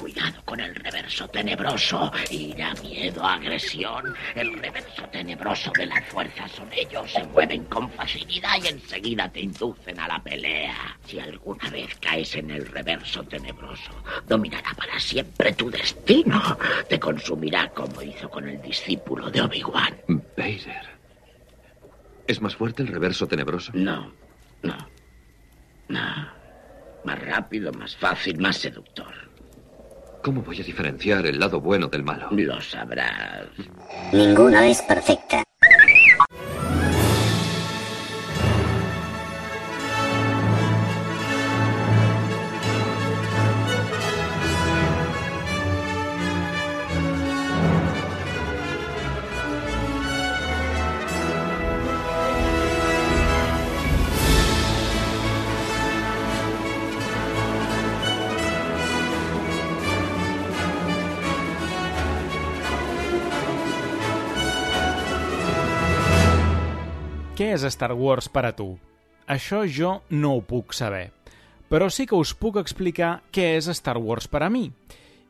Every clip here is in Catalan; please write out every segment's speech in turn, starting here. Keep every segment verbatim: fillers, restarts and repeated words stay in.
Cuidado con el reverso tenebroso. Ira, miedo, agresión. El reverso tenebroso de las fuerzas son ellos. Se mueven con facilidad y enseguida te inducen a la pelea. Si alguna vez caes en el reverso tenebroso, dominará para siempre tu destino. Te consumirá como hizo con el discípulo de Obi-Wan. Vader. ¿Es más fuerte el reverso tenebroso? No, no, no. Más rápido, más fácil, más seductor. ¿Cómo voy a diferenciar el lado bueno del malo? Lo sabrás. Ninguna es perfecta. Què és Star Wars per a tu? Això jo no ho puc saber, però sí que us puc explicar què és Star Wars per a mi.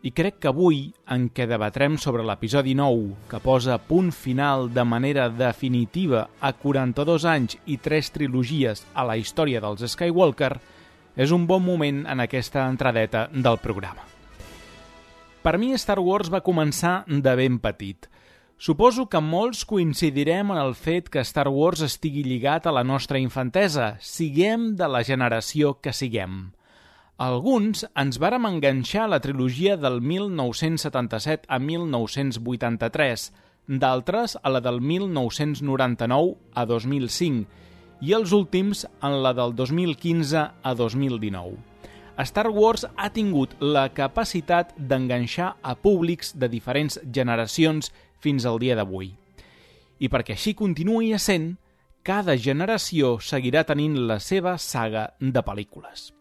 I crec que avui, en què debatrem sobre l'episodi nou, que posa punt final de manera definitiva a quaranta-dos anys i tres trilogies a la història dels Skywalker, és un bon moment en aquesta entradeta del programa. Per mi Star Wars va començar de ben petit. Suposo que molts coincidirem en el fet que Star Wars estigui lligat a la nostra infantesa, siguem de la generació que siguem. Alguns ens vàrem enganxar a la trilogia del mil nou-cents setanta-set a mil nou-cents vuitanta-tres, d'altres a la del mil nou-cents noranta-nou a dos mil cinc i els últims en la del dos mil quinze a dos mil dinou. Star Wars ha tingut la capacitat d'enganxar a públics de diferents generacions fins al dia d'avui. I perquè així continuï essent, cada generació seguirà tenint la seva saga de pel·lícules.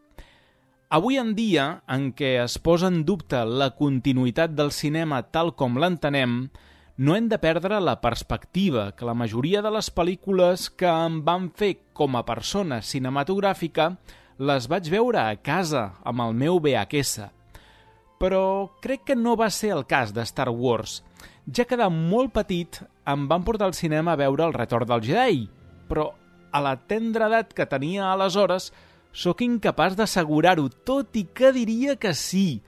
Avui en dia, en què es posa en dubte la continuïtat del cinema tal com l'entenem, no hem de perdre la perspectiva que la majoria de les pel·lícules que em van fer com a persona cinematogràfica les vaig veure a casa amb el meu V H S. Però crec que no va ser el cas de Star Wars. Ja que de molt petit em van portar al cinema a veure El retorn del Jedi, però a la tendra edat que tenia aleshores sóc incapaç d'assegurar-ho, tot i que diria que sí,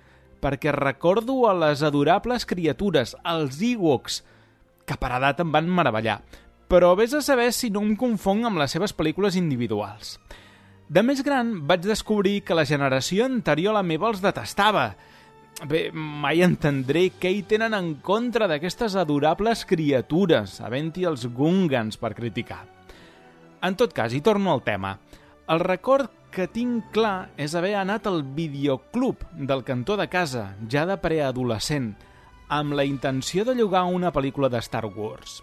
perquè recordo a les adorables criatures, els Ewoks, que per edat em van meravellar, però vés a saber si no em confong amb les seves pel·lícules individuals. De més gran vaig descobrir que la generació anterior a la meva els detestava. Bé, mai entendré què hi tenen en contra d'aquestes adorables criatures, havent-hi els Gungans per criticar. En tot cas, hi torno al tema. El record que tinc clar és haver anat al videoclub del cantó de casa, ja de preadolescent, amb la intenció de llogar una pel·lícula de Star Wars.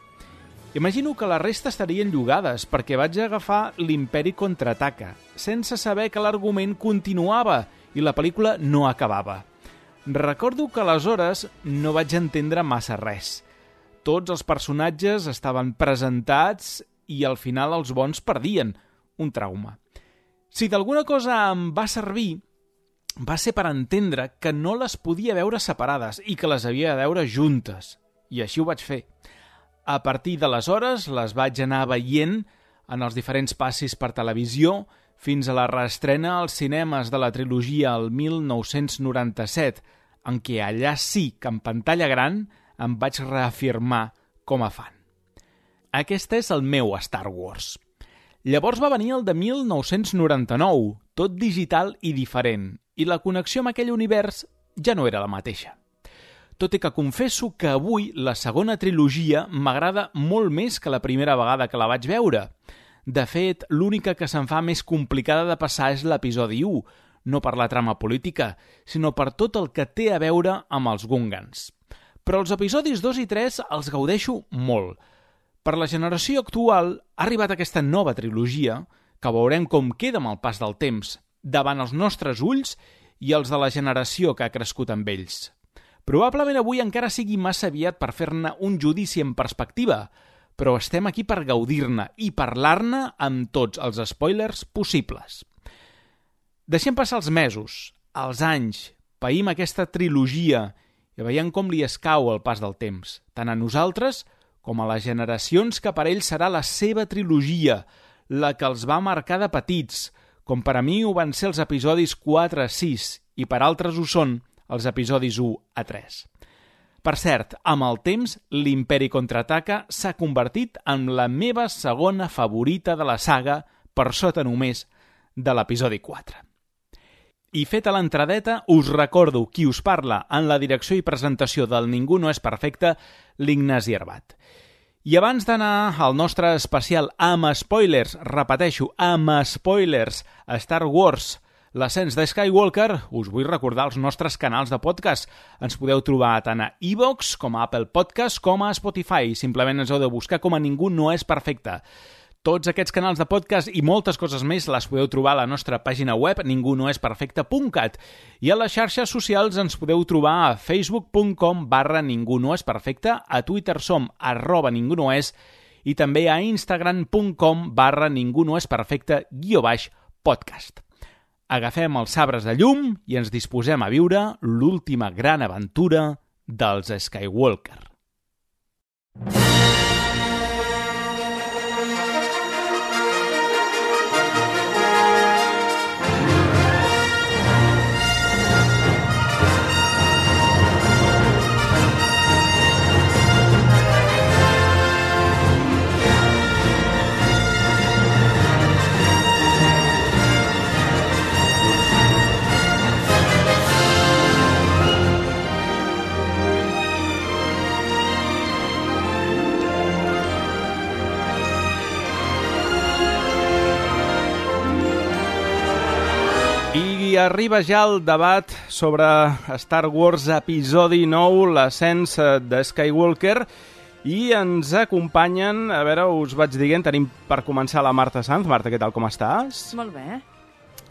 Imagino que la resta estarien llogades perquè vaig agafar l'Imperi Contraataca, sense saber que l'argument continuava i la pel·lícula no acabava. Recordo que aleshores no vaig entendre massa res. Tots els personatges estaven presentats i al final els bons perdien. Un trauma. Si d'alguna cosa em va servir, va ser per entendre que no les podia veure separades i que les havia de veure juntes. I així ho vaig fer. A partir d'aleshores les vaig anar veient en els diferents passis per televisió fins a la reestrena als cinemes de la trilogia el mil nou-cents noranta-set, en què allà sí que en pantalla gran em vaig reafirmar com a fan. Aquest és el meu Star Wars. Llavors va venir el de mil nou-cents noranta-nou, tot digital i diferent, i la connexió amb aquell univers ja no era la mateixa. Tot i que confesso que avui la segona trilogia m'agrada molt més que la primera vegada que la vaig veure. De fet, l'única que se'n fa més complicada de passar és l'episodi u, no per la trama política, sinó per tot el que té a veure amb els Gungans. Però els episodis dos i tres els gaudeixo molt. Per la generació actual ha arribat aquesta nova trilogia, que veurem com queda amb el pas del temps, davant els nostres ulls i els de la generació que ha crescut amb ells. Probablement avui encara sigui massa aviat per fer-ne un judici en perspectiva, però estem aquí per gaudir-ne i parlar-ne amb tots els spoilers possibles. Deixem passar els mesos, els anys, païm aquesta trilogia i veiem com li escau el pas del temps, tant a nosaltres com a les generacions que per ell serà la seva trilogia, la que els va marcar de petits, com per a mi ho van ser els episodis quatre a sis i per altres ho són els episodis u a tres. Per cert, amb el temps, l'Imperi Contraataca s'ha convertit en la meva segona favorita de la saga, per sota només de l'episodi quatre. I feta l'entradeta, us recordo qui us parla en la direcció i presentació del Ningú no és perfecte, l'Ignasi Arbat. I abans d'anar al nostre especial amb spoilers, repeteixo, amb spoilers, a Star Wars, l'ascens de Skywalker, us vull recordar els nostres canals de podcast. Ens podeu trobar tant a iVoox, com a Apple Podcast, com a Spotify. Simplement ens heu de buscar com a Ningú no és perfecte. Tots aquests canals de podcast i moltes coses més les podeu trobar a la nostra pàgina web ningú no és perfecte punt cat i a les xarxes socials ens podeu trobar a facebook punt com barra ningú no és perfecte, a Twitter som arroba ningú no és i també a instagram punt com barra ningú no és perfecte guió baix podcast. Agafem els sabres de llum i ens disposem a viure l'última gran aventura dels Skywalker. I arriba ja el debat sobre Star Wars episodi nou, l'ascens de Skywalker, i ens acompanyen, a veure, us vaig dient, tenim per començar la Marta Sanz. Marta, què tal, com estàs? Molt bé.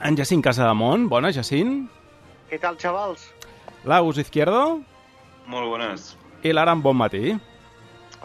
En Jacint Casademont, bona, Jacint. Què tal, xavals? L'Agus Izquierdo. Molt bones. I l'Aram, bon matí.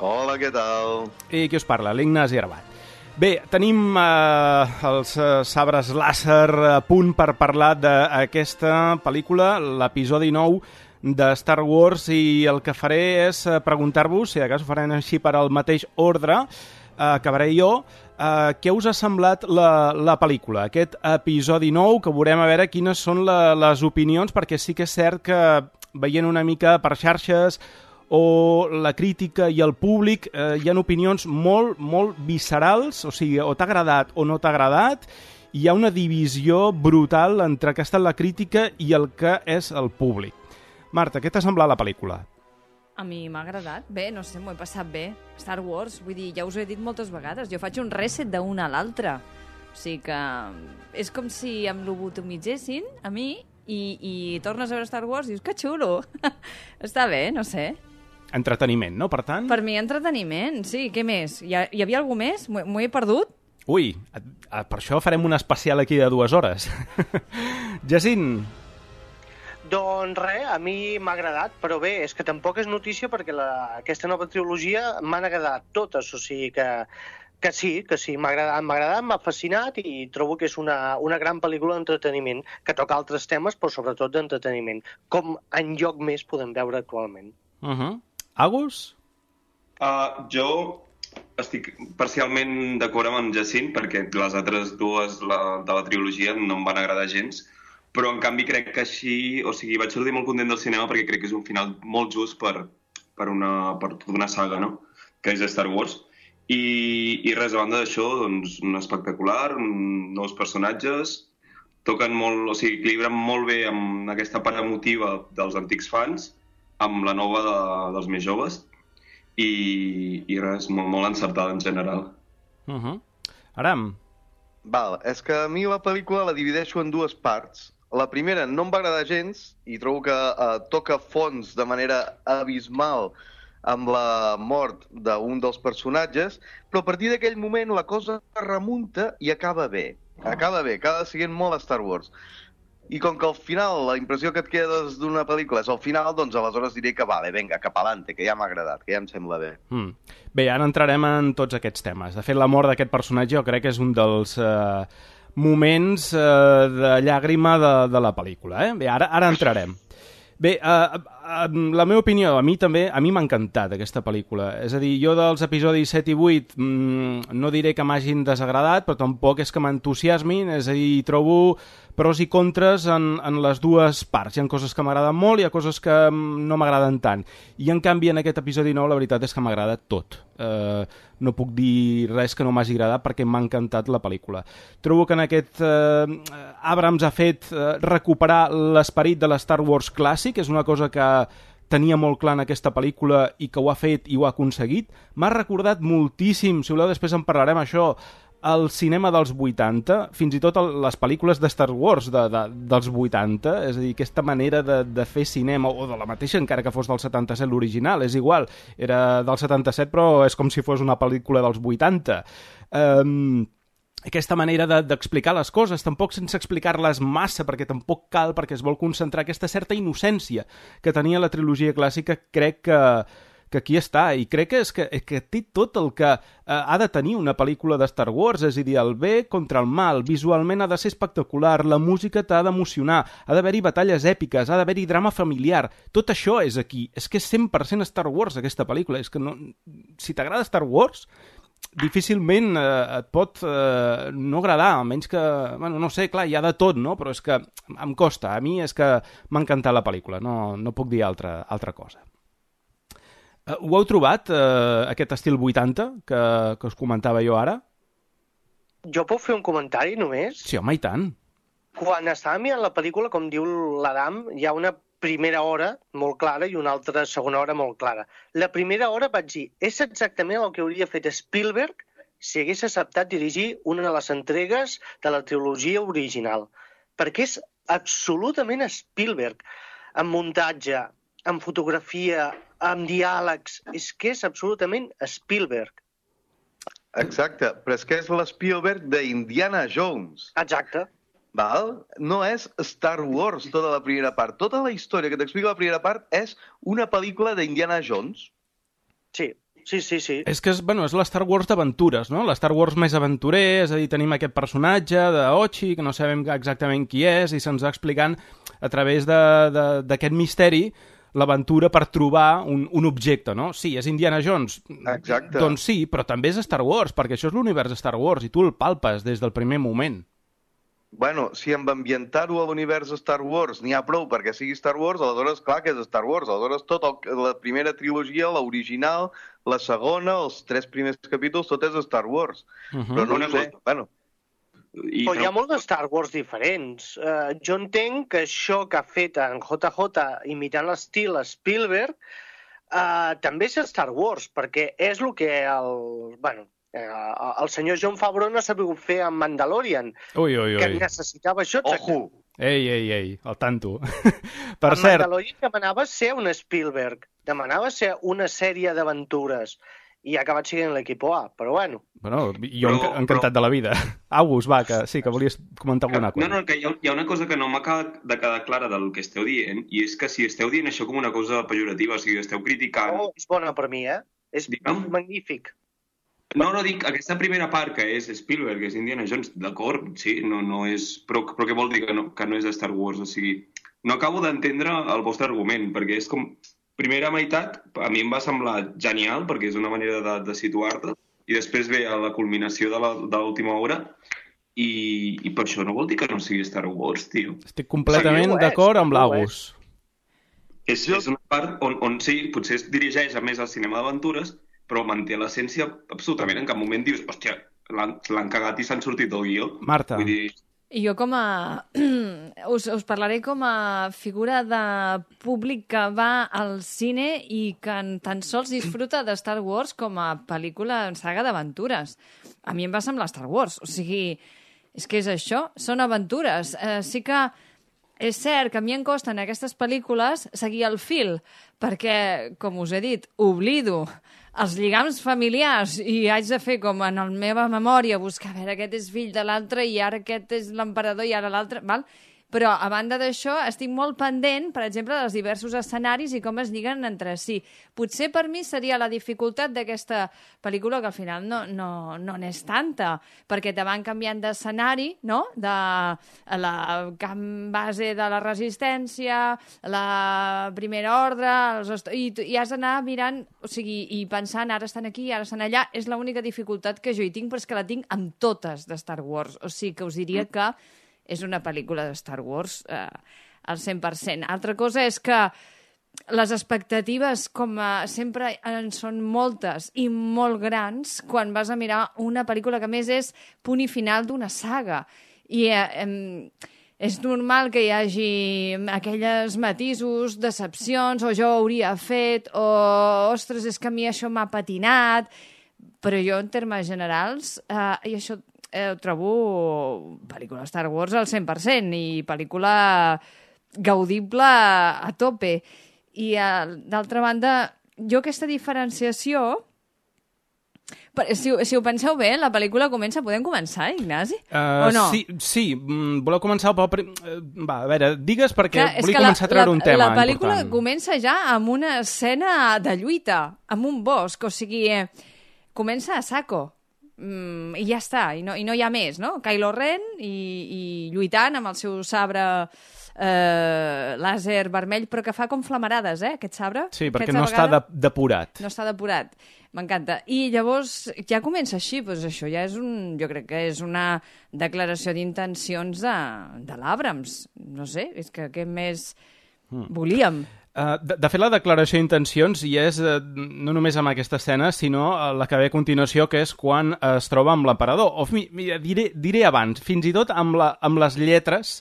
Hola, què tal? I qui us parla? L'Ignasi Arbat. Bé, tenim eh, els eh, sabres làser a punt per parlar d'aquesta pel·lícula, l'episodi nou de Star Wars, i el que faré és preguntar-vos, si de cas ho farem així per al mateix ordre, eh, acabaré jo, eh, què us ha semblat la, la pel·lícula, aquest episodi nou, que veurem a veure quines són la, les opinions, perquè sí que és cert que veient una mica per xarxes o la crítica i el públic, eh, hi ha opinions molt, molt viscerals, o sigui, o t'ha agradat o no t'ha agradat, hi ha una divisió brutal entre el que ha estat la crítica i el que és el públic. Marta, què t'ha semblat la pel·lícula? A mi m'ha agradat. Bé, no sé, m'ho he passat bé. Star Wars, vull dir, ja us ho he dit moltes vegades, jo faig un reset d'una a l'altra. O sigui que és com si em lobotomitzessin a mi i, i tornes a veure Star Wars i dius, que xulo! Està bé, no sé. Entreteniment, no, per tant? Per mi, entreteniment, sí. Què més? Hi, ha, hi havia algú més? M'ho he perdut? Ui, per això farem un especial aquí de dues hores. Jacint. Doncs res, a mi m'ha agradat, però bé, és que tampoc és notícia perquè la, aquesta nova trilogia m'han agradat totes, o sigui que, que sí, que sí, m'ha agradat, m'ha agradat, m'ha fascinat i trobo que és una, una gran pel·lícula d'entreteniment, que toca altres temes, però sobretot d'entreteniment, com enlloc més podem veure actualment. Uh-huh. Agus? Uh, jo estic parcialment d'acord amb en Jacint, perquè les altres dues la, de la trilogia no em van agradar gens, però en canvi crec que així, o sigui, vaig sortir molt content del cinema perquè crec que és un final molt just per, per, una, per tota una saga, no?, que és Star Wars. I, i res, a banda d'això, doncs, un espectacular, un, nous personatges, toquen molt, o sigui, equilibren molt bé amb aquesta part emotiva dels antics fans, amb la nova de, dels més joves, i, i res, molt, molt encertada en general. Uh-huh. Aram? Val, és que a mi la pel·lícula la divideixo en dues parts. La primera no em va agradar gens i trobo que eh, toca fons de manera abismal amb la mort d'un dels personatges, però a partir d'aquell moment la cosa remunta i acaba bé. Acaba bé, acaba sent molt Star Wars. I com que al final la impressió que et quedes d'una pel·lícula és al final, doncs aleshores diré que vale, vinga, cap avante, que ja m'ha agradat, que ja em sembla bé. Mm. Bé, ara entrarem en tots aquests temes. De fet, la mort d'aquest personatge jo crec que és un dels eh, moments eh, de llàgrima de, de la pel·lícula. Eh? Bé, ara, ara entrarem. Bé, uh, uh, la meva opinió, a mi també, a mi m'ha encantat aquesta pel·lícula. És a dir, jo dels episodis set i vuit mmm, no diré que m'hagin desagradat, però tampoc és que m'entusiasmin, és a dir, trobo pros i contres en, en les dues parts. Hi ha coses que m'agraden molt, hi ha coses que no m'agraden tant. I en canvi en aquest episodi nou la veritat és que m'agrada tot. Uh, no puc dir res que no m'hagi agradat perquè m'ha encantat la pel·lícula. Trobo que en aquest uh, Abrams ha fet uh, recuperar l'esperit de la Star Wars clàssic, és una cosa que tenia molt clar en aquesta pel·lícula i que ho ha fet i ho ha aconseguit. M'ha recordat moltíssim, si voleu després en parlarem això, el cinema dels vuitanta, fins i tot el, les pel·lícules de Star Wars de, de, dels vuitanta, és a dir, aquesta manera de, de fer cinema, o de la mateixa encara que fos del setanta-set l'original, és igual, era del setanta-set però és com si fos una pel·lícula dels vuitanta. Um, aquesta manera d'explicar de, les coses, tampoc sense explicar-les massa, perquè tampoc cal, perquè es vol concentrar aquesta certa innocència que tenia la trilogia clàssica, crec que que aquí està, i crec que és que, que té tot el que eh, ha de tenir una pel·lícula de Star Wars, és a dir, el bé contra el mal, visualment ha de ser espectacular, la música t'ha d'emocionar, ha d'haver-hi batalles èpiques, ha d'haver-hi drama familiar, tot això és aquí, és que és cent per cent Star Wars aquesta pel·lícula, és que no, si t'agrada Star Wars, difícilment eh, et pot eh, no agradar, almenys que, bueno, no sé, clar, hi ha de tot, no? Però és que em costa, a mi és que m'ha encantat la pel·lícula, no, no puc dir altra, altra cosa. Uh, ho heu trobat, uh, aquest estil vuitanta que, que us comentava jo ara? Jo puc fer un comentari només? Sí, home, i tant. Quan estava mirant la pel·lícula, com diu l'Adam, hi ha una primera hora molt clara i una altra segona hora molt clara. La primera hora vaig dir, és exactament el que hauria fet Spielberg si hagués acceptat dirigir una de les entregues de la trilogia original. Perquè és absolutament Spielberg, en muntatge, en fotografia, amb diàlegs, és que és absolutament Spielberg. Exacte, però és que és l'Spielberg d'Indiana Jones. Exacte. Val? No és Star Wars tota la primera part. Tota la història que t'explica la primera part és una pel·lícula d'Indiana Jones. Sí, sí, sí, sí. És que és, bueno, és la Star Wars d'aventures, no? La Star Wars més aventurer, és a dir, tenim aquest personatge d'Ochi, que no sabem exactament qui és, i se'ns va explicant a través d'aquest misteri l'aventura per trobar un, un objecte, no? Sí, és Indiana Jones. Exacte. Doncs sí, però també és Star Wars, perquè això és l'univers de Star Wars i tu el palpes des del primer moment. Bueno, si amb ambientar-ho a l'univers de Star Wars n'hi ha prou perquè sigui Star Wars, aleshores clar que és Star Wars. Aleshores tot el, la primera trilogia, l'original, la segona, els tres primers capítols, tot és Star Wars. Uh-huh. Però no ho sé, bueno... I però hi ha molts de Star Wars diferents. Uh, jo entenc que això que ha fet en J J imitant l'estil Spielberg uh, també és Star Wars, perquè és el que el, bueno, uh, el senyor Jon Favreau no ha sabut fer amb Mandalorian, ui, ui, ui. que necessitava això. Ojo! Ei, ei, ei, al tanto. Per en cert... Mandalorian demanava ser un Spielberg, demanava ser una sèrie d'aventures, i ha acabat sent l'equip A, però bueno. Bueno, jo però, encantat però... de la vida. August, va, que sí, que volies comentar alguna cosa. No, no, que hi ha, hi ha una cosa que no m'acaba de quedar clara del que esteu dient, i és que si esteu dient això com una cosa pejorativa, o sigui, esteu criticant... Oh, és bona per mi, eh? És Digue'm? magnífic. No, no, dic, aquesta primera part que és Spielberg, que és Indiana Jones, d'acord, sí, no, no és... Però, però què vol dir que no, que no és Star Wars? O sigui, no acabo d'entendre el vostre argument, perquè és com... Primera meitat, a mi em va semblar genial, perquè és una manera de, de situar-te, i després ve a la culminació de l'última hora, i, i per això no vol dir que no sigui Star Wars, tio. Estic completament d'acord amb l'August. És, és una part on, on sí, potser es dirigeix a més al cinema d'aventures, però manté l'essència absolutament. En cap moment dius, hòstia, l'han cagat i s'han sortit del guió. Marta. Vull dir... Jo com a... us, us parlaré com a figura de públic que va al cine i que tan sols disfruta de Star Wars com a pel·lícula en saga d'aventures. A mi em va semblar Star Wars. O sigui, és que és això, són aventures. Eh, sí que és cert que a mi em costa en aquestes pel·lícules seguir el fil, perquè, com us he dit, oblido els lligams familiars i haig de fer com en la meva memòria, buscar, a veure, aquest és fill de l'altre i ara aquest és l'emperador i ara l'altre, val? Però, a banda d'això, estic molt pendent, per exemple, dels diversos escenaris i com es lliguen entre si. Potser per mi seria la dificultat d'aquesta pel·lícula, que al final no, no, no n'és tanta, perquè te van canviant d'escenari, no? De la camp base de la resistència, la primera ordre, els i, i has d'anar mirant, o sigui, i pensant, ara estan aquí, ara estan allà, és l'única dificultat que jo hi tinc, però és que la tinc amb totes de Star Wars. O sigui, que us diria que és una pel·lícula de Star Wars eh, al cent per cent. Altra cosa és que les expectatives, com a, sempre en són moltes i molt grans quan vas a mirar una pel·lícula que, a més, és punt i final d'una saga. I eh, eh, és normal que hi hagi aquelles matisos, decepcions, o jo ho hauria fet, o, ostres, és que a mi això m'ha patinat, però jo, en termes generals, eh, i això eh, trobo pel·lícula Star Wars al cent per cent i pel·lícula gaudible a tope. I, eh, d'altra banda, jo aquesta diferenciació... Si, si ho penseu bé, la pel·lícula comença... Podem començar, Ignasi? Uh, o no? Sí, sí. Voleu començar pel... Prim... Va, a veure, digues perquè Clar, volia començar la, a treure la, un tema La pel·lícula important. comença ja amb una escena de lluita, amb un bosc, o sigui, eh, comença a saco. Mm, i ja està, i no, i no hi ha més, no? Kylo Ren i, i lluitant amb el seu sabre eh, làser vermell, però que fa com flamarades, eh, aquest sabre. Sí, perquè Aquesta no vegada, està de, depurat. No està depurat. M'encanta. I llavors ja comença així, doncs això ja és un... Jo crec que és una declaració d'intencions de, de l'Abrams. No sé, és que què més mm. volíem? Uh, de, de fet, la declaració d'intencions hi és uh, no només amb aquesta escena, sinó uh, la que ve a continuació, que és quan uh, es troba amb l'emperador. O, mira, diré, diré abans, fins i tot amb, la, amb les lletres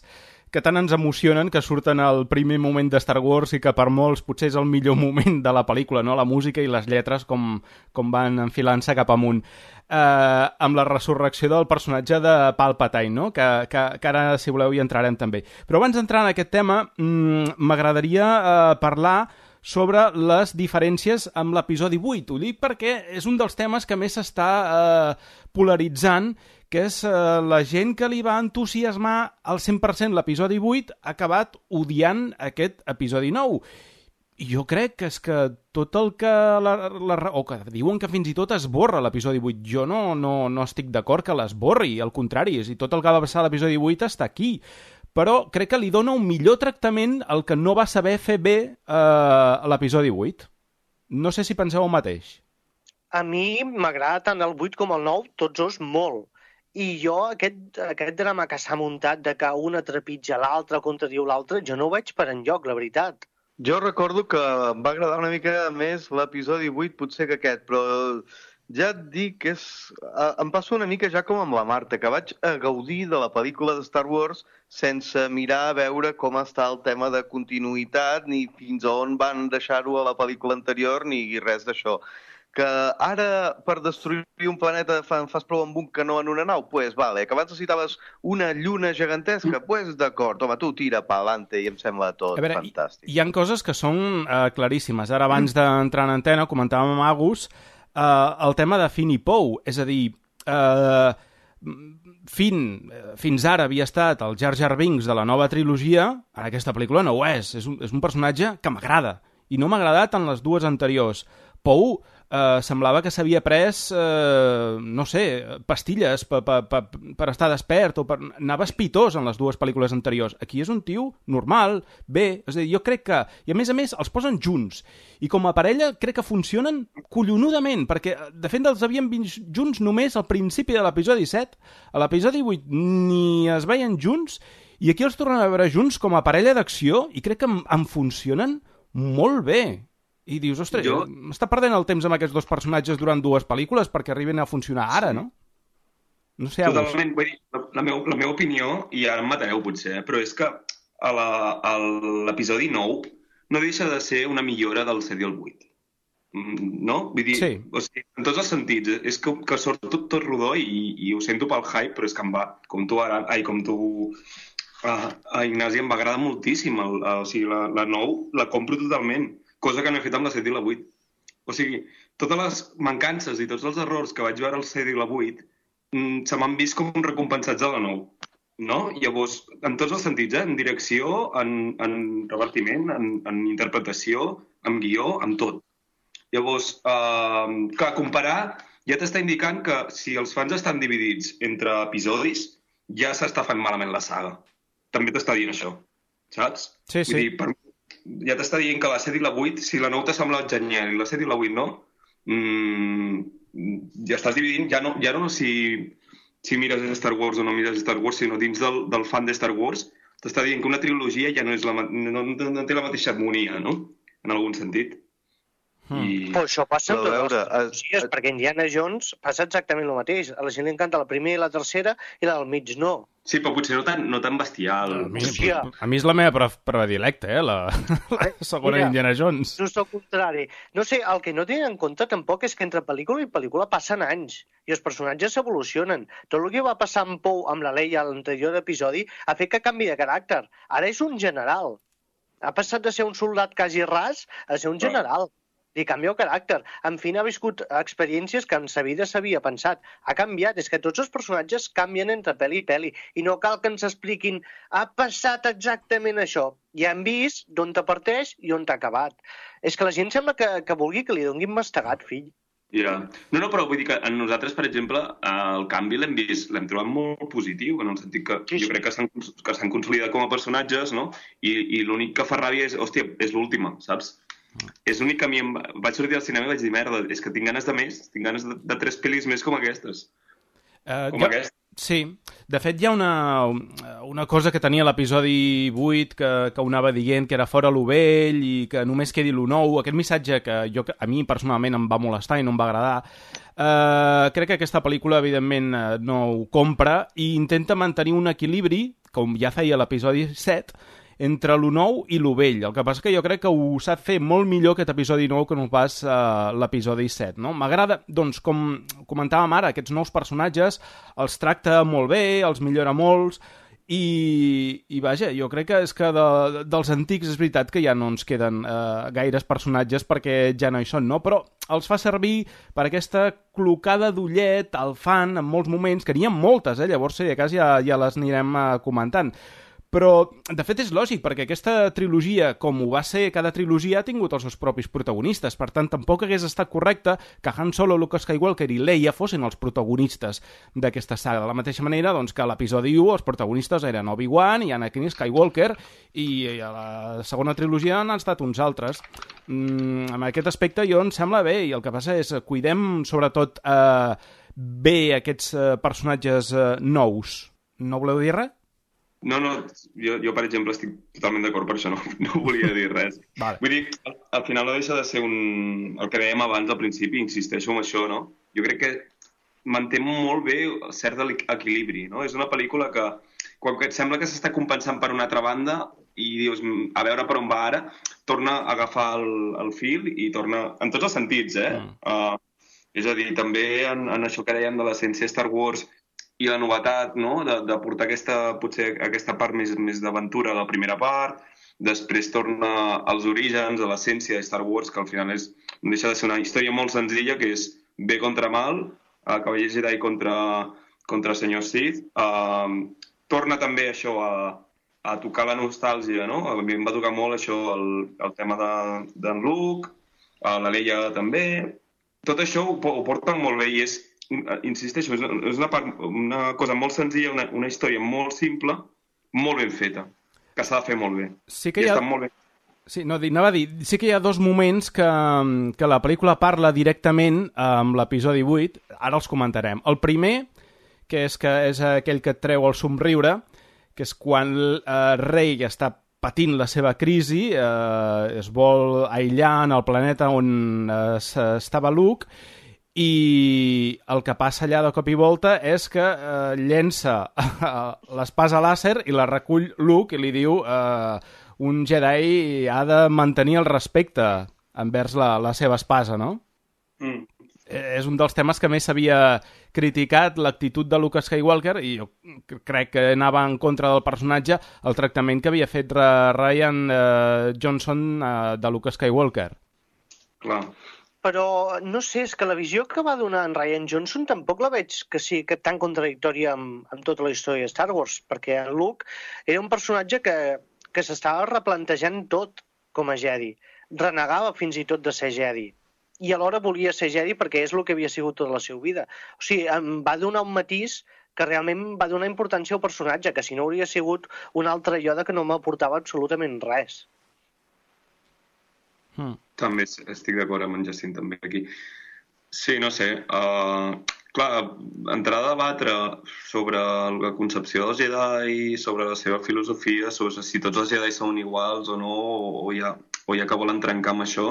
que tant ens emocionen, que surten al primer moment de Star Wars i que per molts potser és el millor moment de la pel·lícula, no? La música i les lletres com, com van enfilant-se cap amunt. Eh, amb la resurrecció del personatge de Palpatine, no? que, que, que ara, si voleu, hi entrarem també. Però abans d'entrar en aquest tema, m'agradaria eh, parlar sobre les diferències amb l'episodi vuit. Ho dic perquè és un dels temes que més s'està eh, polaritzant, que és eh, la gent que li va entusiasmar al cent per cent l'episodi vuit ha acabat odiant aquest episodi nou. I jo crec que és que tot el que... La, la, o que diuen que fins i tot esborra l'episodi vuit. Jo no, no, no estic d'acord que l'esborri, al contrari, és a dir, tot el que va passar a l'episodi vuit està aquí. Però crec que li dona un millor tractament al que no va saber fer bé eh, a l'episodi vuit. No sé si penseu el mateix. A mi m'agrada tant el vuit com el nou, tots dos molt. I jo, aquest, aquest drama que s'ha muntat de que una trepitja l'altre, contradiu l'altre, jo no ho veig per enlloc, la veritat. Jo recordo que em va agradar una mica més l'episodi vuit potser que aquest, però ja et dic que és... Em passa una mica ja com amb la Marta, que vaig a gaudir de la pel·lícula de Star Wars sense mirar a veure com està el tema de continuïtat, ni fins a on van deixar-ho a la pel·lícula anterior, ni res d'això. Que ara, per destruir un planeta, fan, fas prou amb un canó en una nau? Pues vale. Que abans necessitaves una lluna gegantesca? Pues d'acord. Home, tu tira pa'lante i em sembla tot a veure, fantàstic. Hi, hi ha coses que són uh, claríssimes. Ara, abans d'entrar en antena, comentàvem amb Agus uh, el tema de Finn i Poe. És a dir, uh, Finn, fins ara havia estat el Jar Jar Binks de la nova trilogia, ara aquesta pel·lícula no ho és. És un, és un personatge que m'agrada. I no m'ha agradat en les dues anteriors. Poe eh, semblava que s'havia pres, eh, no sé, pastilles per, per, per, per estar despert, o per... anava espitós en les dues pel·lícules anteriors. Aquí és un tio normal, bé, és a dir, jo crec que... I a més a més els posen junts, i com a parella crec que funcionen collonudament, perquè de fet els havien vist junts només al principi de l'episodi set, a l'episodi vuit ni es veien junts, i aquí els tornen a veure junts com a parella d'acció, i crec que em, em funcionen molt bé. I dius, ostres, jo... m'està perdent el temps amb aquests dos personatges durant dues pel·lícules perquè arriben a funcionar ara, sí. No? No sé, totalment, vull dir, la, meva, la meva opinió, i ara em matareu potser, eh, però és que a l'episodi nou no deixa de ser una millora del set i el vuit. No? Vull dir, sí. O sigui, en tots els sentits, és que, que surt tot, tot rodó i, i ho sento pel hype, però és que em va, com tu ara, ai, com tu... Uh, a Ignasi em va agradar moltíssim, el, el, o sigui, la, la nou la compro totalment, cosa que no he fet amb la set i la vuit. O sigui, totes les mancances i tots els errors que vaig veure al set i la vuit mm, se m'han vist com recompensats a la nou. no? Llavors, en tots els sentits, eh? En direcció, en, en revertiment, en, en interpretació, en guió, en tot. Llavors, eh, clar, comparar ja t'està indicant que si els fans estan dividits entre episodis, ja s'està fent malament la saga. També t'està dient això, saps? Sí, sí. Vull dir, per, ja t'està dient que la set i la vuit, si la nou t'ha semblat genial i la set i la vuit no, mmm, ja estàs dividint, ja no, ja no si, si mires Star Wars o no mires Star Wars, sinó dins del, del fan de Star Wars, t'està dient que una trilogia ja no, és la, no, no té la mateixa harmonia, no? En algun sentit. Hmm. I... Però això passa amb totes les trilogies, perquè Indiana Jones passa exactament el mateix. A la gent li encanta la primera i la tercera i la del mig no. Sí, però potser no tan, no tan bestial. A mi, a mi és la meva predilecta, eh? La, la segona Mira, Indiana Jones. Just al contrari. No sé, el que no tenen en compte tampoc és que entre pel·lícula i pel·lícula passen anys i els personatges s'evolucionen. Tot el que va passar amb Poe, amb la Leia a l'anterior episodi, ha fet que canvi de caràcter. Ara és un general. Ha passat de ser un soldat quasi ras a ser un general. Li canvia el caràcter. En fi, ha viscut experiències que en sa vida s'havia pensat. Ha canviat. És que tots els personatges canvien entre pel·li i pel·li. I no cal que ens expliquin ha passat exactament això. Ja hem vist d'on te parteix i on t'ha acabat. És que la gent sembla que, que vulgui que li donguin mastegat, fill. Ja. Yeah. No, no, però vull dir que en nosaltres, per exemple, el canvi l'hem vist, l'hem trobat molt positiu, en el sentit que sí, sí. jo crec que s'han, que s'han consolidat com a personatges, no? I, i l'únic que fa ràbia és, hòstia, és l'última, saps? És l'únic que a mi em vaig sortir al cinema i vaig dir, merda, és que tinc ganes de més, tinc ganes de, de tres pel·lis més com aquestes. Uh, com jo, aquesta. Sí, de fet hi ha una, una cosa que tenia l'episodi vuit que, que ho anava dient, que era fora lo vell i que només quedi lo nou, aquest missatge que jo, a mi personalment em va molestar i no em va agradar. Uh, crec que aquesta pel·lícula evidentment no ho compra i intenta mantenir un equilibri, com ja feia l'episodi set, entre lo nou i lo vell. El que passa que jo crec que ho sap fer molt millor aquest episodi nou que no pas uh, l'episodi set, no? M'agrada, doncs, com comentàvem ara, aquests nous personatges els tracta molt bé, els millora molts, i, i vaja, jo crec que és que de, dels antics és veritat que ja no ens queden uh, gaires personatges perquè ja no hi són, no? Però els fa servir per aquesta clocada d'ullet al fan en molts moments, que n'hi ha moltes, eh? Llavors, si de cas, ja, ja les anirem uh, comentant. Però, de fet, és lògic, perquè aquesta trilogia, com ho va ser cada trilogia, ha tingut els seus propis protagonistes. Per tant, tampoc hagués estat correcte que Han Solo, Luke Skywalker i Leia fossin els protagonistes d'aquesta saga. De la mateixa manera doncs, que a l'episodi u els protagonistes eren Obi-Wan i Anakin Skywalker, i a la segona trilogia han estat uns altres. Mm, en aquest aspecte jo em sembla bé, i el que passa és cuidem, sobretot, eh, bé aquests eh, personatges eh, nous. No voleu dir res? No, no, jo, jo per exemple estic totalment d'acord per això, no, no volia dir res. Vale. Vull dir, al, al final no deixa de ser un... el que dèiem abans al principi, insisteixo en això, no? Jo crec que manté molt bé cert equilibri, no? És una pel·lícula que, quan et sembla que s'està compensant per una altra banda i dius, a veure per on va ara, torna a agafar el, el fil i torna... en tots els sentits, eh? Mm. Uh, és a dir, també en, en això que dèiem de l'essència Star Wars i la novetat, no?, de, de portar aquesta, potser aquesta part més, més d'aventura a la primera part, després torna als orígens, a l'essència de Star Wars, que al final és, no deixa de ser una història molt senzilla, que és bé contra mal, uh, Cavallers Jedi contra, contra Senyor Sith. Uh, torna també això a, a tocar la nostàlgia, no? A mi em va tocar molt això, el, el tema d'en de, Luke, a la Leia també. Tot això ho, ho porten molt bé i és, insisteixo, és una, part, una cosa molt senzilla, una, una història molt simple, molt ben feta, que s'ha de fer molt bé. Sí que hi ha... molt bé. Sí, no, anava a dir, sí que hi ha dos moments que, que la pel·lícula parla directament amb l'episodi vuit, ara els comentarem. El primer, que és, que és aquell que et treu el somriure, que és quan eh, Rey està patint la seva crisi, eh, es vol aïllar en el planeta on eh, estava Luke, i el que passa allà de cop i volta és que eh, llença l'espasa làser i la recull Luke i li diu eh, un Jedi ha de mantenir el respecte envers la, la seva espasa, no? Mm. És un dels temes que més s'havia criticat, l'actitud de Luke Skywalker, i jo crec que anava en contra del personatge el tractament que havia fet Rian eh, Johnson eh, de Luke Skywalker. Clar. però no sé, és que la visió que va donar en Rian Johnson tampoc la veig que sí que tan contradictòria amb, amb tota la història de Star Wars, perquè en Luke era un personatge que, que s'estava replantejant tot com a Jedi. Renegava fins i tot de ser Jedi. I alhora volia ser Jedi perquè és el que havia sigut tota la seva vida. O sigui, em va donar un matís que realment va donar importància al personatge, que si no hauria sigut un altre Yoda que no m'aportava absolutament res. Hmm. També estic d'acord amb en Jacint també aquí. Sí, no sé. Uh, clar, entrar a debatre sobre la concepció dels Jedi, sobre la seva filosofia, sobre si tots els Jedi són iguals o no, o ja, o ja que volen trencar amb això.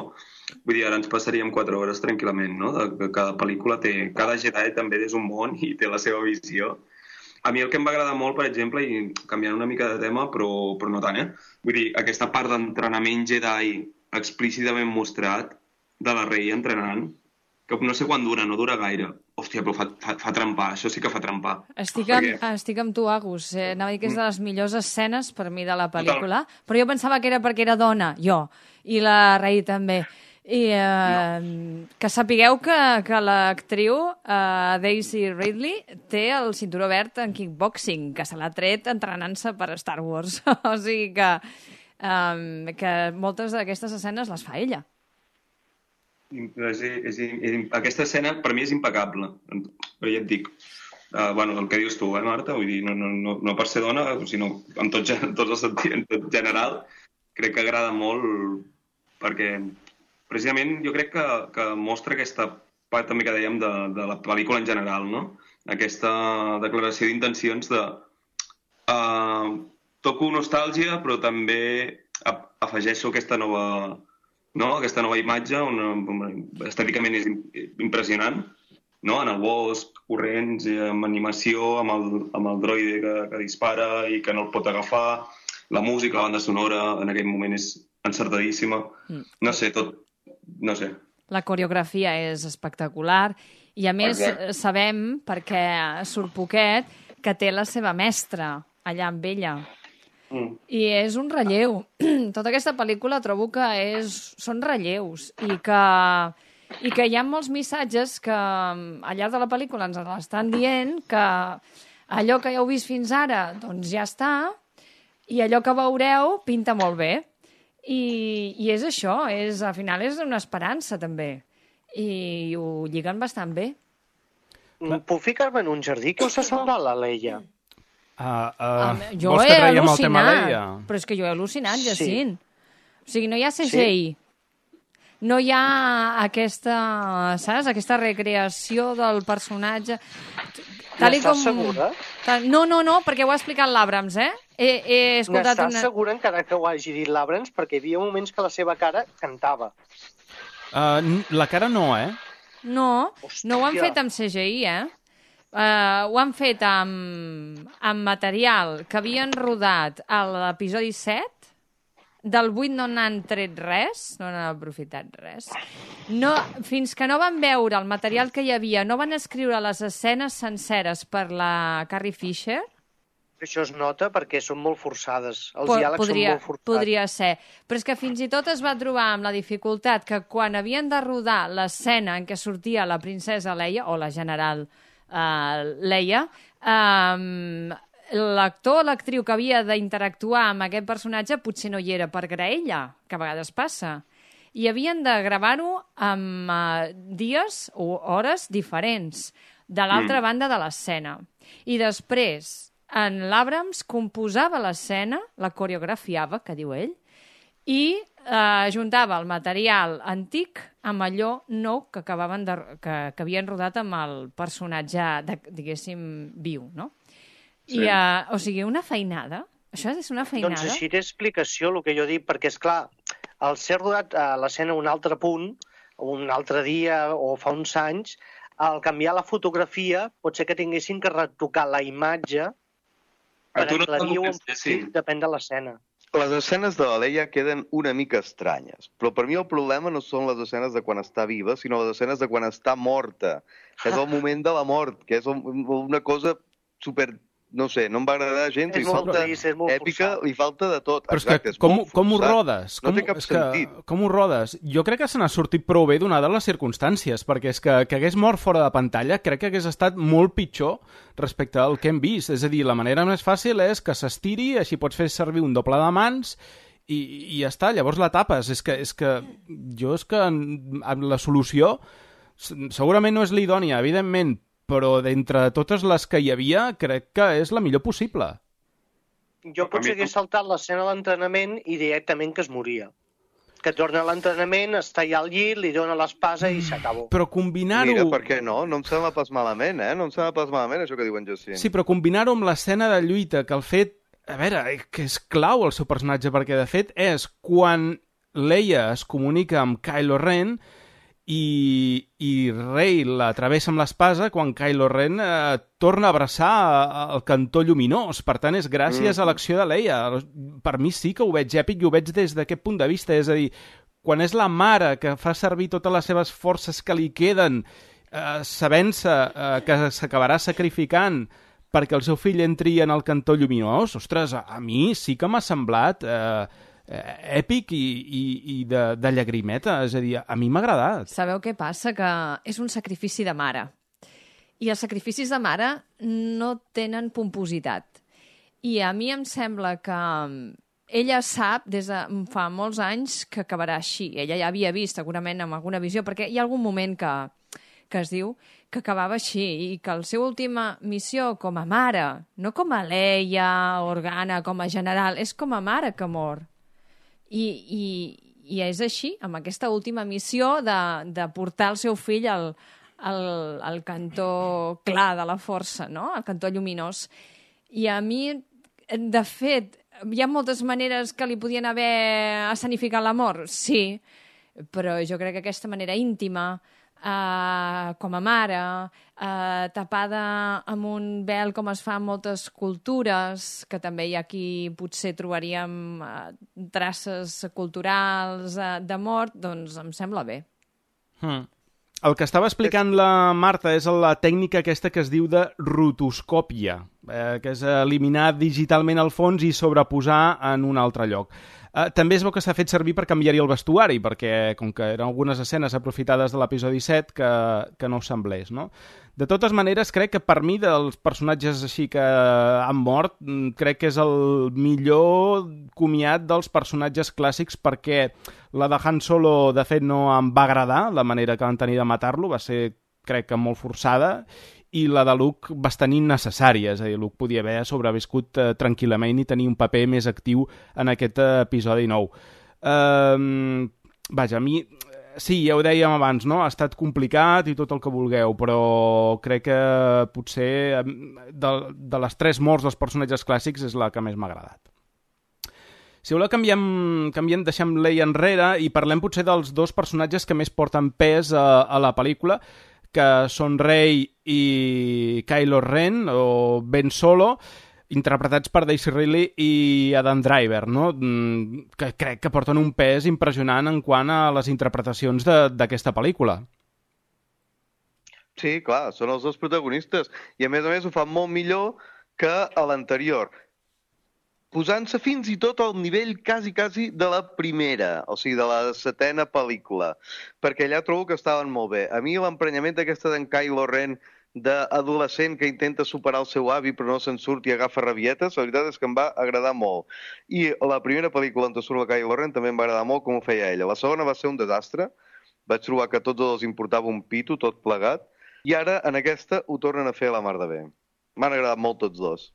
Vull dir, ara ens passaríem quatre hores tranquil·lament, no? De que cada pel·lícula té... Cada Jedi també és un món i té la seva visió. A mi el que em va agradar molt, per exemple, i canviant una mica de tema, però, però no tant, eh? Vull dir, aquesta part d'entrenament Jedi explícitament mostrat de la Rey entrenant, que no sé quan dura, no dura gaire. Hòstia, però fa, fa, fa trempar, això sí que fa trempar. Estic amb, perquè... estic amb tu, Agus. Eh, anava a dir que és de les millors escenes per mi de la pel·lícula, Total. Però jo pensava que era perquè era dona, jo, i la Rey també. I eh, no. que sapigueu que, que l'actriu eh, Daisy Ridley té el cinturó verd en kickboxing, que se l'ha tret entrenant-se per Star Wars. O sigui que, eh, que moltes d'aquestes escenes les fa ella. És, és, és, aquesta escena per mi és impecable, però ja et dic, uh, bueno, el que dius tu, eh, Marta? Vull dir, no, no, no, no per ser dona, sinó en tot, en tot el sentit, en tot general, crec que agrada molt perquè precisament jo crec que, que mostra aquesta part també que dèiem de, de la pel·lícula en general, no? Aquesta declaració d'intencions de uh, toco nostàlgia, però també afegeixo aquesta nova, no? Aquesta nova imatge, una, una, estèticament és impressionant, no? En el bosc, corrents, amb animació, amb el, amb el droide que, que dispara i que no el pot agafar, la música, la banda sonora, en aquell moment és encertadíssima. No sé, tot... No sé. La coreografia és espectacular i, a més, Exacte. sabem, perquè surt poquet, que té la seva mestra allà amb ella. Mm. I és un relleu. Tota aquesta pel·lícula trobo que és, són relleus i que, i que hi ha molts missatges que al llarg de la pel·lícula ens estan dient que allò que ja heu vist fins ara doncs ja està i allò que veureu pinta molt bé. I, i és això, és, al final és una esperança també i ho lliguen bastant bé. Puc ficar-me en un jardí? Què us ha semblat la Leia? Uh, uh, um, jo he al·lucinat, però és que jo he al·lucinat, Jacint. Sí. O sigui, no hi ha C G I, sí. No hi ha aquesta, saps, aquesta recreació del personatge. Tal N'estàs com... segura? No, no, no, perquè ho ha explicat l'Abrams, eh? He, he escoltat N'estàs una... segura encara que ho hagi dit l'Abrams? Perquè hi havia moments que la seva cara cantava. Uh, la cara no, eh? No, Hòstia. No ho han fet amb C G I, eh? Uh, ho han fet amb, amb material que havien rodat a l'episodi set. Del vuit no n'han tret res, no n'han aprofitat res. No, fins que no van veure el material que hi havia, no van escriure les escenes senceres per la Carrie Fisher. Això es nota perquè són molt forçades. Els Po diàlegs podria, són molt forçats. Podria ser. Però és que fins i tot es va trobar amb la dificultat que quan havien de rodar l'escena en què sortia la princesa Leia, o la general uh, Leia, um, l'actor o l'actriu que havia d'interactuar amb aquest personatge potser no hi era per graella, que a vegades passa. I havien de gravar-ho amb uh, dies o hores diferents de l'altra mm. banda de l'escena. I després, en l'Abrams composava l'escena, la coreografiava, que diu ell, i eh, juntava el material antic amb allò nou que acabaven de, que, que havien rodat amb el personatge, de, diguéssim, viu, no? Sí. I, uh, o sigui, una feinada. Això és una feinada. Doncs així té explicació el que jo dic, perquè, és clar, al ser rodat a l'escena un altre punt, un altre dia o fa uns anys, al canviar la fotografia pot ser que tinguessin que retocar la imatge per aclarir-ho un petit, depèn de l'escena. Les escenes de la Leia queden una mica estranyes, però per mi el problema no són les escenes de quan està viva, sinó les escenes de quan està morta, que és el moment de la mort, que és una cosa super no sé, no em va agradar gens, És li molt falta trist, és molt èpica, forçat. li falta de tot. Però és Exacte, que és com, molt com ho forçat. rodes? No Com, té cap és que, sentit. com ho rodes? Jo crec que se n'ha sortit prou bé donades les circumstàncies, perquè és que, que hagués mort fora de pantalla crec que hagués estat molt pitjor respecte al que hem vist. És a dir, la manera més fàcil és que s'estiri, així pots fer servir un doble de mans i, i ja està, llavors la tapes. És que, és que jo és que amb la solució segurament no és l'idònia, evidentment, però d'entre totes les que hi havia, crec que és la millor possible. Jo potser hagués saltat l'escena de l'entrenament i directament que es moria. Que torna a l'entrenament, està allà al llit, li dona l'espasa i s'acabó. Però combinar-ho... Mira, per què no? No em sembla pas malament, eh? No em sembla pas malament això que diuen Jacint. Sí, però combinar-ho amb l'escena de lluita, que el fet... A veure, que és clau el seu personatge, perquè de fet és quan Leia es comunica amb Kylo Ren i, i Rey la travessa amb l'espasa quan Kylo Ren eh, torna a abraçar el cantó lluminós. Per tant, és gràcies mm. a l'acció de Leia. Per mi sí que ho veig èpic i ho veig des d'aquest punt de vista. És a dir, quan és la mare que fa servir totes les seves forces que li queden, eh, sabent-se eh, que s'acabarà sacrificant perquè el seu fill entri en el cantó lluminós, ostres, a, a mi sí que m'ha semblat... Eh, èpic i, i, i de, de llagrimeta, és a dir, a mi m'ha agradat. Sabeu què passa? Que és un sacrifici de mare. I els sacrificis de mare no tenen pompositat. I a mi em sembla que ella sap des de fa molts anys que acabarà així. Ella ja havia vist, segurament, amb alguna visió, perquè hi ha algun moment que, que es diu que acabava així i que la seva última missió com a mare, no com a Leia, Organa, com a general, és com a mare que mor. I, i, i és així, amb aquesta última missió de, de portar el seu fill al, al, al cantó clar de la força, no? Al cantó lluminós. I a mi, de fet, hi ha moltes maneres que li podien haver escenificat la mort, sí, però jo crec que aquesta manera íntima, Uh, com a mare, uh, tapada amb un vel com es fa en moltes cultures, que també hi ha aquí potser trobaríem uh, traces culturals uh, de mort, doncs em sembla bé. Hmm. El que estava explicant la Marta és la tècnica aquesta que es diu de rotoscòpia, eh, que és eliminar digitalment el fons i sobreposar en un altre lloc. Uh, també es veu que s'ha fet servir per canviar-hi el vestuari, perquè com que eren algunes escenes aprofitades de l'episodi set que, que no semblés, no? De totes maneres, crec que per mi dels personatges així que han mort, crec que és el millor comiat dels personatges clàssics, perquè la de Han Solo, de fet, no em va agradar, la manera que van tenir de matar-lo, va ser, crec que, molt forçada, i la de Luke bastant innecessària, és a dir, Luke podia haver sobreviscut eh, tranquil·lament i tenir un paper més actiu en aquest eh, episodi nou. Uh, vaja, a mi, sí, ja ho dèiem abans, no? Ha estat complicat i tot el que vulgueu, però crec que potser de, de les tres morts dels personatges clàssics és la que més m'ha agradat. Si voleu, canviem, canviem, deixem Leia enrere i parlem potser dels dos personatges que més porten pes a, a la pel·lícula, que són Rey i Kylo Ren, o Ben Solo, interpretats per Daisy Ridley i Adam Driver, no? Que crec que porten un pes impressionant en quant a les interpretacions d'aquesta pel·lícula. Sí, clar, són els dos protagonistes. I a més a més ho fan molt millor que a l'anterior, posant-se fins i tot al nivell quasi, quasi de la primera, o sigui, de la setena pel·lícula, perquè allà trobo que estaven molt bé. A mi l'emprenyament d'aquesta d'en Kylo Ren, d'adolescent que intenta superar el seu avi però no se'n surt i agafa rabietes, la veritat és que em va agradar molt. I la primera pel·lícula on surt la Kylo Ren també em va agradar molt com ho feia ella. La segona va ser un desastre, vaig trobar que a tots els importava un pito, tot plegat, i ara en aquesta ho tornen a fer a la mar de bé. M'han agradat molt tots dos.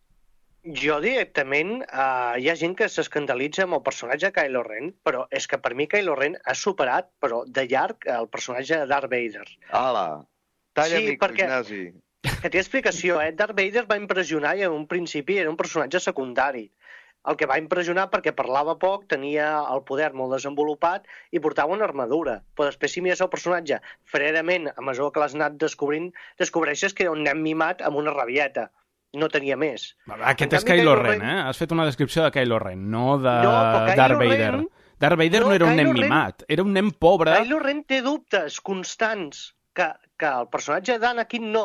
Jo directament, uh, hi ha gent que s'escandalitza amb el personatge de Kylo Ren, però és que per mi Kylo Ren ha superat, però de llarg, el personatge de Darth Vader. Ala, talla sí, mic, perquè, Ignasi. Que té explicació, eh? Darth Vader va impressionar i en un principi era un personatge secundari. El que va impressionar perquè parlava poc, tenia el poder molt desenvolupat i portava una armadura. Però després, si mires el personatge fredament, a mesura que l'has anat descobrint, descobreixes que era un nen mimat amb una rabieta. No tenia més. Aquest és Kylo Ren, eh? Has fet una descripció de Kylo Ren, no de no, Darth Vader. Ren... Darth Vader no, no era un nen mimat, era un nen pobre. Kylo Ren té dubtes constants que, que el personatge d'Anakin no.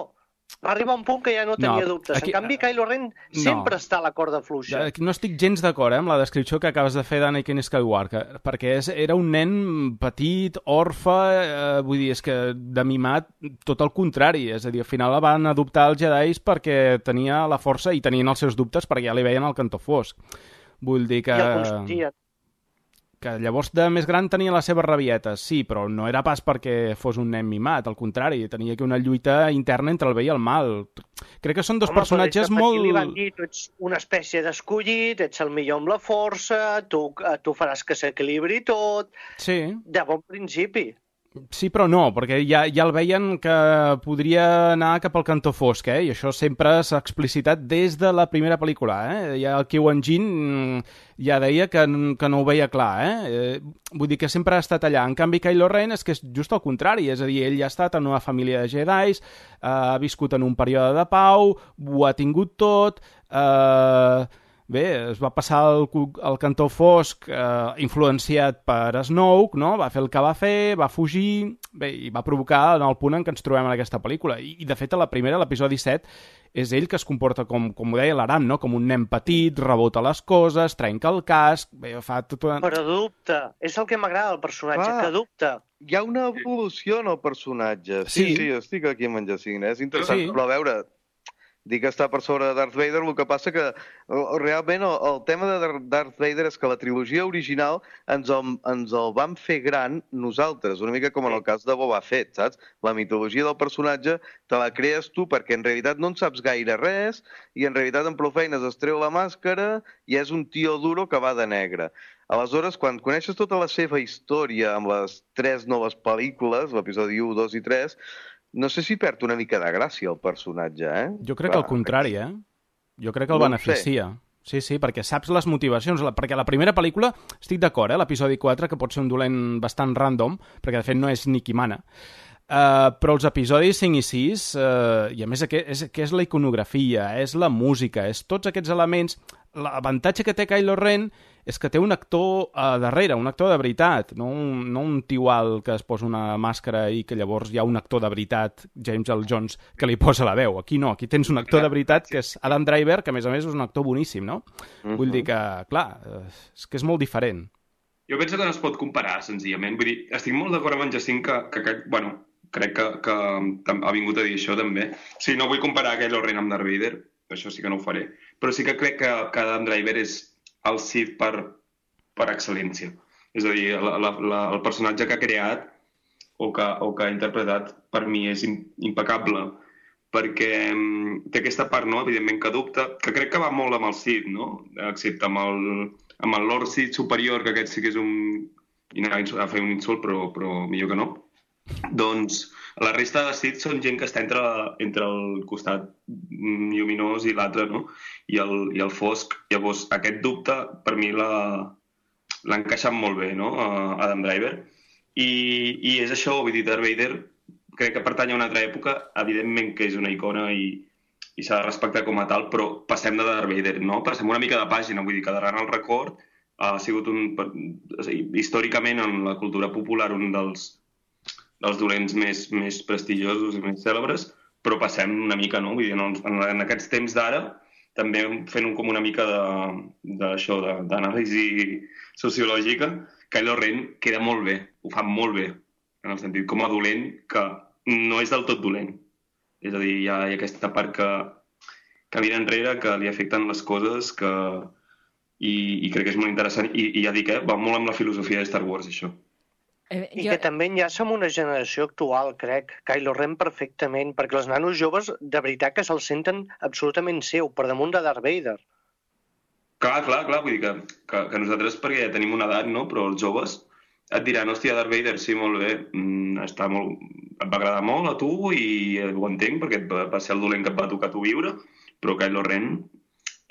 Va arribar un punt que ja no tenia No, dubtes. aquí- En canvi, Kylo Ren sempre està a la corda fluixa. No estic gens d'acord eh, amb la descripció que acabes de fer d'Anakin Skywalker, perquè és, era un nen petit, orfe, eh, vull dir, és que de mimat tot el contrari, és a dir, al final la van adoptar els Jedis perquè tenia la força i tenien els seus dubtes perquè ja li veien el cantó fosc. Vull dir que... I el consentia. que llavors de més gran tenia les seves rabietes, sí, però no era pas perquè fos un nen mimat, al contrari, tenia aquí una lluita interna entre el bé i el mal. Crec que són dos Home, personatges però és que molt... per aquí li van dir, tu ets una espècie d'escollit, ets el millor amb la força, tu, tu faràs que s'equilibri tot, Sí. de bon principi. Sí, però no, perquè ja, ja el veien que podria anar cap al cantó fosc, eh? I això sempre s'ha explicitat des de la primera pel·lícula, eh? Ja el Qui-Gon Jinn ja deia que, que no ho veia clar, eh? eh? Vull dir que sempre ha estat allà. En canvi, Kylo Ren és que és just al contrari, és a dir, ell ha estat en una família de Jedis, eh, ha viscut en un període de pau, ho ha tingut tot... Eh... Bé, es va passar el, el cantó fosc eh, influenciat per Snoke, no? Va fer el que va fer, va fugir, bé, i va provocar en el punt en què ens trobem en aquesta pel·lícula. I, i de fet, a la primera, l'episodi set, és ell que es comporta com, com ho deia l'Aram, no? Com un nen petit, rebota les coses, trenca el casc, bé, fa tot una... Però dubta. És el que m'agrada del personatge, Ah. que dubta. Hi ha una evolució en el personatge. Sí, Sí. sí, sí estic aquí amb en Jacint, eh? És interessant. Sí. Però a veure, dir que està per sobre de Darth Vader, el que passa que eh, realment el, el tema de Dar- Darth Vader és que la trilogia original ens el, ens el vam fer gran nosaltres, una mica com en el cas de Boba Fett, saps? La mitologia del personatge te la crees tu perquè en realitat no en saps gaire res i en realitat en prou feines es treu la màscara i és un tio duro que va de negre. Aleshores, quan coneixes tota la seva història amb les tres noves pel·lícules, l'episodi u, dos i tres, no sé si perd una mica de gràcia el personatge, eh? Jo crec que al contrari, eh? Jo crec que el No ho beneficia. Sí, sí, perquè saps les motivacions. La, perquè la primera pel·lícula, estic d'acord, eh? L'episodi quatre, que pot ser un dolent bastant random, perquè de fet no és ni qui mana. Uh, però els episodis cinc i sis, uh, i a més que és, que és la iconografia, és la música, és tots aquests elements... L'avantatge que té Kylo Ren és que té un actor a darrere, un actor de veritat, no un, no un tiual que es posa una màscara i que llavors hi ha un actor de veritat, James Earl Jones, que li posa la veu. Aquí no, aquí tens un actor de veritat que és Adam Driver, que a més a més és un actor boníssim, no? Uh-huh. Vull dir que, clar, és que és molt diferent. Jo penso que no es pot comparar, senzillament. Vull dir, estic molt d'acord amb en Jacint que, que, que bueno, crec que, que ha vingut a dir això també. Sí, no vull comparar Kylo Ren amb Darth Vader, això sí que no ho faré. Però sí que crec que, que Adam Driver és el Sith per, per excel·lència. És a dir, la, la, la, el personatge que ha creat o que, o que ha interpretat per mi és impecable perquè um, té aquesta part, no?, evidentment que dubta, que crec que va molt amb el Sith, no?, excepte amb el, amb el Lord Sith superior, que aquest sí que és un... i anava a fer un insult, però, però millor que no. Doncs la resta de Sith són gent que està entre, entre el costat lluminós i l'altre, no? I el, i el fosc. Llavors, aquest dubte, per mi, l'ha encaixat molt bé, no?, Adam Driver. I, i és això, vull dir, Darth Vader crec que pertany a una altra època, evidentment que és una icona i, i s'ha de respectar com a tal, però passem de Darth Vader, no? Passem una mica de pàgina, vull dir que darrere el record ha sigut un, o sigui, històricament en la cultura popular un dels dels dolents més, més prestigiosos i més cèlebres, però passem una mica, no? Vull dir, en, en, en aquests temps d'ara, també fent un, com una mica d'això, d'anàlisi sociològica, Kylo Ren queda molt bé, ho fa molt bé, en el sentit com a dolent, que no és del tot dolent. És a dir, hi ha, hi ha aquesta part que, que mira enrere, que li afecten les coses, que, i, i crec que és molt interessant, i, i ja dic, eh, va molt amb la filosofia de Star Wars, això. Eh, I jo... que també enllaça amb una generació actual, crec, Kylo Ren perfectament, perquè els nanos joves de veritat que se'l senten absolutament seu, per damunt de Darth Vader. Clar, clar, clar, vull dir que, que, que nosaltres, perquè ja tenim una edat, no?, però els joves et diran, hòstia, Darth Vader, sí, molt bé, mm, està molt... et va agradar molt a tu i ho entenc, perquè va, va ser el dolent que et va tocar tu viure, però Kylo Ren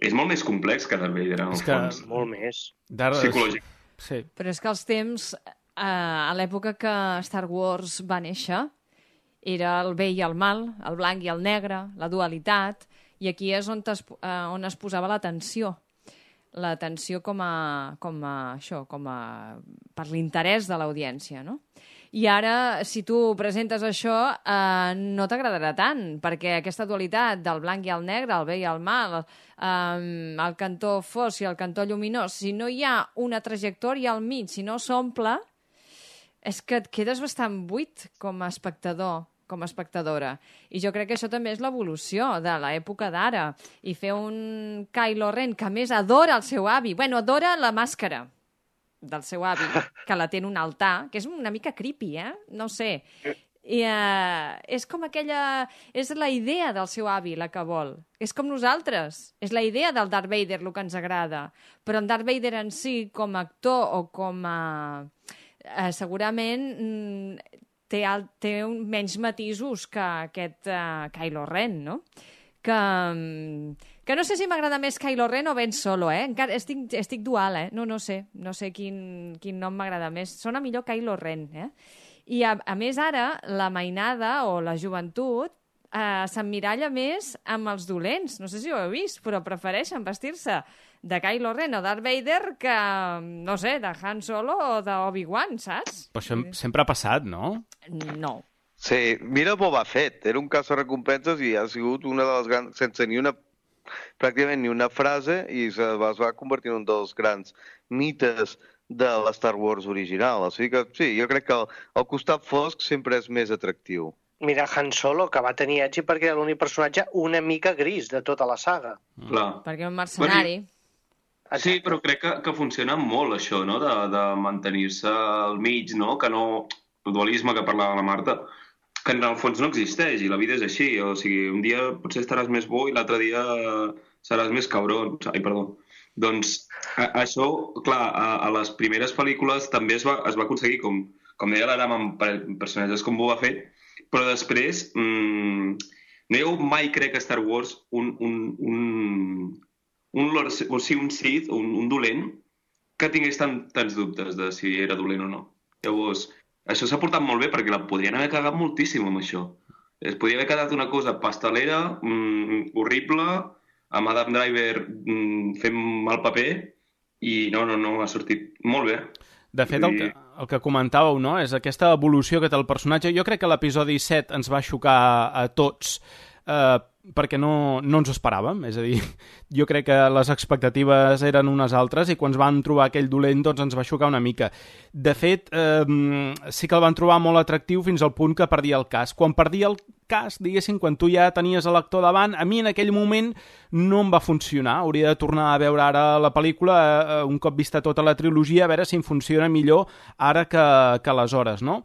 és molt més complex que Darth Vader, en el que... fons. Molt més. Darth... Psicològic. Sí. Però és que els temps... Uh, a l'època que Star Wars va néixer era el bé i el mal, el blanc i el negre, la dualitat, i aquí és on es, uh, on es posava l'atenció. L'atenció com a, com a això, com a, per l'interès de l'audiència, no? I ara, si tu presentes això, eh, no t'agradarà tant, perquè aquesta dualitat del blanc i el negre, el bé i el mal, eh, el cantó fosc i el cantó lluminós, si no hi ha una trajectòria al mig, si no s'omple, és que et quedes bastant buit com a espectador, com a espectadora. I jo crec que això també és l'evolució de l'època d'ara. I fer un Kylo Ren que, a més, adora el seu avi. Bueno, adora la màscara del seu avi, que la té en un altar, que és una mica creepy, eh? No sé. I, uh, és com aquella... És la idea del seu avi, la que vol. És com nosaltres. És la idea del Darth Vader, el que ens agrada. Però en Darth Vader en si, com a actor o com a... Uh, segurament... Mm, té, el, té un, menys matisos que aquest uh, Kylo Ren, no? Que, que no sé si m'agrada més Kylo Ren o Ben Solo, eh? Encara estic, estic dual, eh? No, no sé. No sé quin, quin nom m'agrada més. Sona millor Kylo Ren, eh? I, a, a més, ara, la mainada o la joventut eh, s'emmiralla més amb els dolents. No sé si ho heu vist, però prefereixen vestir-se de Kylo Ren o Darth Vader que, no sé, de Han Solo o d'Obi-Wan, saps? Però això sempre ha passat, no? No. Sí, mira Boba Fett, era un caça-recompenses i ha sigut una de les grans, sense ni una, pràcticament ni una frase, i se va, es va convertir en un dels grans mites de la Star Wars original. O sigui que sí, jo crec que el, el costat fosc sempre és més atractiu. Mira Han Solo, que va tenir èxit perquè era l'únic personatge una mica gris de tota la saga. Clar. Perquè era un mercenari. Bueno, sí, però crec que, que funciona molt això, no?, de, de mantenir-se al mig, no?, que no... El dualisme que parlava la Marta, que en el fons no existeix, i la vida és així. O sigui, un dia potser estaràs més bo i l'altre dia seràs més cabron. Ai, perdó. Doncs a, això, clar, a, a les primeres pel·lícules també es va, es va aconseguir, com, com deia l'Aram, amb personatges com Boba Fett, però després mmm, no hi ha hagut mai, crec, a Star Wars un... un, un un, Lord, o sigui, un Sith, un, un dolent, que tingués tant, tants dubtes de si era dolent o no. Llavors, això s'ha portat molt bé perquè la podrien haver cagat moltíssim amb això. Es podria haver quedat una cosa pastelera, mm, horrible, amb Adam Driver mm, fent mal paper, i no, no, no, ha sortit molt bé. De fet, el que, el que comentàveu, no?, és aquesta evolució que té el personatge. Jo crec que l'episodi set ens va xocar a tots, eh, perquè no, no ens ho esperàvem, és a dir, jo crec que les expectatives eren unes altres i quan ens van trobar aquell dolent doncs ens va xocar una mica. De fet, eh, sí que el van trobar molt atractiu fins al punt que perdia el cas. Quan perdia el cas, diguéssim, quan tu ja tenies l'actor davant, a mi en aquell moment no em va funcionar. Hauria de tornar a veure ara la pel·lícula, eh, un cop vista tota la trilogia, a veure si em funciona millor ara que, que aleshores, no?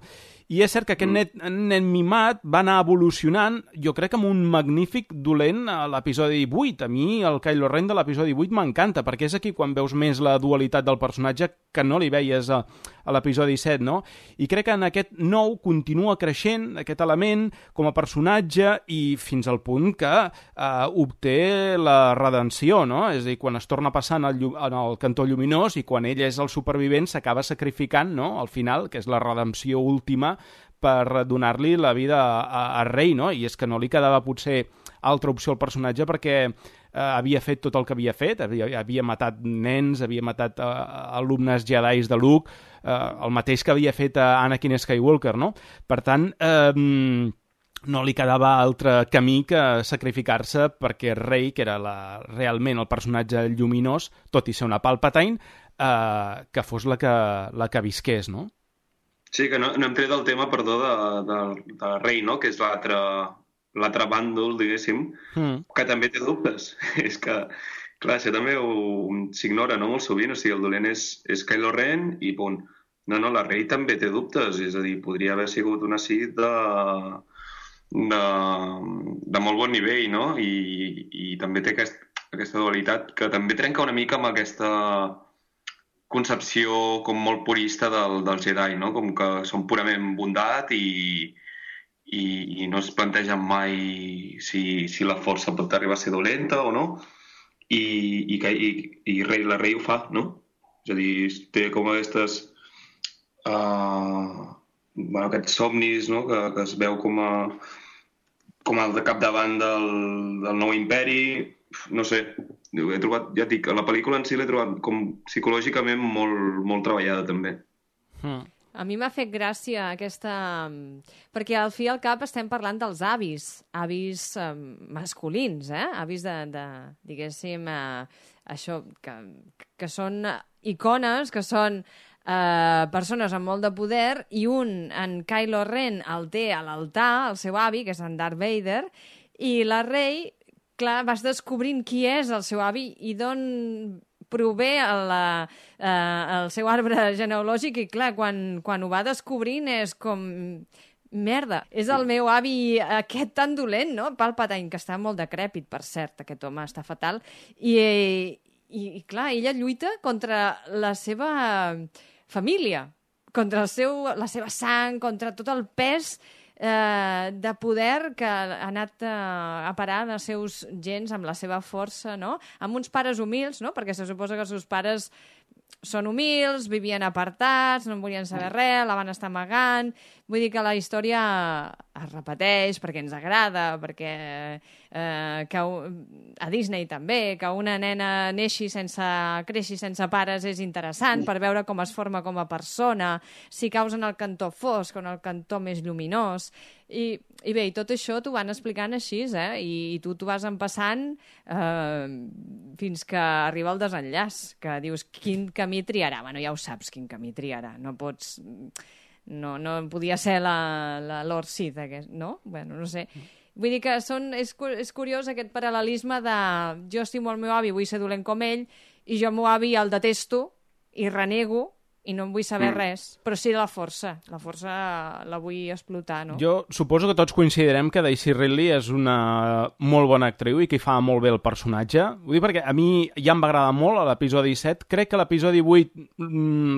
I és cert que aquest nen, nen mimat va anar evolucionant, jo crec, amb un magnífic dolent a l'episodi vuit. A mi el Kylo Ren de l'episodi vuit m'encanta, perquè és aquí quan veus més la dualitat del personatge que no li veies a, a l'episodi set, no? I crec que en aquest nou continua creixent aquest element com a personatge i fins al punt que eh, obté la redenció, no? És a dir, quan es torna passant en el, en el cantó lluminós i quan ell és el supervivent s'acaba sacrificant, no?, al final, que és la redempció última per donar-li la vida a, a, a Rey, no? I és que no li quedava potser altra opció al personatge perquè eh, havia fet tot el que havia fet, havia, havia matat nens, havia matat eh, alumnes jedis de Luke, eh, el mateix que havia fet a Anakin Skywalker, no? Per tant, eh, no li quedava altre camí que sacrificar-se perquè Rey, que era la, realment el personatge lluminós, tot i ser una Palpatine, eh, que fos la que, la que visqués, no? Sí, que no, no hem tret el tema, perdó, de, de, de Rey, no?, que és l'altre l'altre bàndol, diguéssim, mm. que també té dubtes. És que, clar, això també s'ignora, no?, molt sovint. O sigui, el dolent és, és Kylo Ren i punt. No, no, la Rey també té dubtes. És a dir, podria haver sigut una Sith de, de, de molt bon nivell, no? I, i també té aquest, aquesta dualitat que també trenca una mica amb aquesta concepció com molt purista del, del Jedi, no? Com que són purament bondat i, i, i no es plantegen mai si, si la força pot arribar a ser dolenta o no, i, i, que, i, i Rey, la Rey ho fa, no? És a dir, té com aquestes uh, bueno, aquests somnis, no?, que, que es veu com a com el de capdavant del, del nou imperi. No sé, he trobat, ja dic, la pel·lícula en si l'he trobat com psicològicament molt, molt treballada també. Mm. A mi m'ha fet gràcia aquesta... Perquè al fi i al cap estem parlant dels avis, avis eh, masculins, eh? Avis de, de diguéssim, eh, això, que, que són icones, que són eh, persones amb molt de poder, i un, en Kylo Ren, el té a l'altar, el seu avi, que és en Darth Vader, i la Rey, clar, vas descobrint qui és el seu avi i d'on prové el, eh, el seu arbre genealògic, i clar, quan, quan ho va descobrint és com... Merda, és el meu avi aquest tan dolent, no? Palpatine, que està molt decrèpit, per cert, aquest home està fatal, i, i, i clar, ella lluita contra la seva família, contra el seu, la seva sang, contra tot el pes eh, de poder que ha anat eh, a parar als seus gens amb la seva força, no? Amb uns pares humils, no? Perquè se suposa que els seus pares són humils, vivien apartats, no en volien saber res, la van estar amagant... Vull dir que la història es repeteix perquè ens agrada, perquè eh, que a Disney també, que una nena neixi sense, creixi sense pares és interessant per veure com es forma com a persona, si caus en el cantó fosc o en el cantó més lluminós. I, i bé, i tot això t'ho van explicant així, eh? I, i tu t'ho vas empassant eh, fins que arriba el desenllaç, que dius quin camí triarà. Bueno, ja ho saps quin camí triarà, no pots... No, no podia ser la, la Lord Sith, aquest, no? Bueno, no sé. Vull dir que són, és, és curiós aquest paral·lelisme de jo estimo el meu avi, vull ser dolent com ell, i jo el meu avi el detesto i renego i no en vull saber mm. res, però sí la força. La força la vull explotar, no? Jo suposo que tots coincidirem que Daisy Ridley és una molt bona actriu i que hi fa molt bé el personatge. Vull dir perquè a mi ja em va agradar molt a l'episodi set. Crec que l'episodi vuit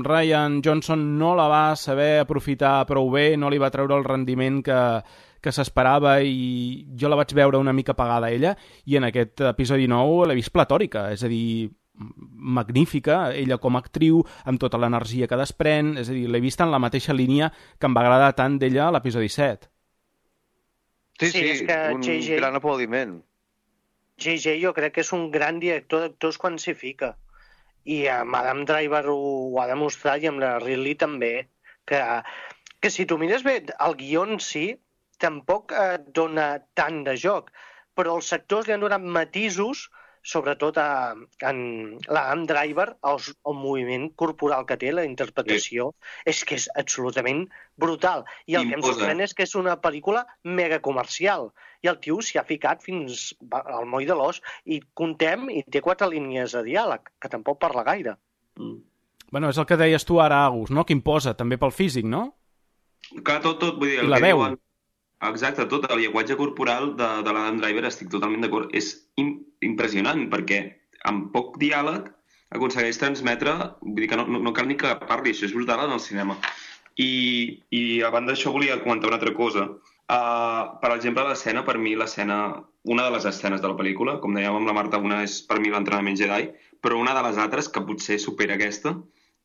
Rian Johnson no la va saber aprofitar prou bé, no li va treure el rendiment que, que s'esperava, i jo la vaig veure una mica apagada a ella, i en aquest episodi nou l'he vist platòrica, és a dir, magnífica, ella com a actriu, amb tota l'energia que desprèn, és a dir, l'he vista en la mateixa línia que em va agradar tant d'ella a l'episodi set. Sí, sí, sí és que un J J... gran aplaudiment. J J jo crec que és un gran director d'actors quan s'hi fica. I amb Adam Driver ho, ho ha demostrat, i amb la Ridley també, que, que si tu mires bé, el guió en si tampoc et dona tant de joc, però els actors li han donat matisos, sobretot a, en l'Adam Driver, el, el moviment corporal que té, la interpretació, sí. és que és absolutament brutal. I el Imposa. que em sorprèn és que és una pel·lícula mega comercial. I el tio s'hi ha ficat fins al moll de l'os, i contem, i té quatre línies de diàleg, que tampoc parla gaire. Mm. Bueno, és el que deies tu ara, Agus, no? Que imposa, també pel físic, no? Clar, tot, tot. Vull dir, I la veu. Diuen... Exacte, tot el llenguatge corporal de, de l'Adam Driver, estic totalment d'acord, és im impressionant, perquè amb poc diàleg aconsegueix transmetre, vull dir que no, no, no cal ni que parli, això és brutal en el cinema. I, i a banda d'això volia comentar una altra cosa. Uh, per exemple, l'escena, per mi, l'escena, una de les escenes de la pel·lícula, com dèiem amb la Marta, una és per mi l'entrenament Jedi, però una de les altres, que potser supera aquesta,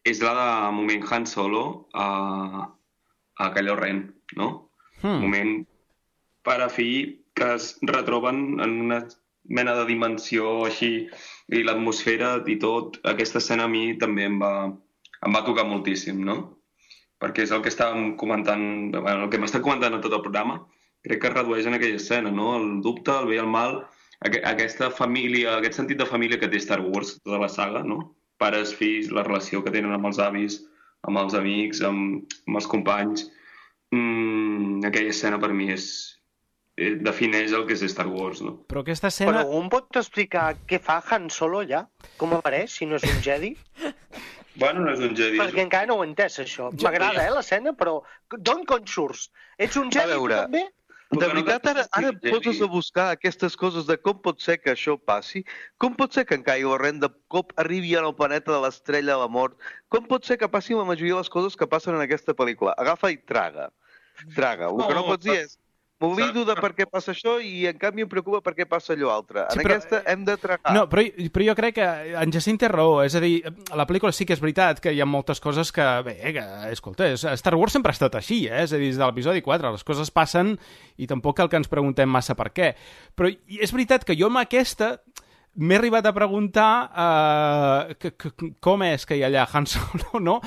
és la de moment Han Solo a, a Kylo Ren, no? Hmm. Moment pare fill que es retroben en una mena de dimensió així, i l'atmosfera i tot. Aquesta escena a mi també em va, em va tocar moltíssim, no? Perquè és el que estàvem comentant, bueno, el que m'està comentant en tot el programa, crec que es redueix en aquella escena, no? El dubte, el bé i el mal, aqu aquesta família, aquest sentit de família que té Star Wars, tota la saga, no? Pares, fills, la relació que tenen amb els avis, amb els amics, amb, amb els companys. Mm, aquella escena per mi és eh, defineix el que és Star Wars, no? Però aquesta escena... Però algú pot explicar què fa Han Solo allà? Com apareix, si no és un Jedi? Bueno, no és un Jedi. Perquè és... encara no ho he entès, això. M'agrada, eh, l'escena, però d'on con surts? Ets un Jedi, tu també? De veritat, ara, ara poses a buscar aquestes coses de com pot ser que això passi? Com pot ser que en Kylo Ren de cop arribi al planeta de l'estrella de la mort? Com pot ser que passin la majoria de les coses que passen en aquesta pel·lícula? Agafa i traga. Traga. El que no pots dir és m'oblido de per què passa això i en canvi em preocupa per què passa allò altre. En sí, però, aquesta hem de tragar. No, però, però jo crec que en Jacint té raó. És a dir, la pel·lícula sí que és veritat que hi ha moltes coses que, bé, que, escolta, Star Wars sempre ha estat així, eh? És a dir, des de l'episodi quatre, les coses passen i tampoc cal que ens preguntem massa per què. Però és veritat que jo amb aquesta m'he arribat a preguntar uh, que, que, com és que hi ha allà Han Solo, no?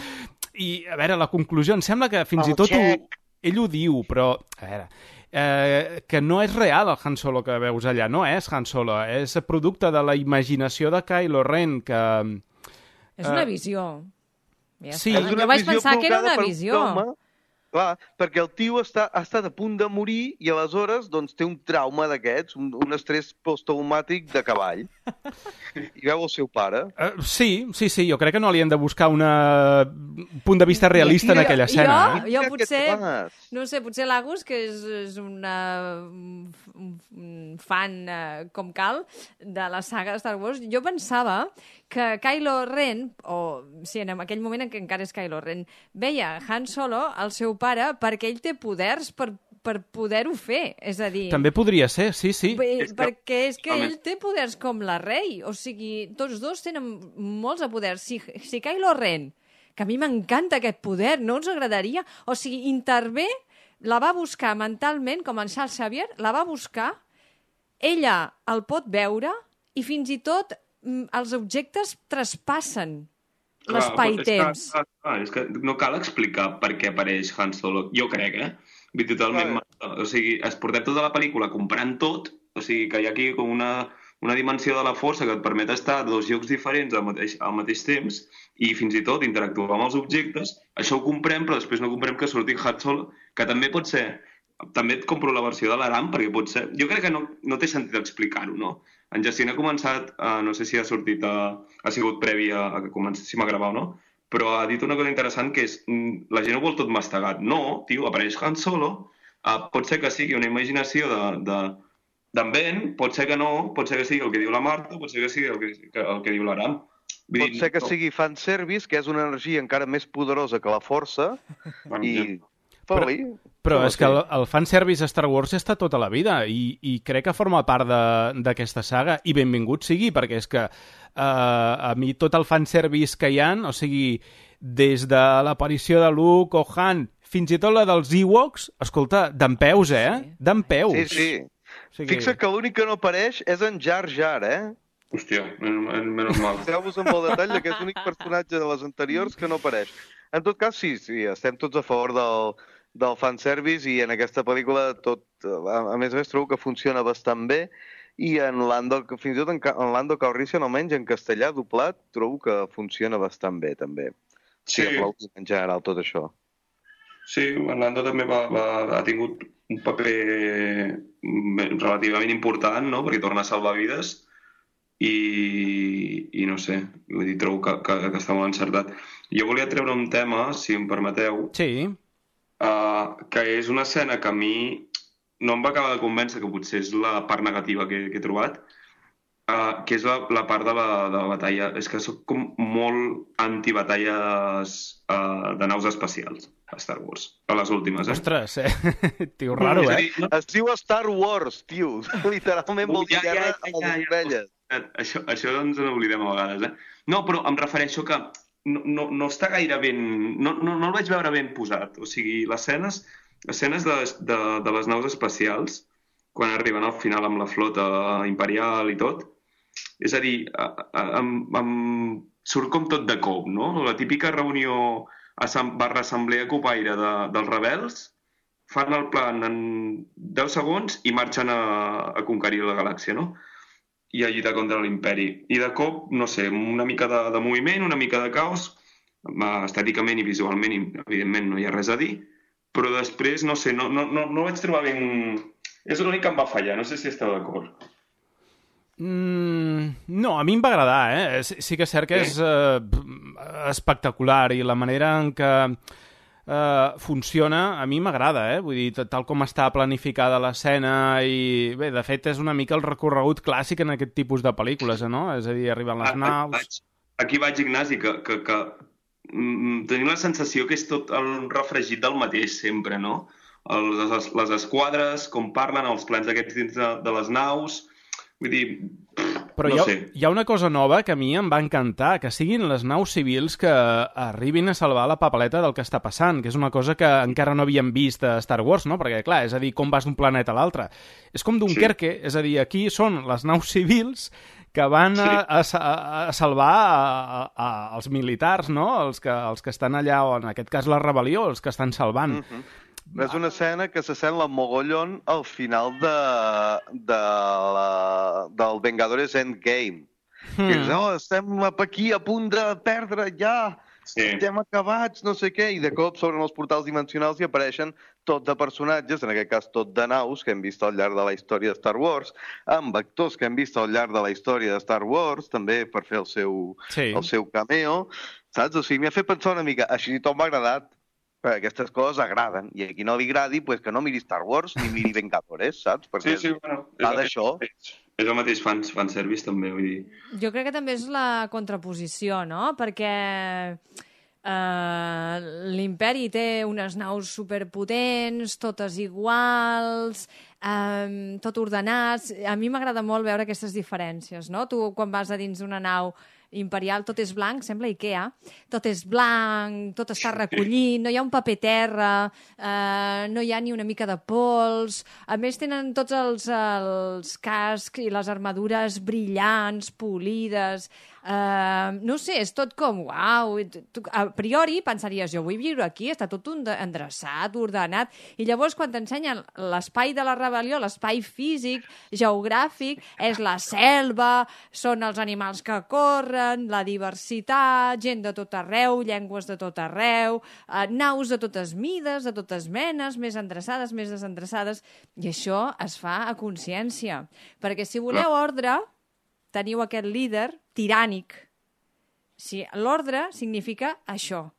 I, a veure, la conclusió, em sembla que fins El i tot ho, xec. ell ho diu, però, a veure, eh, que no és real el Han Solo que veus allà, no és Han Solo, és producte de la imaginació de Kylo Ren, que... És una eh, visió. Ja Sí. està. És una Jo vaig visió pensar que era provocada una per un visió. home, clar, perquè el tio està, ha estat a punt de morir i aleshores doncs, té un trauma d'aquests, un, un estrès posttraumàtic de cavall. I veu el seu pare. Uh, sí, sí, sí, jo crec que no li hem de buscar una... un punt de vista realista en aquella escena. Jo, Eh? jo Mira potser, que fas. no sé, potser l'Agus, que és, és una, un, un fan eh, com cal de la saga de Star Wars, jo pensava que Kylo Ren, o sí, en aquell moment en què encara és Kylo Ren, veia Han Solo, el seu pare, perquè ell té poders per, per poder-ho fer. És a dir... També podria ser, sí, sí. Bé, És que- perquè és que Home. ell té poders com la Rey. O sigui, tots dos tenen molts de poders. Si, si Kylo Ren, que a mi m'encanta aquest poder, no ens agradaria... O sigui, intervé, la va buscar mentalment, com en Charles Xavier, la va buscar, ella el pot veure i fins i tot mm, els objectes traspassen Clar, l'espai-temps. És que, clar, és que no cal explicar per què apareix Han Solo. Jo crec, eh? Vull dir, totalment... Clar. O sigui, es portem tota la pel·lícula comprant tot, o sigui, que hi ha aquí com una, una dimensió de la força que et permet estar a dos llocs diferents al mateix, al mateix temps i fins i tot interactuar amb els objectes. Això ho comprem, però després no comprem que surti Han Solo, que també pot ser... També et compro la versió de l'Aram, perquè pot ser... Jo crec que no, no té sentit explicar-ho, no? En Jacint ha començat, uh, no sé si ha sortit, a, ha sigut previ a, a que comencéssim a gravar o no, però ha dit una cosa interessant que és mm, la gent ho vol tot mastegat. No, tio, apareix Han Solo, uh, pot ser que sigui una imaginació de, de, d'en Ben, pot ser que no, pot ser que sigui el que diu la Marta, pot ser que sigui el que, que, el que diu l'Aram. Vull Pot dir, ser que no. sigui fanservice, que és una energia encara més poderosa que la força, Bueno, i... Però- Però, Però és que el, el fanservice a Star Wars està tota la vida i, i crec que forma part de- d'aquesta saga i benvingut sigui, perquè és que uh, a mi tot el fanservice que hi ha, o sigui, des de l'aparició de Luke o Han, fins i tot la dels Ewoks, escolta, d'en peus, eh? Sí. D'en peus. sí, sí. O sigui, Fixa't que l'únic que no apareix és en Jar Jar, eh? Hòstia, men- men- menys mal. Fixeu-vos amb el detall que és l'únic personatge de les anteriors que no apareix. En tot cas, sí, sí, estem tots a favor del, del fanservice i en aquesta pel·lícula tot, a, a més a més, trobo que funciona bastant bé i en Lando, fins i tot en, Ca- en Lando Calrissian, almenys en castellà doblat, trobo que funciona bastant bé, també. Sí. Sí, aplaudint en general tot això. Sí, en Lando també va, va, ha tingut un paper mm, relativament important, no?, perquè torna a salvar vides i, i no sé, vull dir, trobo que, que, que està molt encertat. Jo volia treure un tema, si em permeteu, Sí, uh, que és una escena que a mi no em va acabar de convèncer, que potser és la part negativa que, que he trobat, uh, que és la, la part de la, de la batalla. És que sóc com molt antibatalles uh, de naus espacials a Star Wars, a les últimes, eh? ostres, eh? Tio raro, És a eh? dir, no, Es diu Star Wars, tio. Literalment vol dir Ja, ja, guerra ja, a ja, les ja. ovelles. Això, això ens n'oblidem a vegades, eh? No, però em refereixo que no, no, no està gaire ben... No, no, no el vaig veure ben posat. O sigui, les escenes, escenes de, de, de les naus espacials, quan arriben al final amb la flota imperial i tot, és a dir, a, a, em, em surt com tot de cop, no? La típica reunió assem- barra assemblea copaire de, dels rebels, fan el plan en deu segons i marxen a, a conquerir la galàxia, no? I a lluitar contra l'imperi. I de cop, no sé, una mica de, de moviment, una mica de caos, estèticament i visualment, i, evidentment, no hi ha res a dir, però després, no sé, no, no, no, no vaig trobar ben... És l'únic que em va fallar, no sé si esteu d'acord. Mm, no, a mi em va agradar, eh? Sí, sí que és cert que és eh, espectacular i la manera en què eh, funciona a mi m'agrada, eh? Vull dir, tal- tal com està planificada l'escena i... Bé, de fet, és una mica el recorregut clàssic en aquest tipus de pel·lícules, eh, no? És a dir, arriben les Aquí naus... vaig, aquí vaig Ignasi, que, que, que mm, tenim la sensació que és tot el refregit del mateix sempre, no? Els, les, les esquadres, com parlen, els plans aquests dins de, de les naus... Vull dir, pff, Però no hi ha, sé. hi ha una cosa nova que a mi em va encantar, que siguin les naus civils que arribin a salvar la papeleta del que està passant, que és una cosa que encara no havíem vist a Star Wars, no? Perquè, clar, és a dir, com vas d'un planeta a l'altre. És com Dunkerque, sí. És a dir, aquí són les naus civils que van a, a, a salvar a, a, als militars, no? Els que, els que estan allà, o en aquest cas la rebel·lió, els que estan salvant. Mm-hmm. És una escena que s'assembla mogollon al final de, de la, del Vengadores Endgame. Mm. Que és, oh, estem aquí a punt de perdre ja, sí. Estem acabats, no sé què, i de cop s'obren els portals dimensionals i apareixen tot de personatges, en aquest cas tot de naus, que hem vist al llarg de la història de Star Wars, amb actors que hem vist al llarg de la història de Star Wars, també per fer el seu, sí. el seu cameo, saps? O sigui, m'ha fet pensar una mica, així tot m'ha agradat, perquè aquestes coses agraden, i a qui no li agradi, pues que no miri Star Wars ni miri Vengadores, saps? Perquè sí, sí, bueno, va d'això. És el mateix fans, fanservice, també, vull dir. Jo crec que també és la contraposició, no? Perquè uh, l'imperi té unes naus superpotents, totes iguals, um, tot ordenats. A mi m'agrada molt veure aquestes diferències, no? Tu, quan vas a dins d'una nau imperial, tot és blanc, sembla Ikea, tot és blanc, tot està recollit, no hi ha un paper terra, eh, no hi ha ni una mica de pols, a més tenen tots els, els cascs i les armadures brillants, polides, eh, no sé, és tot com, uau, a priori pensaries, jo vull viure aquí, està tot endreçat, ordenat, i llavors quan t'ensenyen l'espai de la rebel·lió, l'espai físic, geogràfic, és la selva, són els animals que corren, la diversitat, gent de tot arreu, llengües de tot arreu, eh, naus de totes mides, de totes menes, més endreçades, més desendreçades, i això es fa a consciència. Perquè si voleu ordre, teniu aquest líder tirànic. Si l'ordre significa això.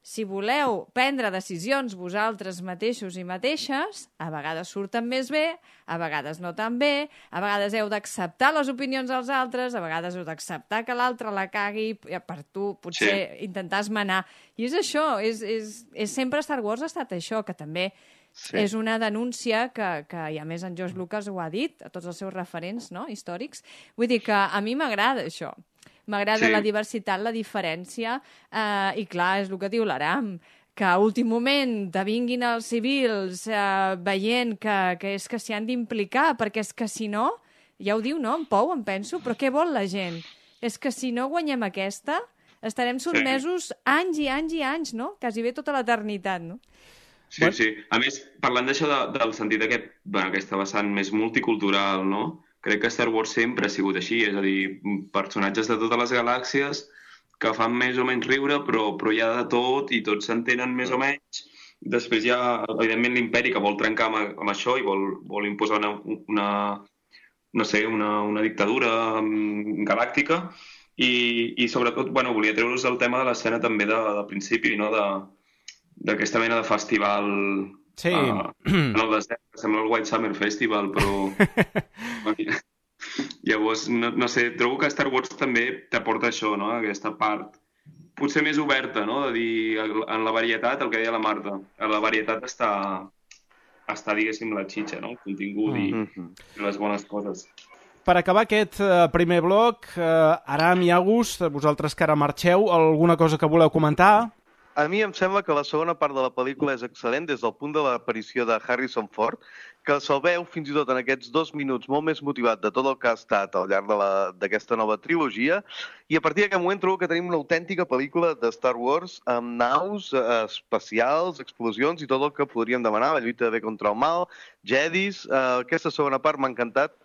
Si voleu prendre decisions vosaltres mateixos i mateixes, a vegades surten més bé, a vegades no tan bé, a vegades heu d'acceptar les opinions dels altres, a vegades heu d'acceptar que l'altre la cagui per tu, potser sí. Intentar esmenar. I és això, és, és, és sempre Star Wars ha estat això, que també sí. És una denúncia que, que, i a més en George Lucas ho ha dit, a tots els seus referents, no?, històrics. Vull dir que a mi m'agrada això. M'agrada sí. La diversitat, la diferència, eh, i clar, és el que diu l'Aram, que a últim moment te vinguin els civils eh, veient que, que és que s'hi han d'implicar, perquè és que si no, ja ho diu, no?, en Pou, em penso, però què vol la gent? És que si no guanyem aquesta, estarem sotmesos sí. anys i anys i anys, no?, quasi bé tota l'eternitat, no? Sí, sí. A més, parlant d'això de, del sentit aquest, bueno, aquesta vessant més multicultural, no?, crec que Star Wars sempre ha sigut així, és a dir, personatges de totes les galàxies que fan més o menys riure, però, però hi ha de tot i tots s'entenen més o menys. Després hi ha, evidentment, l'imperi que vol trencar amb, amb això i vol, vol imposar una, una, no sé, una, una dictadura galàctica i, i sobretot, bueno, volia treure-us el tema de l'escena també de, de principi, no?, de, d'aquesta mena de festival... Sí. Uh, en el desert, que sembla el White Summer Festival, però... Llavors, no, no sé, trobo que Star Wars també t'aporta això, no?, aquesta part potser més oberta, no?, de dir, en la varietat, el que deia la Marta, en la varietat està, està diguéssim, la xitxa, no?, el contingut i, mm-hmm. i les bones coses. Per acabar aquest uh, primer bloc, uh, Aram i August, vosaltres que ara marxeu, alguna cosa que voleu comentar? A mi em sembla que la segona part de la pel·lícula és excel·lent des del punt de l'aparició de Harrison Ford, que se'l veu fins i tot en aquests dos minuts molt més motivat de tot el que ha estat al llarg d'aquesta nova trilogia, i a partir d'aquest moment trobo que tenim una autèntica pel·lícula de Star Wars amb naus eh, espacials, explosions i tot el que podríem demanar, la lluita de bé contra el mal, jedis. Eh, aquesta segona part m'ha encantat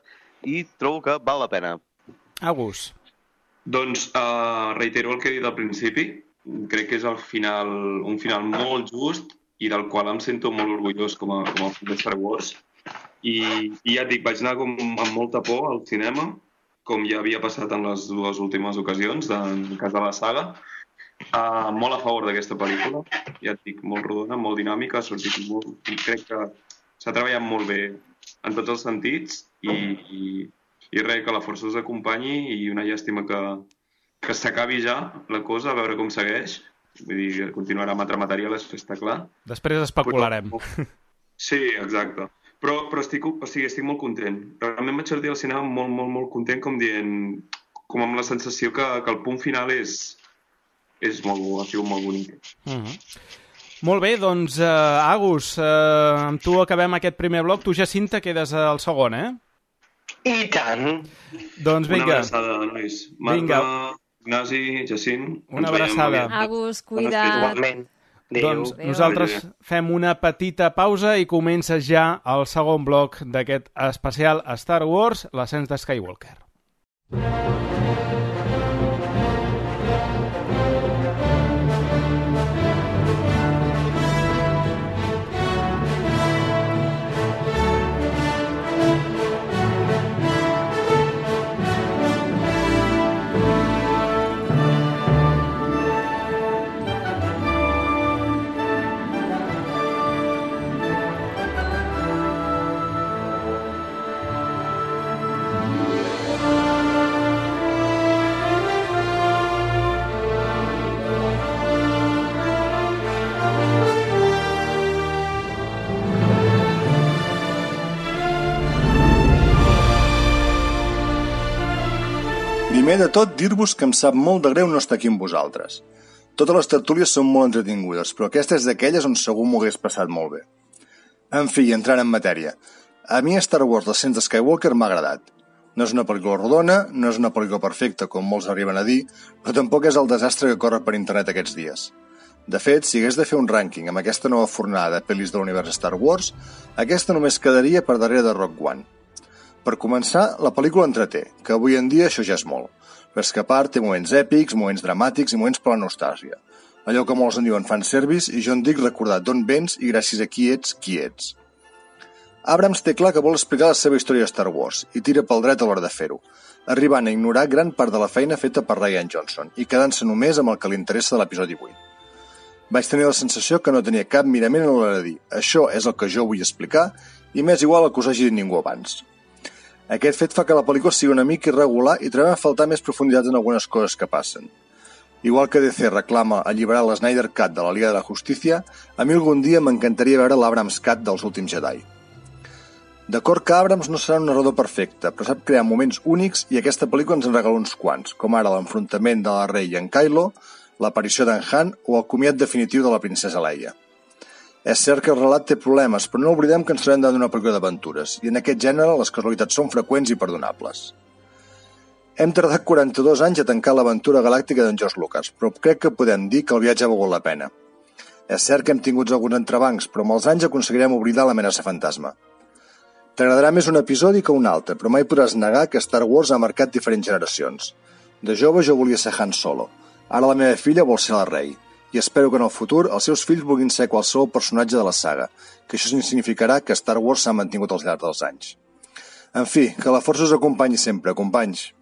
i trobo que val la pena. August. Doncs uh, reitero el que he dit al principi. Crec que és el final, un final molt just i del qual em sento molt orgullós com a, com a fan de Star Wars. I, i ja et dic, vaig anar com amb molta por al cinema, com ja havia passat en les dues últimes ocasions, en el cas de la saga. Uh, molt a favor d'aquesta pel·lícula, ja et dic, molt rodona, molt dinàmica, ha sortit molt... Crec que s'ha treballat molt bé en tots els sentits i, i, i res, que la força us acompanyi i una llàstima que... que s'acabi ja la cosa, a veure com segueix. Vull dir, continuarà amb altre material, això està clar. Després especularem. Però... Sí, exacte. Però, però estic, o sigui, estic molt content. Realment vaig sortir al cinema molt, molt, molt content, com dient, com amb la sensació que, que el punt final és, és molt, ha sigut molt bonic. Uh-huh. Molt bé, doncs, uh, Agus, uh, amb tu acabem aquest primer bloc. Tu, Jacinta, quedes al segon, eh? I tant! Doncs vinga. Una abraçada, nois. Marta, vinga. Ignasi, Jacint. Una abraçada. Agus, cuida't. Igualment. Adéu. Doncs Adéu. nosaltres fem una petita pausa i comença ja el segon bloc d'aquest especial Star Wars, l'ascens de Skywalker. Primer de tot, dir-vos que em sap molt de greu no estar aquí amb vosaltres. Totes les tertúlies són molt entretingudes, però aquesta és d'aquelles on segur m'ho hagués passat molt bé. En fi, entrant en matèria. A mi Star Wars l'ascens de Skywalker m'ha agradat. No és una pel·lícula rodona, no és una pel·lícula perfecta, com molts arriben a dir, però tampoc és el desastre que corre per internet aquests dies. De fet, si hagués de fer un rànquing amb aquesta nova fornada de pel·lis de l'univers Star Wars, aquesta només quedaria per darrere de Rogue One. Per començar, la pel·lícula entreté, que avui en dia això ja és molt. Però és que a part té moments èpics, moments dramàtics i moments per la nostàlgia. Allò que molts en diuen fanservice i jo en dic recordar d'on vens i gràcies a qui ets, qui ets. Abrams té clar que vol explicar la seva història de Star Wars i tira pel dret a l'hora de fer-ho, arribant a ignorar gran part de la feina feta per Rian Johnson i quedant-se només amb el que li interessa de l'episodi vuit. Vaig tenir la sensació que no tenia cap mirament a l'hora de dir això és el que jo vull explicar i m'és igual el que us hagi dit ningú abans. Aquest fet fa que la pel·lícula sigui una mica irregular i trobem a faltar més profunditat en algunes coses que passen. Igual que D C reclama alliberar la Snyder Cut de la Liga de la Justícia, a mi algun dia m'encantaria veure l'Abrams Cut dels últims Jedi. D'acord que Abrams no serà un narrador perfecte, però sap crear moments únics i aquesta pel·lícula ens en regala uns quants, com ara l'enfrontament de la Rey i en Kylo, l'aparició d'en Han o el comiat definitiu de la princesa Leia. És cert que el relat té problemes, però no oblidem que ens trobem davant d'una pel·lícula d'aventures, i en aquest gènere les casualitats són freqüents i perdonables. Hem tardat quaranta-dos anys a tancar l'aventura galàctica d'en George Lucas, però crec que podem dir que el viatge ha valgut la pena. És cert que hem tingut alguns entrebancs, però amb els anys aconseguirem oblidar l'amenaça fantasma. T'agradarà més un episodi que un altre, però mai podràs negar que Star Wars ha marcat diferents generacions. De jove jo volia ser Han Solo, ara la meva filla vol ser la Rey. I espero que en el futur els seus fills vulguin ser qualsevol personatge de la saga, que això significarà que Star Wars s'ha mantingut al llarg dels anys. En fi, que la força us acompanyi sempre, companys.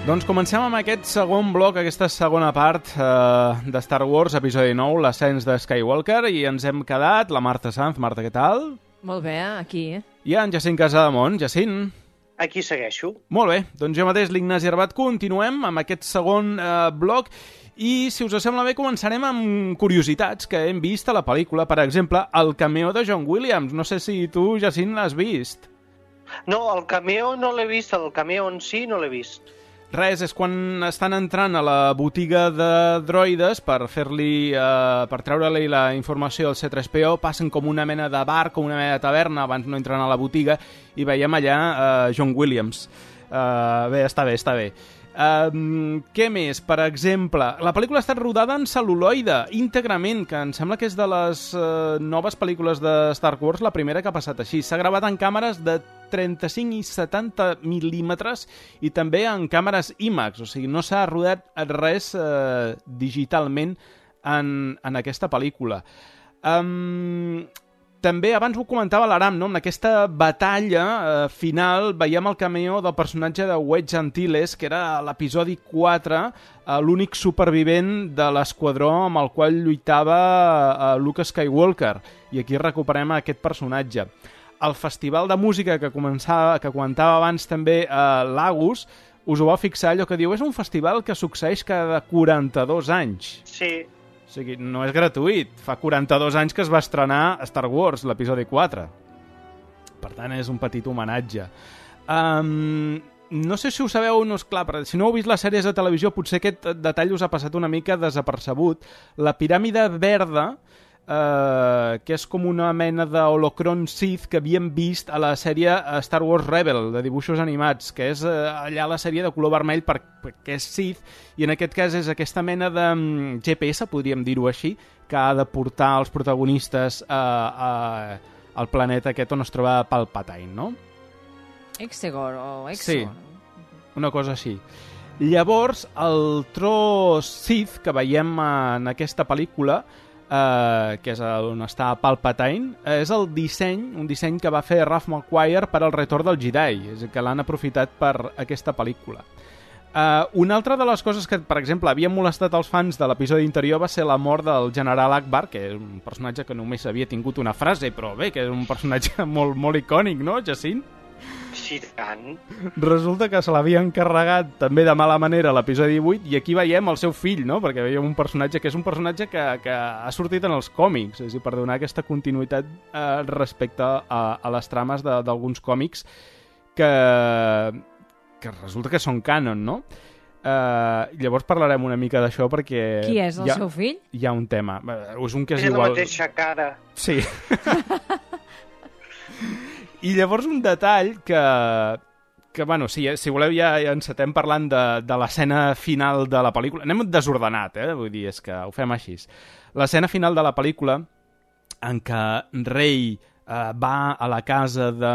Doncs comencem amb aquest segon bloc, aquesta segona part eh, de Star Wars, episodi nou, l'ascens de Skywalker, i ens hem quedat, la Marta Sanz. Marta, què tal? Molt bé, aquí. I en Jacint Casademont. Jacint? Aquí segueixo. Molt bé, doncs jo mateix, l'Ignasi Arbat, continuem amb aquest segon eh, bloc, i si us sembla bé començarem amb curiositats que hem vist a la pel·lícula. Per exemple, el cameo de John Williams. No sé si tu, Jacint, l'has vist. No, el cameo no l'he vist, el cameo en si no l'he vist. Res, és quan estan entrant a la botiga de droides per fer-li, eh, per treure-li la informació del C tres P O, passen com una mena de bar, com una mena de taverna, abans no entren a la botiga, i veiem allà eh, John Williams. Eh, bé, està bé, està bé. Um, què més? Per exemple, la pel·lícula ha estat rodada en cel·luloide, íntegrament, que em sembla que és de les uh, noves pel·lícules de Star Wars la primera que ha passat així. S'ha gravat en càmeres de trenta-cinc i setanta mil·límetres i també en càmeres IMAX, o sigui, no s'ha rodat res uh, digitalment en, en aquesta pel·lícula. Um, També, abans ho comentava l'Aram, no? En aquesta batalla eh, final veiem el cameo del personatge de Wedge Antilles, que era a l'episodi quatre, eh, l'únic supervivent de l'esquadró amb el qual lluitava eh, Luke Skywalker. I aquí recuperem aquest personatge. El festival de música que, començava, que comentava abans també eh, l'Agus, us ho vau fixar, allò que diu, és un festival que succeeix cada quaranta-dos anys. Sí. O sigui, no és gratuït. Fa quaranta-dos anys que es va estrenar Star Wars, l'episodi quatre. Per tant, és un petit homenatge. Um, no sé si ho sabeu o no, és clar, però si no heu vist les sèries de televisió, potser aquest detall us ha passat una mica desapercebut. La piràmide verda, Uh, que és com una mena d'holocron Sith que havíem vist a la sèrie Star Wars Rebel, de dibuixos animats, que és uh, allà la sèrie de color vermell per, perquè és Sith, i en aquest cas és aquesta mena de um, G P S, podríem dir-ho així, que ha de portar els protagonistes uh, uh, al planeta aquest on es troba Palpatine, no? Exegor o Exegor. Sí, una cosa així. Llavors, el tro Sith que veiem en aquesta pel·lícula, Uh, que és on està Palpatine, uh, és el disseny, un disseny que va fer Ralph McQuire per al Retorn del Jedi, és que l'han aprofitat per aquesta pel·lícula. Uh, una altra de les coses que, per exemple, havien molestat els fans de l'episodi anterior va ser la mort del general Akbar, que és un personatge que només havia tingut una frase, però bé, que és un personatge molt, molt icònic, no, Jacint? Sí, tant. Resulta que se l'havia encarregat també de mala manera a l'episodi vuit, i aquí veiem el seu fill, no? Perquè veiem un personatge que és un personatge que, que ha sortit en els còmics, és a dir, per donar aquesta continuïtat eh, respecte a, a les trames d'alguns còmics que, que resulta que són canon, no? Uh, llavors parlarem una mica d'això perquè... Qui és el ha, seu fill? Hi ha un tema. És un que és és igual... la mateixa cara. Sí. I llavors un detall que, que bueno, si, si voleu ja, ja encetem parlant de, de l'escena final de la pel·lícula. Anem desordenat, eh? Vull dir, és que ho fem així. L'escena final de la pel·lícula en què Rey eh, va a la casa de,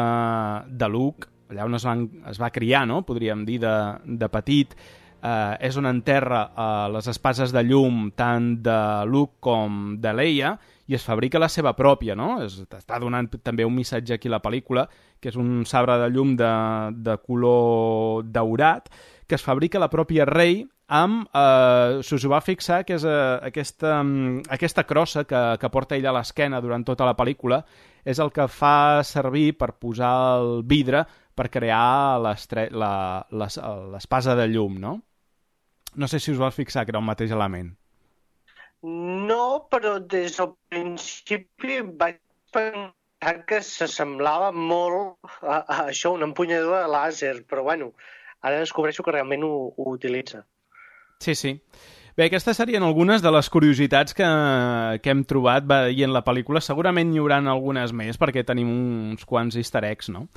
de Luke, allà on es, van, es va criar, no? Podríem dir, de, de petit, eh, és on enterra eh, les espases de llum tant de Luke com de Leia, i es fabrica la seva pròpia, no? Es, està donant també un missatge aquí a la pel·lícula, que és un sabre de llum de, de color daurat, que es fabrica la pròpia Rey amb, eh, si us ho va fixar, que és eh, aquesta, aquesta crossa que, que porta ella a l'esquena durant tota la pel·lícula, és el que fa servir per posar el vidre per crear l'espasa de llum, no? No sé si us vas fixar que era el mateix element. No, però des del principi vaig pensar que s'assemblava molt a, a això, una empunyadura de làser, però bueno, ara descobreixo que realment ho, ho utilitza. Sí, sí. Bé, aquestes serien algunes de les curiositats que, que hem trobat veient la pel·lícula. Segurament hi haurà algunes més, perquè tenim uns quants easter eggs, no?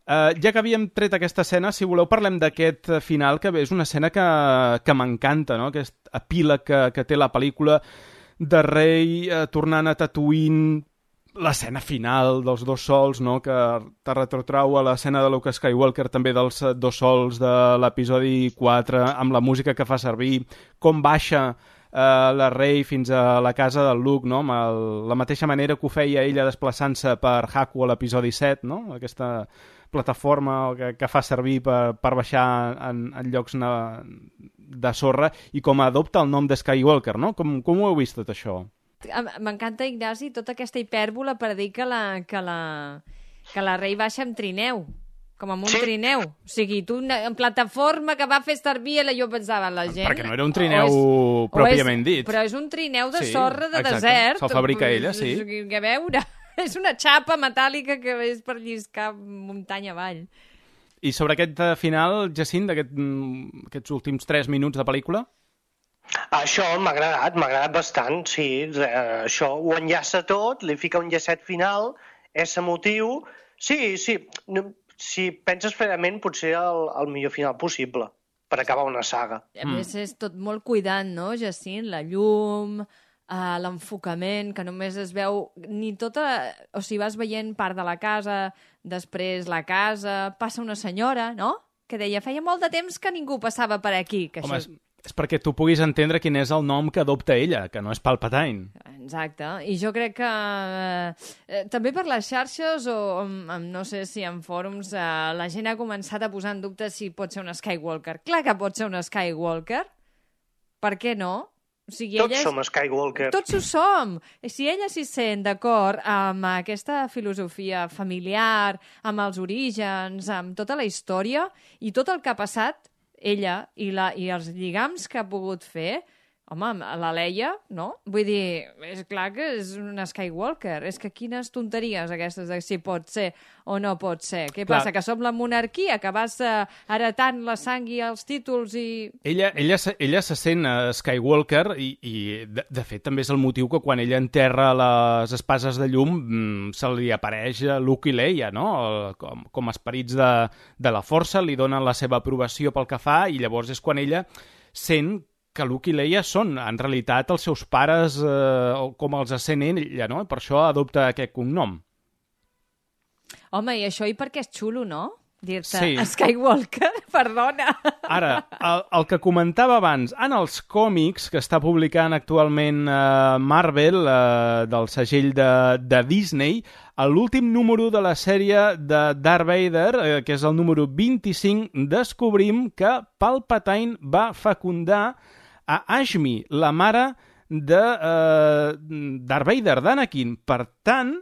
Uh, ja que havíem tret aquesta escena, si voleu parlem d'aquest final, que és una escena que, que m'encanta, no? Aquest epíleg que, que té la pel·lícula de Rey uh, tornant a Tatooine, l'escena final dels dos sols, no? Que te retrotrau a l'escena de Luke Skywalker, també dels dos sols de l'episodi quatre, amb la música que fa servir, com baixa eh, la Rey fins a la casa del Luke, no? Amb el, la mateixa manera que ho feia ella desplaçant-se per Jakku a l'episodi set, no? Aquesta plataforma que, que fa servir per, per baixar en, en llocs na, de sorra, i com adopta el nom de Skywalker, no? Com, com ho heu vist tot això? M'encanta, Ignasi, tota aquesta hipèrbola per dir que la, que la, que la Rey baixa amb trineu, com amb un sí. trineu. O sigui, tu en plataforma que va fer servir, jo pensava, la gent... Perquè no era un trineu és, pròpiament és, dit. Però és un trineu de sí, sorra de exacte. desert. Se'l fabrica ella, sí. Que a veure, és una xapa metàl·lica que és per lliscar muntanya avall. I sobre aquest final, Jacint, d'aquests aquest, últims tres minuts de pel·lícula? Això m'ha agradat, m'ha agradat bastant, sí. Això ho enllaça tot, li fica un llacet final, és emotiu. Sí, sí, si penses fredament, potser el, el millor final possible per acabar una saga. A més, és tot molt cuidant, no, Jacint? La llum, uh, l'enfocament, que només es veu ni tota... O sigui, vas veient part de la casa, després la casa, passa una senyora, no?, que deia, feia molt de temps que ningú passava per aquí. Que Home, això... és, és perquè tu puguis entendre quin és el nom que adopta ella, que no és Palpatine. Exacte, i jo crec que eh, també per les xarxes o um, no sé si en fòrums eh, la gent ha començat a posar en dubte si pot ser un Skywalker. Clar que pot ser un Skywalker, per què no? O sigui, tots és... som Skywalker. Tots ho som. Si ella s'hi sent d'acord amb aquesta filosofia familiar, amb els orígens, amb tota la història i tot el que ha passat, ella i, la, i els lligams que ha pogut fer, home, la Leia, no? Vull dir, és clar que és una Skywalker. És que quines tonteries aquestes de si pot ser o no pot ser. Què clar. Passa, que som la monarquia, que vas uh, heretant la sang i els títols i... Ella, ella, ella se sent uh, Skywalker i, i de, de fet, també és el motiu que quan ella enterra les espases de llum mm, se li apareix Luke i Leia, no? El, com, com esperits de, de la força, li donen la seva aprovació pel que fa i llavors és quan ella sent que Luke i Leia són, en realitat, els seus pares, eh, com els sent ella, no? Per això adopta aquest cognom. Home, i això i perquè és xulo, no? Dir-te sí. Skywalker, perdona. Ara, el, el que comentava abans, en els còmics que està publicant actualment eh, Marvel, eh, del segell de, de Disney, a l'últim número de la sèrie de Darth Vader, eh, que és el número vint-i-cinc, descobrim que Palpatine va fecundar a Ashmi, la mare de uh, Darth Vader, d'Anakin. Per tant...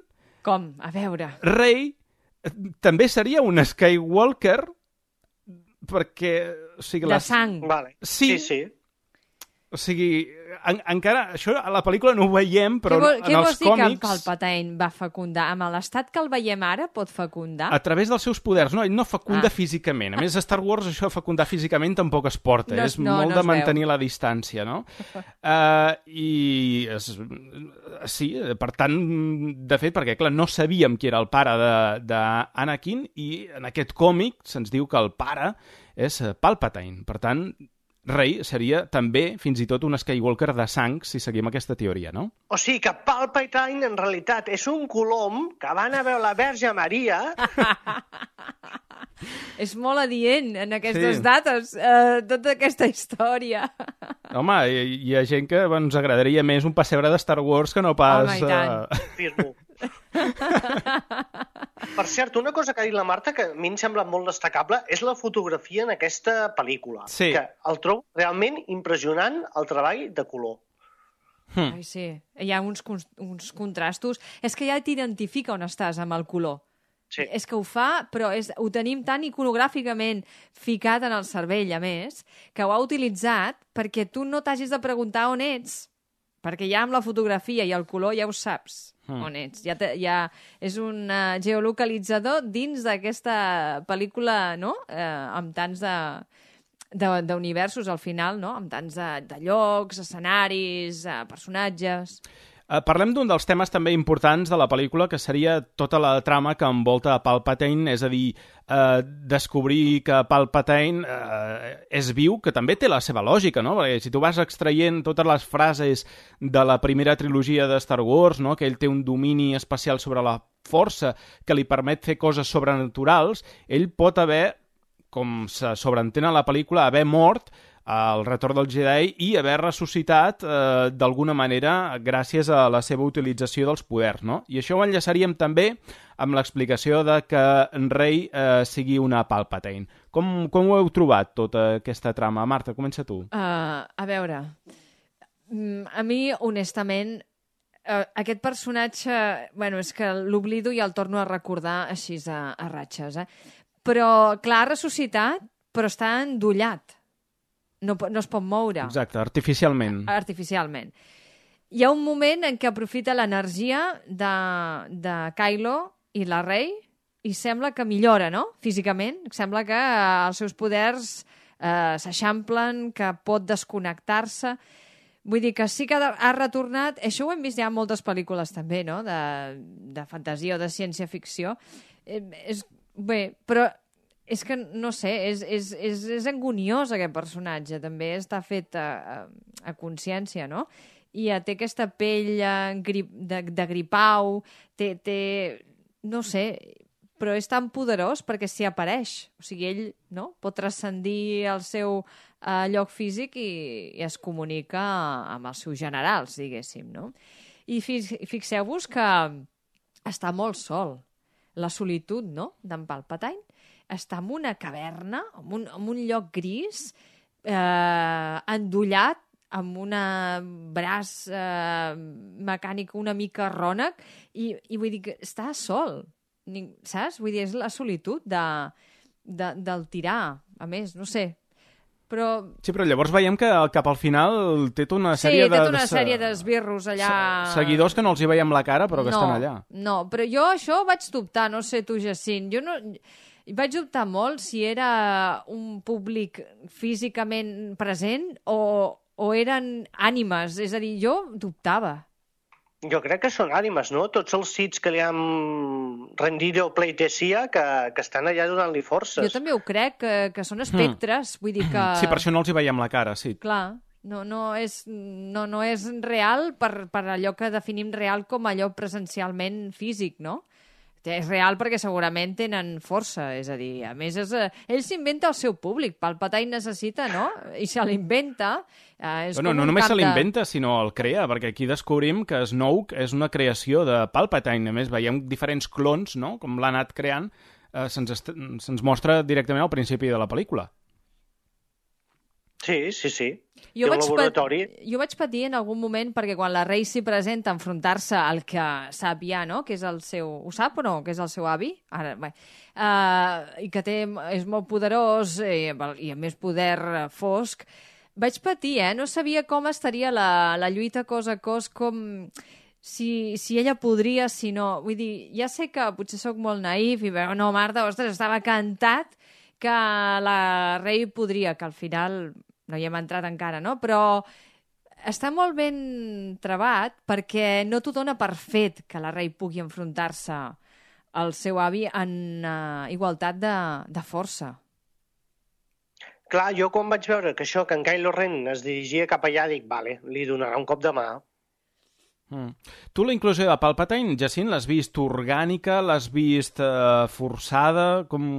Com? A veure... Rey també seria un Skywalker perquè... O sigui, de les... sang. Vale. Sí, sí, sí. O sigui, en, encara... Això a la pel·lícula no ho veiem, però vol, en els còmics... Què vols dir que Palpatine va fecundar? Amb l'estat que el veiem ara pot fecundar? A través dels seus poders. No, ell no fecunda ah. físicament. A més, a Star Wars això de fecundar físicament tampoc es porta. No, és no, molt no de mantenir veu. la distància, no? uh, I... Es, sí, per tant, de fet, perquè, clar, no sabíem qui era el pare d'Anakin i en aquest còmic se'ns diu que el pare és Palpatine. Per tant... Rey seria també, fins i tot, un Skywalker de sang, si seguim aquesta teoria, no? O sigui que Palpatine, en realitat, és un colom que va anar a veure la Verge Maria... És molt adient, en aquestes sí. dates, eh, tota aquesta història. Home, hi, hi ha gent que ens agradaria més un pessebre de Star Wars que no pas... Home, i tant. Uh... Afirmo. Per cert, una cosa que ha dit la Marta que a mi em sembla molt destacable és la fotografia en aquesta pel·lícula. Sí. Que el trobo realment impressionant, el treball de color. Hmm. Ai, sí. Hi ha uns, uns contrastos. És que ja t'identifica on estàs amb el color. Sí. És que ho fa, però és, ho tenim tan iconogràficament ficat en el cervell, a més, que ho ha utilitzat perquè tu no t'hagis de preguntar on ets. Perquè ja amb la fotografia i el color ja ho saps mm. on ets. Ja, te, ja és un uh, geolocalitzador dins d'aquesta pel·lícula, no? Eh, amb tants de, de, d'universos al final, no? Amb tants de, de llocs, escenaris, uh, personatges... Uh, parlem d'un dels temes també importants de la pel·lícula, que seria tota la trama que envolta a Palpatine, és a dir, uh, descobrir que Palpatine uh, és viu, que també té la seva lògica, no? Perquè si tu vas extraient totes les frases de la primera trilogia de Star Wars, no? Que ell té un domini especial sobre la força que li permet fer coses sobrenaturals, ell pot haver, com se sobreentén a la pel·lícula, haver mort al Retorn del Jedi i haver ressuscitat eh, d'alguna manera gràcies a la seva utilització dels poders, no? I això ho enllaçaríem també amb l'explicació de que Rey eh, sigui una Palpatine. Com, com ho heu trobat, tota aquesta trama? Marta, comença tu. Uh, a veure, a mi, honestament, uh, aquest personatge, bueno, és que l'oblido i el torno a recordar així a, a ratxes, eh? Però, clar, ha ressuscitat, però està endollat. No, no es pot moure. Exacte, artificialment. Artificialment. Hi ha un moment en què aprofita l'energia de, de Kylo i la Rey i sembla que millora, no?, físicament. Sembla que eh, els seus poders eh, s'eixamplen, que pot desconnectar-se. Vull dir que sí que ha retornat... Això ho hem vist ja en moltes pel·lícules també, no?, de, de fantasia o de ciència-ficció. Eh, és, bé, però és que, no sé, és, és, és, és anguniós aquest personatge. També està fet a, a, a consciència, no?, i té aquesta pell de, de gripau, té, té... no sé, però és tan poderós perquè s'hi apareix. O sigui, ell, no?, pot transcendir el seu eh, lloc físic i, i es comunica amb els seus generals, diguéssim, no? I fixeu-vos que està molt sol. La solitud, no?, d'en Palpatine. Està en una caverna, en un, en un lloc gris, eh, endollat, amb un braç eh, mecànic una mica rònec, i, i vull dir que està sol, saps? Vull dir, és la solitud de, de, del tirar, a més, no sé. Però... Sí, però llavors veiem que cap al final té tota una sí, sèrie de... Sí, té tota una sèrie d'esbirros allà... Seguidors que no els hi veiem la cara, però que no, estan allà. No, però jo això vaig dubtar, no sé tu, Jacint, jo no... Vaig dubtar molt si era un públic físicament present o, o eren ànimes, és a dir, jo dubtava. Jo crec que són ànimes, no? Tots els sits que li han rendido pleitesía que, que estan allà donant-li forces. Jo també ho crec, que, que són espectres, mm. vull dir que... Sí, per això no els hi veiem la cara, sí. Clar, no, no, és, no, no és real per, per allò que definim real com allò presencialment físic, no? És real perquè segurament tenen força, és a dir, a més, és, ell s'inventa el seu públic, Palpatine necessita, no?, i se l'inventa. Eh, bueno, no només se l'inventa, sinó el crea, perquè aquí descobrim que Snoke és una creació de Palpatine, a més veiem diferents clons, no?, com l'ha anat creant, eh, se'ns, se'ns mostra directament al principi de la pel·lícula. Sí, sí, sí. Jo vaig, laboratori... jo vaig patir en algun moment perquè quan la Rey s'hi presenta a enfrontar-se al que sap ja, no?, que és el seu... Ho sap o no?, que és el seu avi? Ara, bé. Uh, I que té, és molt poderós i, i a més poder fosc. Vaig patir, eh? No sabia com estaria la, la lluita cos a cos, com... Si, si ella podria, si no... Vull dir, ja sé que potser sóc molt naïf i veu, no, Marta, ostres, estava cantat que la Rey podria, que al final... no hi hem entrat encara, no? Però està molt ben trebat perquè no t'ho dona per fet que la Rey pugui enfrontar-se al seu avi en uh, igualtat de, de força. Clar, jo quan vaig veure que això, que en Kylo Ren es dirigia cap allà, dic, vale, li donarà un cop de mà. Mm. Tu la inclusió de Palpatine, Jacint, l'has vist orgànica, l'has vist uh, forçada? Com,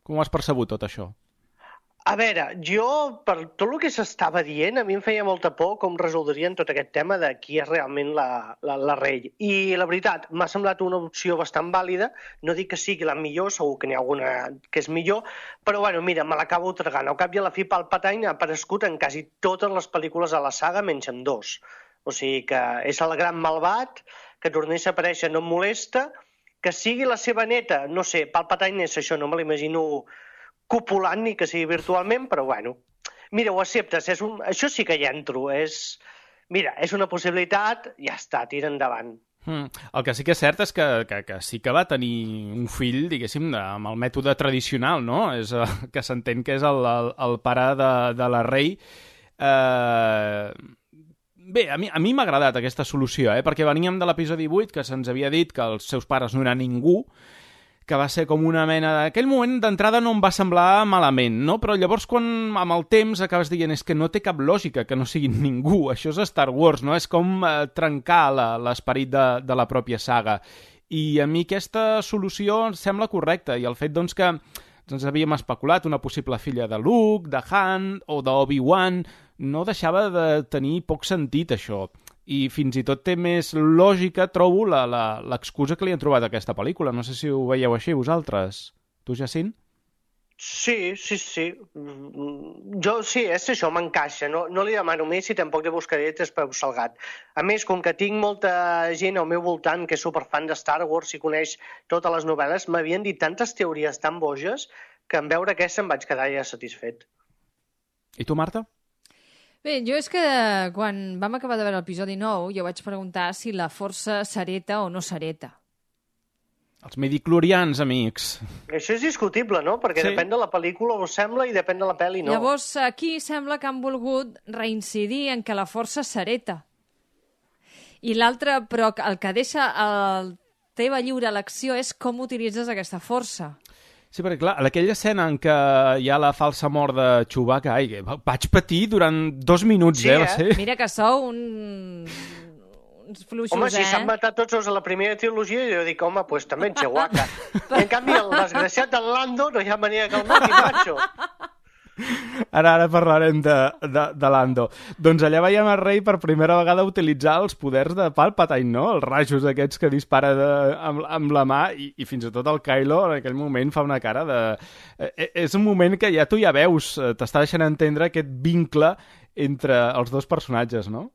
com has percebut tot això? A veure, jo, per tot el que s'estava dient, a mi em feia molta por com resoldrien tot aquest tema de qui és realment la, la, la Rey. I la veritat, m'ha semblat una opció bastant vàlida. No dic que sigui la millor, segur que n'hi ha alguna que és millor, però bueno, mira, me l'acabo tragant. Al cap i a la fi, Palpatine ha aparegut en quasi totes les pel·lícules de la saga, menys en dos. O sigui que és el gran malvat, que tornés a aparèixer no em molesta, que sigui la seva neta, no sé, Palpatine és això, no me l'imagino copulant ni que sigui virtualment, però bueno. Mira, ho acceptes, és un... això sí que hi entro, és... Mira, és una possibilitat, ja està, tira endavant. Mm. El que sí que és cert és que, que, que sí que va tenir un fill, diguéssim, de, amb el mètode tradicional, no? És, uh, que s'entén que és el, el, el pare de, de la Rey. Uh... Bé, a mi a mi m'ha agradat aquesta solució, eh? Perquè veníem de l'episodi vuit, que se'ns havia dit que els seus pares no eren ningú, que va ser com una mena de... Aquell moment d'entrada no em va semblar malament, no? Però llavors quan amb el temps acabes dient és que no té cap lògica que no siguin ningú, això és Star Wars, no? És com eh, trencar l'esperit de, de la pròpia saga. I a mi aquesta solució em sembla correcta, i el fet doncs que ens havíem especulat una possible filla de Luke, de Han o d'Obi-Wan. No deixava de tenir poc sentit, això. I fins i tot té més lògica, trobo, l'excusa que li han trobat a aquesta pel·lícula. No sé si ho veieu així, vosaltres. Tu, Jacint? Sí, sí, sí. Jo sí, és això, m'encaixa. No, no li demano més i tampoc li buscaré tres peus salgat. A més, com que tinc molta gent al meu voltant que és superfan de Star Wars i coneix totes les novel·les, m'havien dit tantes teories tan boges que en veure aquesta em vaig quedar ja satisfet. I tu, Marta? Bé, jo és que quan vam acabar de veure l'episodi nou jo vaig preguntar si la força s'hereta o no s'hereta. Els midichlorians, amics. Això és discutible, no? Perquè sí. Depèn de la pel·lícula ho sembla i depèn de la pel·li no. Llavors, aquí sembla que han volgut reincidir en que la força s'hereta. I l'altre, però el que deixa la teva lliure elecció és com utilitzes aquesta força. Sí, perquè clar, en aquella escena en què hi ha la falsa mort de Chewbacca, ai, vaig patir durant dos minuts, sí, eh? eh? Va ser... Mira que sou un... uns fluixos, home, eh? si s'han matat tots els a la primera trilogia, jo dic, home, pues també en Chewbacca. En canvi, el desgraciat del Lando no hi ha manera que el mati, macho. Ara, ara parlarem de, de, de Lando. Doncs allà veiem el rei per primera vegada utilitzar els poders de Palpatine, no? Els rajos aquests que dispara de, amb, amb la mà i, i fins i tot el Kylo en aquell moment fa una cara de... Eh, és un moment que ja tu ja veus, t'està deixant entendre aquest vincle entre els dos personatges, no?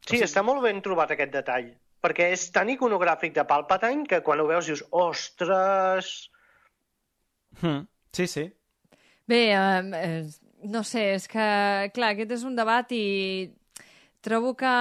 Sí, està molt ben trobat aquest detall, perquè és tan iconogràfic de Palpatine que quan ho veus dius, ostres... Hmm, sí, sí. Bé, eh, no sé, és que, clar, aquest és un debat i trobo que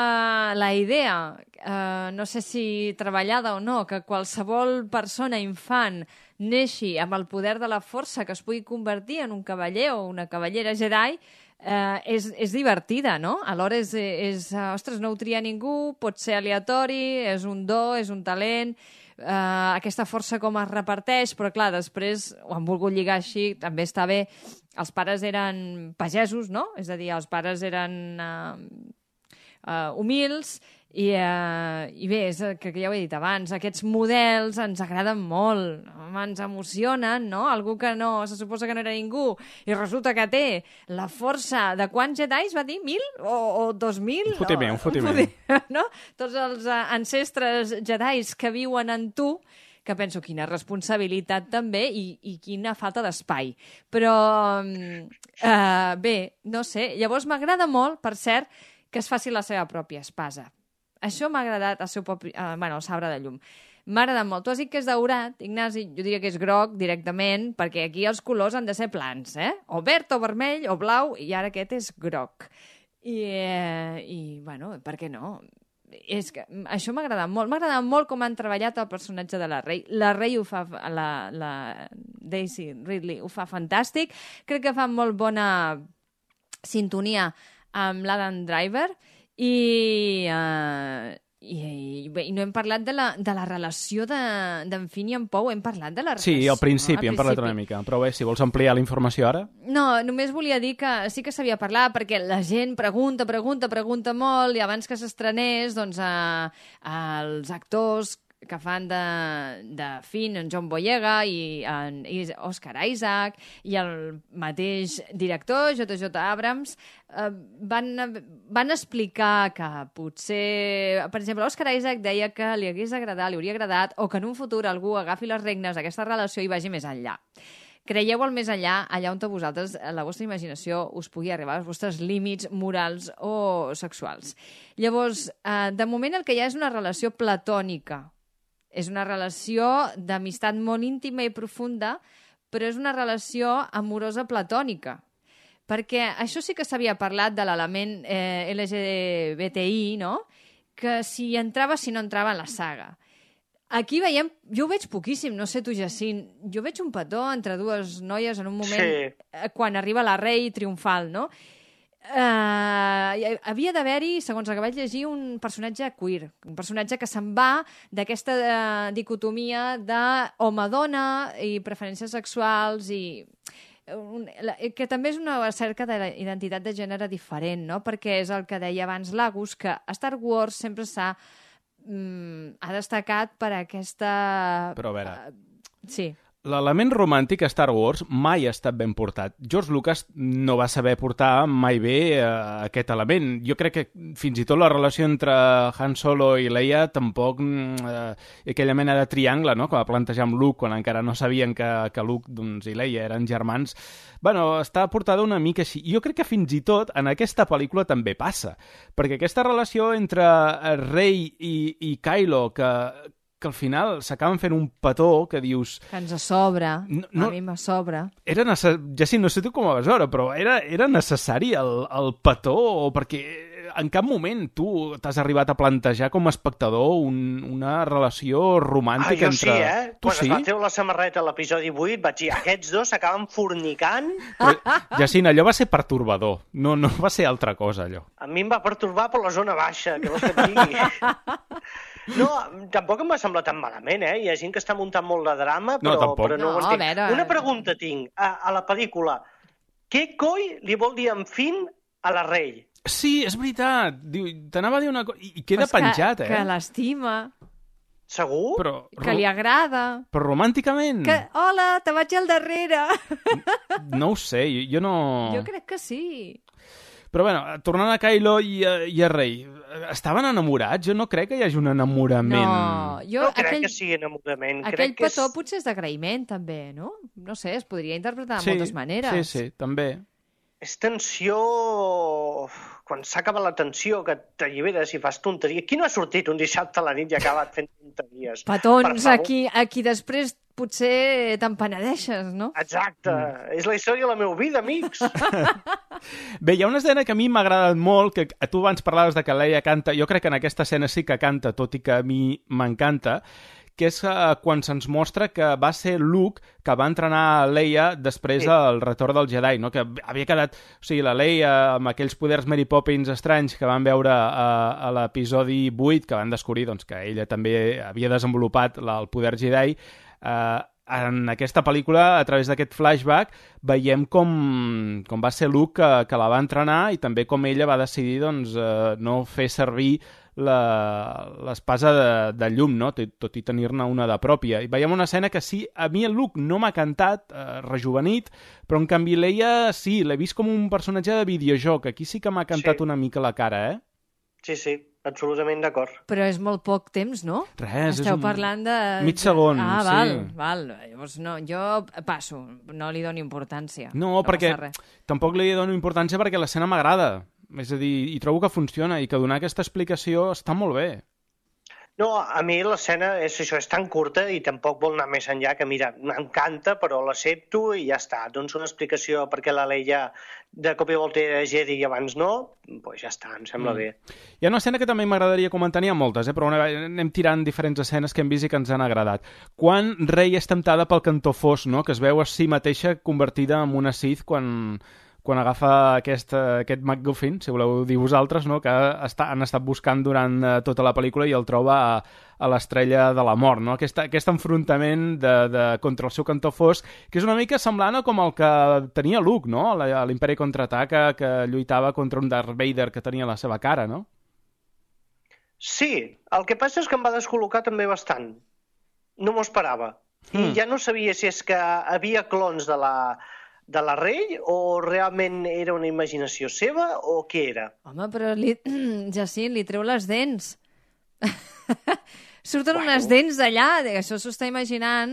la idea, eh, no sé si treballada o no, que qualsevol persona infant neixi amb el poder de la força que es pugui convertir en un cavaller o una cavallera Jedi, eh, és, és divertida, no? Alhora és, és, ostres, no ho tria ningú, pot ser aleatori, és un do, és un talent, eh, aquesta força com es reparteix, però clar, després ho han volgut lligar així, també està bé. Els pares eren pagesos, no? És a dir, els pares eren eh, eh, humils, i, uh, i bé, és que, que ja ho he dit abans, aquests models ens agraden molt, ens emocionen, no? Algú que no, se suposa que no era ningú i resulta que té la força de quants Jedis va dir? Mil? O, o dos mil? Un fotimer, un fotimer. No? Tots els uh, ancestres Jedis que viuen en tu, que penso quina responsabilitat també i, i quina falta d'espai. Però, uh, bé, no sé, llavors m'agrada molt, per cert, que es faci la seva pròpia espasa. Això m'ha agradat, el seu propi, eh, bueno, el sabre de llum. M'ha agradat molt. Tu has dit que és daurat, Ignasi, jo diria que és groc directament, perquè aquí els colors han de ser plans, eh? O verd, o vermell, o blau, i ara aquest és groc. I, eh, i bueno, per què no? És que això m'ha agradat molt. M'ha agradat molt com han treballat el personatge de la Rey. La Rey ho fa, la, la Daisy Ridley ho fa fantàstic. Crec que fa molt bona sintonia amb l'Adam Driver. I, uh, i, i, bé, i no hem parlat de la, de la relació d'en de, Finn i en Poe, hem parlat de la relació. Sí, al principi no? hem parlat una mica, però bé, si vols ampliar la informació ara... No, només volia dir que sí que s'havia parlat perquè la gent pregunta, pregunta, pregunta molt i abans que s'estrenés, doncs, a, a els actors que fan de, de Finn, en John Boyega i en i Oscar Isaac i el mateix director, J J Abrams, eh, van, van explicar que potser, per exemple, Oscar Isaac deia que li hagués agradat, li hauria agradat, o que en un futur algú agafi les regnes d'aquesta relació i vagi més enllà. Creieu el més enllà, allà on vosaltres, la vostra imaginació, us pugui arribar als vostres límits morals o sexuals. Llavors, eh, de moment el que hi ha és una relació platònica. És una relació d'amistat molt íntima i profunda, però és una relació amorosa platònica. Perquè això sí que s'havia parlat de l'element eh, L G B T I, no? Que si entrava, si no entrava en la saga. Aquí veiem, jo ho veig poquíssim, no sé tu, Jacint, jo veig un petó entre dues noies en un moment, sí. Quan arriba la Rey triomfal, no? Uh, havia d'haver-hi, segons el que vaig llegir, un personatge queer, un personatge que se'n va d'aquesta uh, dicotomia de home-dona i preferències sexuals i un, la, que també és una cerca d'identitat de gènere diferent, no? Perquè és el que deia abans l'Agus, que Star Wars sempre s'ha um, ha destacat per aquesta... Però a veure... Uh, sí. l'element romàntic a Star Wars mai ha estat ben portat. George Lucas no va saber portar mai bé eh, aquest element. Jo crec que fins i tot la relació entre Han Solo i Leia tampoc, eh, aquella mena de triangle, no?, que va plantejar amb Luke quan encara no sabien que, que Luke doncs, i Leia eren germans, bueno, està portada una mica així. Jo crec que fins i tot en aquesta pel·lícula també passa, perquè aquesta relació entre Rey i, i Kylo, que que al final s'acaben fent un petó que dius... Que ens sobra, no, no, a mi me sobra. Era necessari, ja sí, no sé tu com ho vas veure, però era, era necessari el, el petó, perquè en cap moment tu t'has arribat a plantejar com a espectador un, una relació romàntica ah, jo entre... sí, eh? Tu Quan sí? es va treure la samarreta a l'episodi vuit vaig dir, aquests dos s'acaben fornicant. Però, Jacint, allò va ser pertorbador, no, no va ser altra cosa, allò. A mi em va pertorbar per la zona baixa, que vols que et digui. No, tampoc em va semblar tan malament, eh? Hi ha gent que està muntant molt de drama, però no, però no, no ho entenc. veure... Una pregunta tinc. A, a la pel·lícula, què coi li vol dir en Finn a la Rey? Sí, és veritat. T'anava a dir una cosa... I queda pues penjat, que, eh? Que l'estima. Segur? Però, que li agrada. Però romànticament? Que, hola, te vaig al darrere. No ho sé, jo, jo no... Jo crec que sí. Però bueno, tornant a Kylo i a, i a Rey, estaven enamorats? Jo no crec que hi hagi un enamorament. No, jo, no crec aquell, que sigui enamorament. Aquell crec que petó és... potser és d'agraïment, també, no? No sé, es podria interpretar de sí, moltes maneres. Sí, sí, també. És tensió... Quan s'acaba la tensió, que t'alliberes i fas tonteria. Qui no ha sortit un dissabte a la nit i ha acabat fent tonteries? Petons, aquí, aquí després potser te'n penedeixes, no? Exacte. Mm. És la història de la meva vida, amics. Bé, hi ha una escena que a mi m'ha agradat molt, que tu abans parlaves de que Leia canta, jo crec que en aquesta escena sí que canta, tot i que a mi m'encanta, que és uh, quan se'ns mostra que va ser Luke que va entrenar Leia després sí. del retorn del Jedi, no? Que havia quedat... O sigui, la Leia amb aquells poders Mary Poppins estranys que van veure a, a l'episodi vuit, que van descobrir doncs, que ella també havia desenvolupat la, el poder Jedi, eh, en aquesta pel·lícula, a través d'aquest flashback, veiem com, com va ser Luke que, que la va entrenar i també com ella va decidir doncs, eh, no fer servir l'espasa de, de llum, no? Tot, tot i tenir-ne una de pròpia. I veiem una escena que sí, a mi el Luke no m'ha cantat, eh, rejuvenit, però en canvi Leia sí, l'he vist com un personatge de videojoc. Aquí sí que m'ha cantat sí. una mica la cara, eh? Sí, sí, absolutament d'acord. Però és molt poc temps, no? Res, Esteu és un... parlant de... mig segon, ah, sí. val, val. Llavors, no, jo passo, no li dono importància. No, no perquè tampoc li dono importància perquè l'escena m'agrada. És a dir, i trobo que funciona i que donar aquesta explicació està molt bé. No, a mi l'escena és això, és tan curta i tampoc vol anar més enllà que, mira, m'encanta, però l'accepto i ja està. Doncs una explicació perquè la Leia de cop i volta era Jedi i abans no, doncs ja està, em sembla mm. bé. Hi ha una escena que també m'agradaria comentar, n'hi ha moltes, eh? Però anem tirant diferents escenes que hem vist i que ens han agradat. Quan Rey és temptada pel cantó fos, no? Que es veu a si mateixa convertida en una Sith quan... quan agafa aquest, aquest MacGuffin, si voleu dir vosaltres, no? Que està, han estat buscant durant uh, tota la pel·lícula i el troba a, a l'estrella de la mort, no? Aquest, aquest enfrontament de, de, contra el seu cantó fosc, que és una mica semblant a com el que tenia Luke, no? A l'Imperi Contraataca, que lluitava contra un Darth Vader que tenia la seva cara, no? Sí, el que passa és que em va descol·locar també bastant. No m'ho esperava. Mm. I ja no sabia si és que havia clons de la... de la Rey, o realment era una imaginació seva, o què era? Home, però li... Jacint, li treu les dents. Surten bueno. unes dents d'allà, això s'ho està imaginant.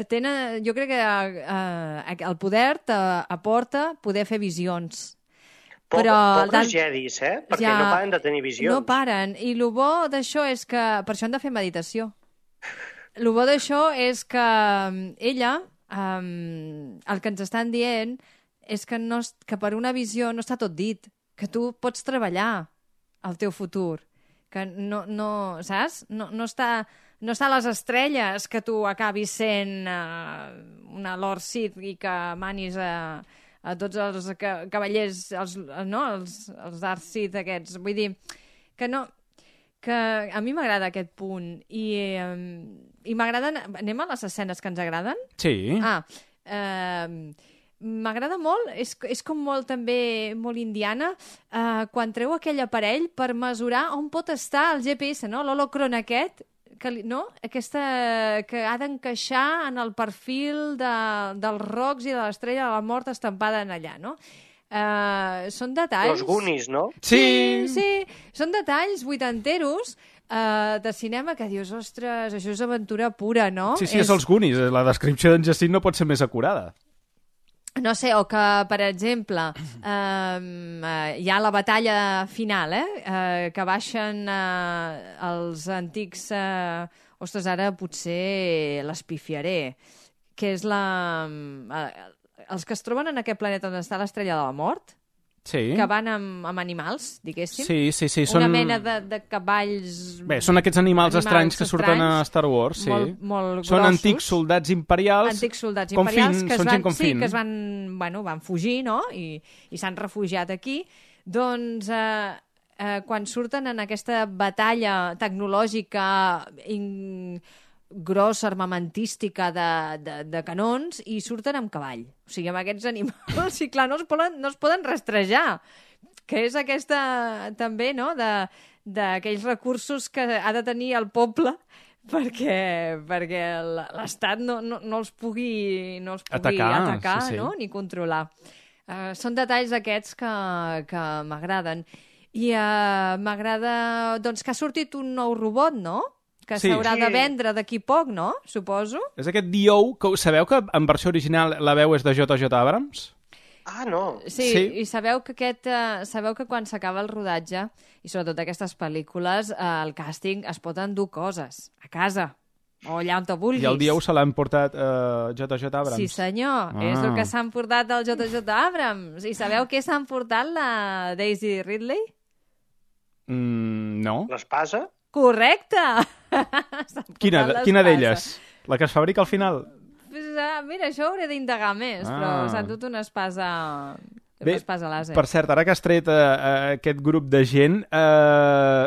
Tenen, jo crec que uh, el poder aporta poder fer visions. Pobre, però pobres jedis, eh? Perquè ja, no paren de tenir visions. No paren. I el bo d'això és que... Per això han de fer meditació. El bo d'això és que ella... Um, el que ens estan dient és que, no, que per una visió no està tot dit, que tu pots treballar el teu futur, que no, no saps? No, no, està, no està a les estrelles que tu acabis sent uh, una Lord Sith i que manis a, a tots els cavallers, els, no? els, els Darth Sith aquests. Vull dir que no... que a mi m'agrada aquest punt i, um, i m'agraden... Anem a les escenes que ens agraden? Sí. Ah, eh, m'agrada molt, és, és com molt també molt indiana, eh, quan treu aquell aparell per mesurar on pot estar el G P S, no? L'holocron aquest, que, li- no? Aquesta que ha d'encaixar en el perfil de, dels rocs i de l'estrella de la mort estampada en allà, no? Uh, són detalls... Los Goonies, no? Sí, sí, són detalls vuitanteros uh, de cinema que dius, ostres, això és aventura pura, no? Sí, sí, és, és els Goonies. La descripció d'en Jacint no pot ser més acurada. No sé, o que, per exemple, eh, eh, hi ha la batalla final, eh, eh, que baixen eh, els antics... Eh, ostres, ara potser l'espifiaré, que és la... Eh, els que es troben en aquest planeta on està l'estrella de la mort, Sí. que van amb, amb animals, diguéssim. Sí, sí, sí. Una Són... mena de, de cavalls... Bé, són aquests animals, animals estranys que surten a estranys, Star Wars, sí. Molt, molt Són grossos. antics soldats imperials. Antics soldats com imperials fin, que es són van, gent com sí, fin. que es van, bueno, van fugir, no? I, i s'han refugiat aquí. Doncs eh, eh, quan surten en aquesta batalla tecnològica in... grossa, armamentística de, de, de canons, i surten amb cavall. O sigui, amb aquests animals, i clar, no es poden, no es poden rastrejar, que és aquesta, també, no?, de- d'aquells recursos que ha de tenir el poble perquè, perquè l'Estat no, no, no els pugui, no els pugui Atacar, atacar, sí, sí. no?, ni controlar. Uh, són detalls aquests que, que m'agraden. I uh, m'agrada, doncs, que ha sortit un nou robot, no?, que Sí. s'haurà de Sí. vendre d'aquí poc, no?, suposo. És aquest D O, que sabeu que en versió original la veu és de J J Abrams? Ah, no. Sí, Sí. i sabeu que, aquest, uh, sabeu que quan s'acaba el rodatge, i sobretot aquestes pel·lícules, uh, el càsting es pot endur coses a casa, o allà on te vulguis. I el D O se l'han portat uh, J J Abrams? Sí, senyor, Ah. és el que s'han portat el J J Abrams. I sabeu què s'han portat la Daisy Ridley? Mm, no. L'espasa? Correcte! S'han portat Quina, l'espasa. quina d'elles? La que es fabrica al final? Pues, ah, mira, això hauré d'indagar més, Ah. però s'han dut una espasa... Bé, una espasa làser. per cert, ara que has tret uh, aquest grup de gent, uh,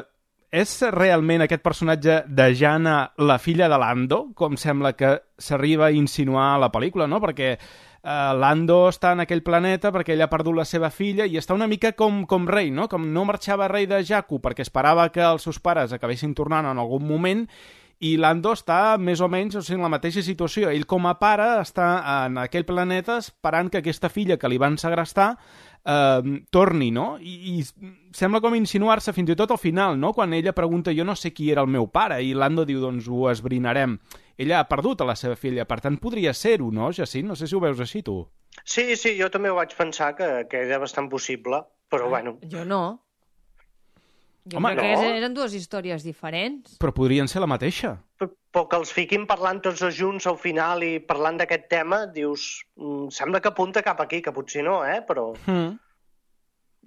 és realment aquest personatge de Jana la filla de Lando, com sembla que s'arriba a insinuar a la pel·lícula, no? Perquè uh, Lando està en aquell planeta perquè ell ha perdut la seva filla i està una mica com, com rei, no? Com no marxava rei de Jakku perquè esperava que els seus pares acabessin tornant en algun moment, i Lando està més o menys, o sigui, en la mateixa situació. Ell, com a pare, està en aquell planeta esperant que aquesta filla que li van segrestar eh, torni, no? I, I sembla com insinuar-se fins i tot al final, no? Quan ella pregunta, jo no sé qui era el meu pare, i Lando diu, doncs ho esbrinarem. Ella ha perdut a la seva filla, per tant podria ser-ho, no, Jacint? No sé si ho veus així, tu. Sí, sí, jo també ho vaig pensar, que, que era bastant possible, però bueno. Jo no. Jo Home, crec no. que eren dues històries diferents. Però podrien ser la mateixa. Però que els fiquin parlant tots dos junts al final i parlant d'aquest tema, dius, mm, sembla que apunta cap aquí, que potser no, eh, però... Mm.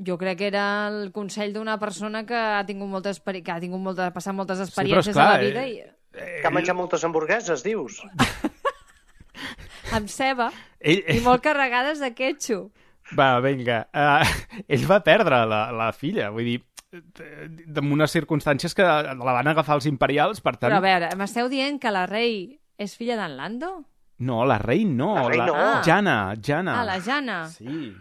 Jo crec que era el consell d'una persona que ha tingut moltes experi... que ha tingut molta... passat moltes però experiències esclar, a la vida i... Que ha menjat moltes hamburgueses, dius. amb ceba Ell, i molt carregades de ketchup. Va, vinga. Uh, ell va perdre la, la filla, vull dir, en unes circumstàncies que la van agafar els imperials, per tant... Però a veure, m'esteu dient que la rei és filla d'en Lando? No, la rei no. La rei no. Jana, Jana. Ah, la Jana. Sí.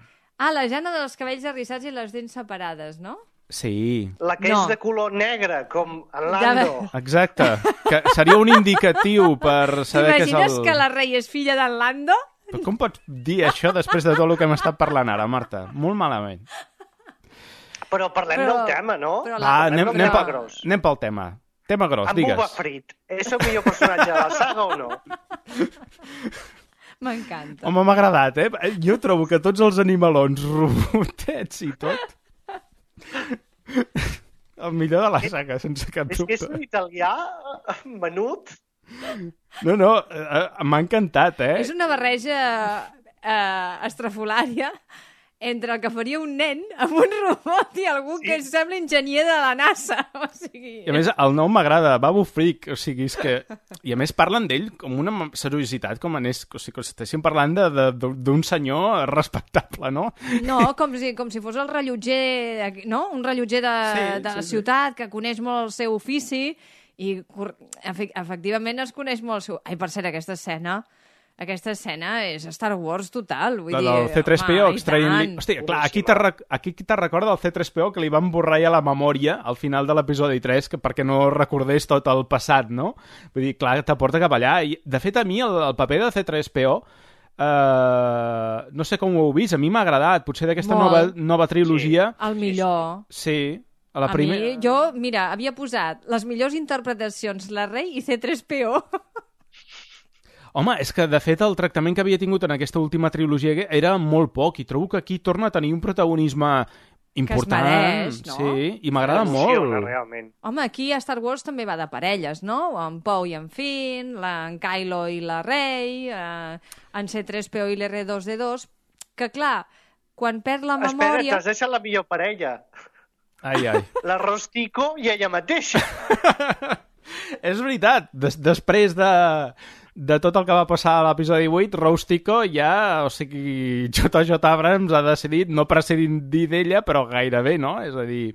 Ah, la Jana dels cabells arrissats i les dents separades, no? Sí, La que No. és de color negre, com en Ja Lando. exacte. Que seria un indicatiu per saber que és T'imagines el... que la rei és filla d'en Lando? Però com pots dir això després de tot el que hem estat parlant ara, Marta? Molt malament. Però parlem Però- del tema, no? però Va, la- anem, del anem, tema pel, gros. anem pel tema. Tema gros, En Boba digues. Fritt. És el millor personatge de la saga o no? M'encanta. Home, m'ha agradat, eh? Jo trobo que tots els animalons, robotets i tot... El millor de la saga, sense cap És que és dubte. un italià menut. No, no, eh, m'ha encantat, eh? És una barreja eh, estrafolària entre el que faria un nen amb un robot i algú sí. que sembla enginyer de la NASA. O sigui... I a més, el nom m'agrada, Babu Freak, o sigui, és que... I a més parlen d'ell com una seriositat, com anés, o sigui, com si estéssim parlant de- de- d'un senyor respectable, no? No, com si, com si fos el rellotger, no? Un rellotger de, Sí, de la sí, sí. ciutat que coneix molt el seu ofici i cor- efe- efectivament es coneix molt el seu... Ai, per cert, aquesta escena Aquesta escena és Star Wars total. Vull La dir, del C tres P O home, i extraient-li... tant. Hòstia, clar, aquí te, rec... aquí te recorda el C tres P O que li van borrar ja la memòria al final de l'episodi tres que perquè no recordés tot el passat, no? Vull dir, clar, t'aporta cap allà. I, de fet, a mi el, el paper de C tres P O eh, no sé com ho heu vist, a mi m'ha agradat. Potser d'aquesta nova, nova trilogia... El millor. Sí, a la A primera... mi, jo, mira, havia posat les millors interpretacions, la Rey i C tres P O. Home, és que, de fet, el tractament que havia tingut en aquesta última trilogia era molt poc, i trobo que aquí torna a tenir un protagonisme important. Que es mereix, no? Sí, i m'agrada molt. Realment. Home, aquí a Star Wars també va de parelles, no? En Poe i en Finn, la, en Kylo i la Rey, eh, en C tres P O i l'R dos D dos, que, clar, quan perd la memòria... Espera, t'has deixat la millor parella. Ai, ai. La Rostico i ella mateixa. És veritat, Des després de... de tot el que va passar a l'episodi vuit, Rose Tico ja, o sigui, J J Abrams ha decidit no prescindir d'ella, però gairebé, no? És a dir...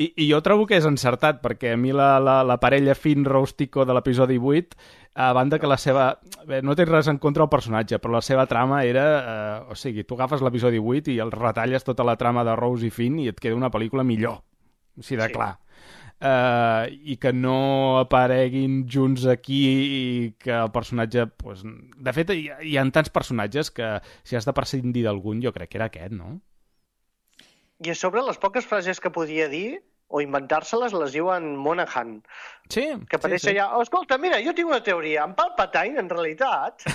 I, I jo trobo que és encertat, perquè a mi la, la, la parella Finn-Rose Tico de l'episodi vuit, a banda que la seva... Bé, no té res en contra del personatge, però la seva trama era... Eh, o sigui, tu agafes l'episodi vuit i el retalles tota la trama de Rose i Finn i et queda una pel·lícula millor. O sigui, de Sí. clar. Uh, i que no apareguin junts aquí i que el personatge... Pues, de fet, hi, hi ha tants personatges que si has de prescindir d'algun, jo crec que era aquest, no? I a sobre, les poques frases que podia dir o inventar-se-les les diu en Monaghan. Sí, Que apareix sí, sí. allà, oh, escolta, mira, jo tinc una teoria. En Palpatine, en realitat...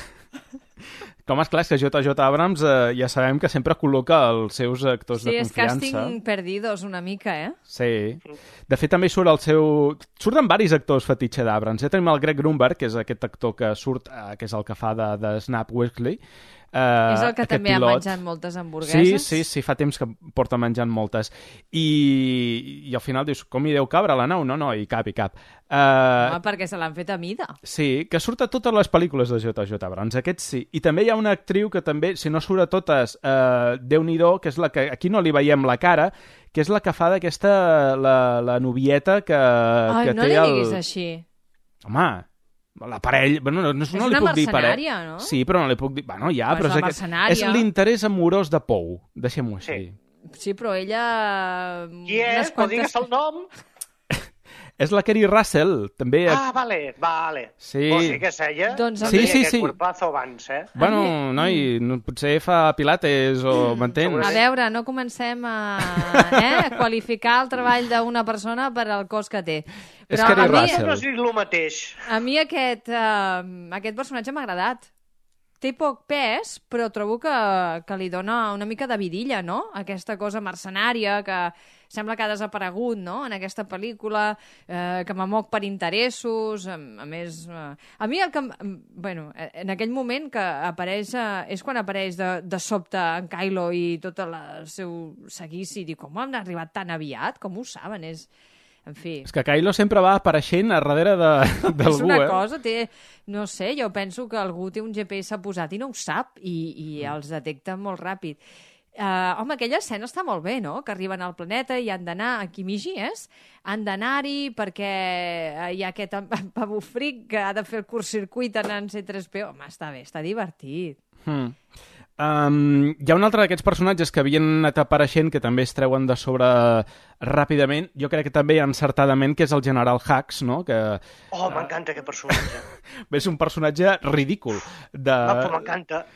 Com és clar, és que J J Abrams eh, ja sabem que sempre col·loca els seus actors Sí, de és confiança. càsting perdidos una mica, eh? Sí. De fet, també surt el seu... Surten varis actors fetitxe d'Abrams. Ja tenim el Greg Grunberg, que és aquest actor que surt, eh, que és el que fa de, de Snap Wexley. Uh, és el que també pilot. ha menjat moltes hamburgueses. Sí, sí, sí, fa temps que porta menjant moltes. I, i al final dius, com hi deu cabre a la nau? No, no, hi cap, hi cap. Uh, Home, perquè se l'han fet a mida. Sí, que surt a totes les pel·lícules de J J Abrams, aquest sí. I també hi ha una actriu que també, si no surt a totes, uh, Déu-n'hi-do, que és la que aquí no li veiem la cara, que és la que fa d'aquesta, la, la novieta que, Ai, que no té li el... diguis així. Home, la parella... Bueno, no, no, És no li una puc dir parella. mercenària, no? Sí, però no li puc dir... Bueno, ja, Però però és és, la aquest... mercenària. és l'interès amorós de Poe, deixem-ho així. Sí, però ella... Qui és? Pot dir el nom? És la Kerry Russell, també... Ah, vale, vale. Sí. O sigui que és ella? Doncs Sí, sí, aquest sí. cuerpazo abans, eh? Bueno, noi, no, potser fa pilates o m'entens? A veure, no comencem a, eh, a qualificar el treball d'una persona per al cos que té. És Però Kerry a mi, Russell. No és el mateix. a mi aquest, uh, aquest personatge m'ha agradat. Té poc pes, però trobo que, que li dona una mica de vidilla, no? Aquesta cosa mercenària que sembla que ha desaparegut, no?, en aquesta pel·lícula, eh, que m'amoc per interessos, a, a més... Eh, a mi el que... Bueno, en aquell moment que apareix... Eh, és quan apareix de, de sobte en Kylo i tot el seu seguici, i dic, com han arribat tan aviat? Com ho saben? És... En fi... És que Kylo sempre va apareixent a darrere És d'algú, una eh? cosa, té... No sé, jo penso que algú té un G P S posat i no ho sap, i, i els detecta molt ràpid. Uh, home, aquella escena està molt bé, no?, que arriben al planeta i han d'anar, a Kimiji, és? Han d'anar-hi perquè hi ha aquest pavofric que ha de fer el curt-circuit en C tres P O. Home, està bé, està divertit. Hmm. Um, hi ha un altre d'aquests personatges que havien anat apareixent que també es treuen de sobre ràpidament, jo crec que també encertadament, que és el General Hux, no? Que, Oh, m'encanta aquest personatge. és un personatge ridícul. De... Ah, però m'encanta.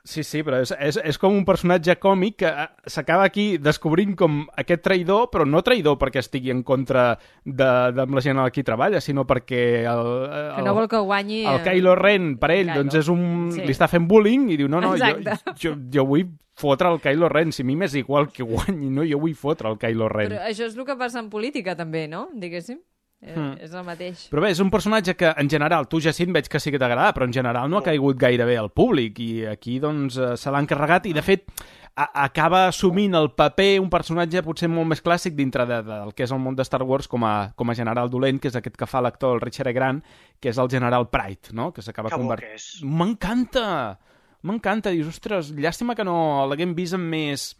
Sí, sí, però és, és, és com un personatge còmic que s'acaba aquí descobrint com aquest traïdor, però no traïdor perquè estigui en contra de, de la gent aquí treballa, sinó perquè el, el, Que no vol que guanyi... el Kylo Ren, per ell, Kylo. doncs és un... Sí. li està fent bullying i diu, no, no, jo, Exacte. jo, jo vull fotre el Kylo Ren, si a mi m'és igual que guanyi, no, jo vull fotre el Kylo Ren. Però això és el que passa en política, també, no?, diguéssim. Hmm. Eh, és el mateix. Però bé, és un personatge que, en general, tu, Jacint, veig que sí que t'agrada, però en general no ha caigut gaire bé al públic, i aquí, doncs, eh, se l'ha encarregat, i, de fet, a acaba assumint el paper, un personatge potser molt més clàssic dintre de, de, del que és el món de Star Wars com a, com a general dolent, que és aquest que fa l'actor, el Richard E. Grant, que és el general Pride, no?, que s'acaba Que bo convertint... que és. M'encanta! M'encanta! Dius, ostres, llàstima que no l'haguem vist en més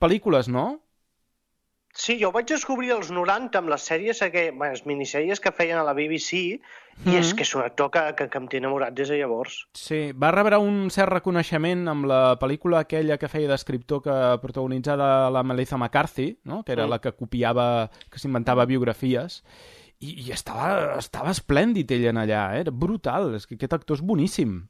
pel·lícules, no? Sí, jo ho vaig descobrir als noranta amb les sèries, que, bueno, les minissèries que feien a la B B C, i Mm. és que és un actor que, que, que em té enamorat des de llavors. Sí, va rebre un cert reconeixement amb la pel·lícula aquella que feia d'escriptor que protagonitzava la Melissa McCarthy, no? Que era Mm. la que copiava, que s'inventava biografies, i, i estava, estava esplèndid ell en allà, eh? Era brutal, és que aquest actor és boníssim.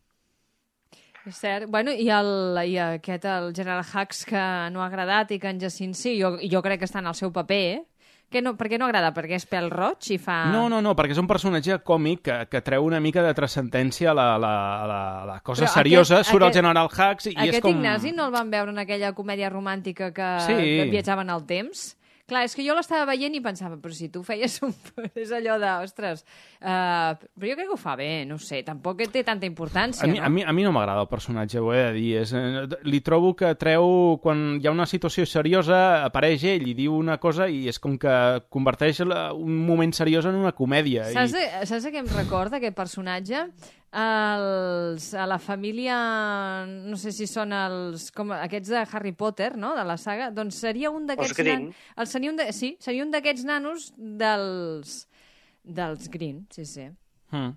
És cert. Bueno, i, el, i aquest, el General Hux, que no ha agradat i que en Jacint sí, jo, jo crec que està en el seu paper, eh? Que no, per què no agrada? Perquè és pèl roig i fa... No, no, no, perquè és un personatge còmic que, que treu una mica de transcendència a la, la, la, la cosa Però seriosa, aquest- surt el aquest- General Hux i és Aquest com... Ignasi no el van veure en aquella comèdia romàntica que, Sí. que viatjaven al temps? Clar, és que jo l'estava veient i pensava, però si tu feies un... és allò de, ostres... Uh, però jo crec que ho fa bé, no ho sé, tampoc té tanta importància, A mi, no? a mi, a mi no m'agrada el personatge, ho he de dir. És, eh, li trobo que treu, quan hi ha una situació seriosa, apareix ell i diu una cosa i és com que converteix la, un moment seriós en una comèdia. Saps, I... de, saps de què em recorda aquest personatge? Els, a la família, no sé si són els, com aquests de Harry Potter, no?, de la saga, doncs seria un d'aquests... Els Green. nan- el, seria un de, sí, seria un d'aquests nanos dels, dels Green, sí, sí. Mm.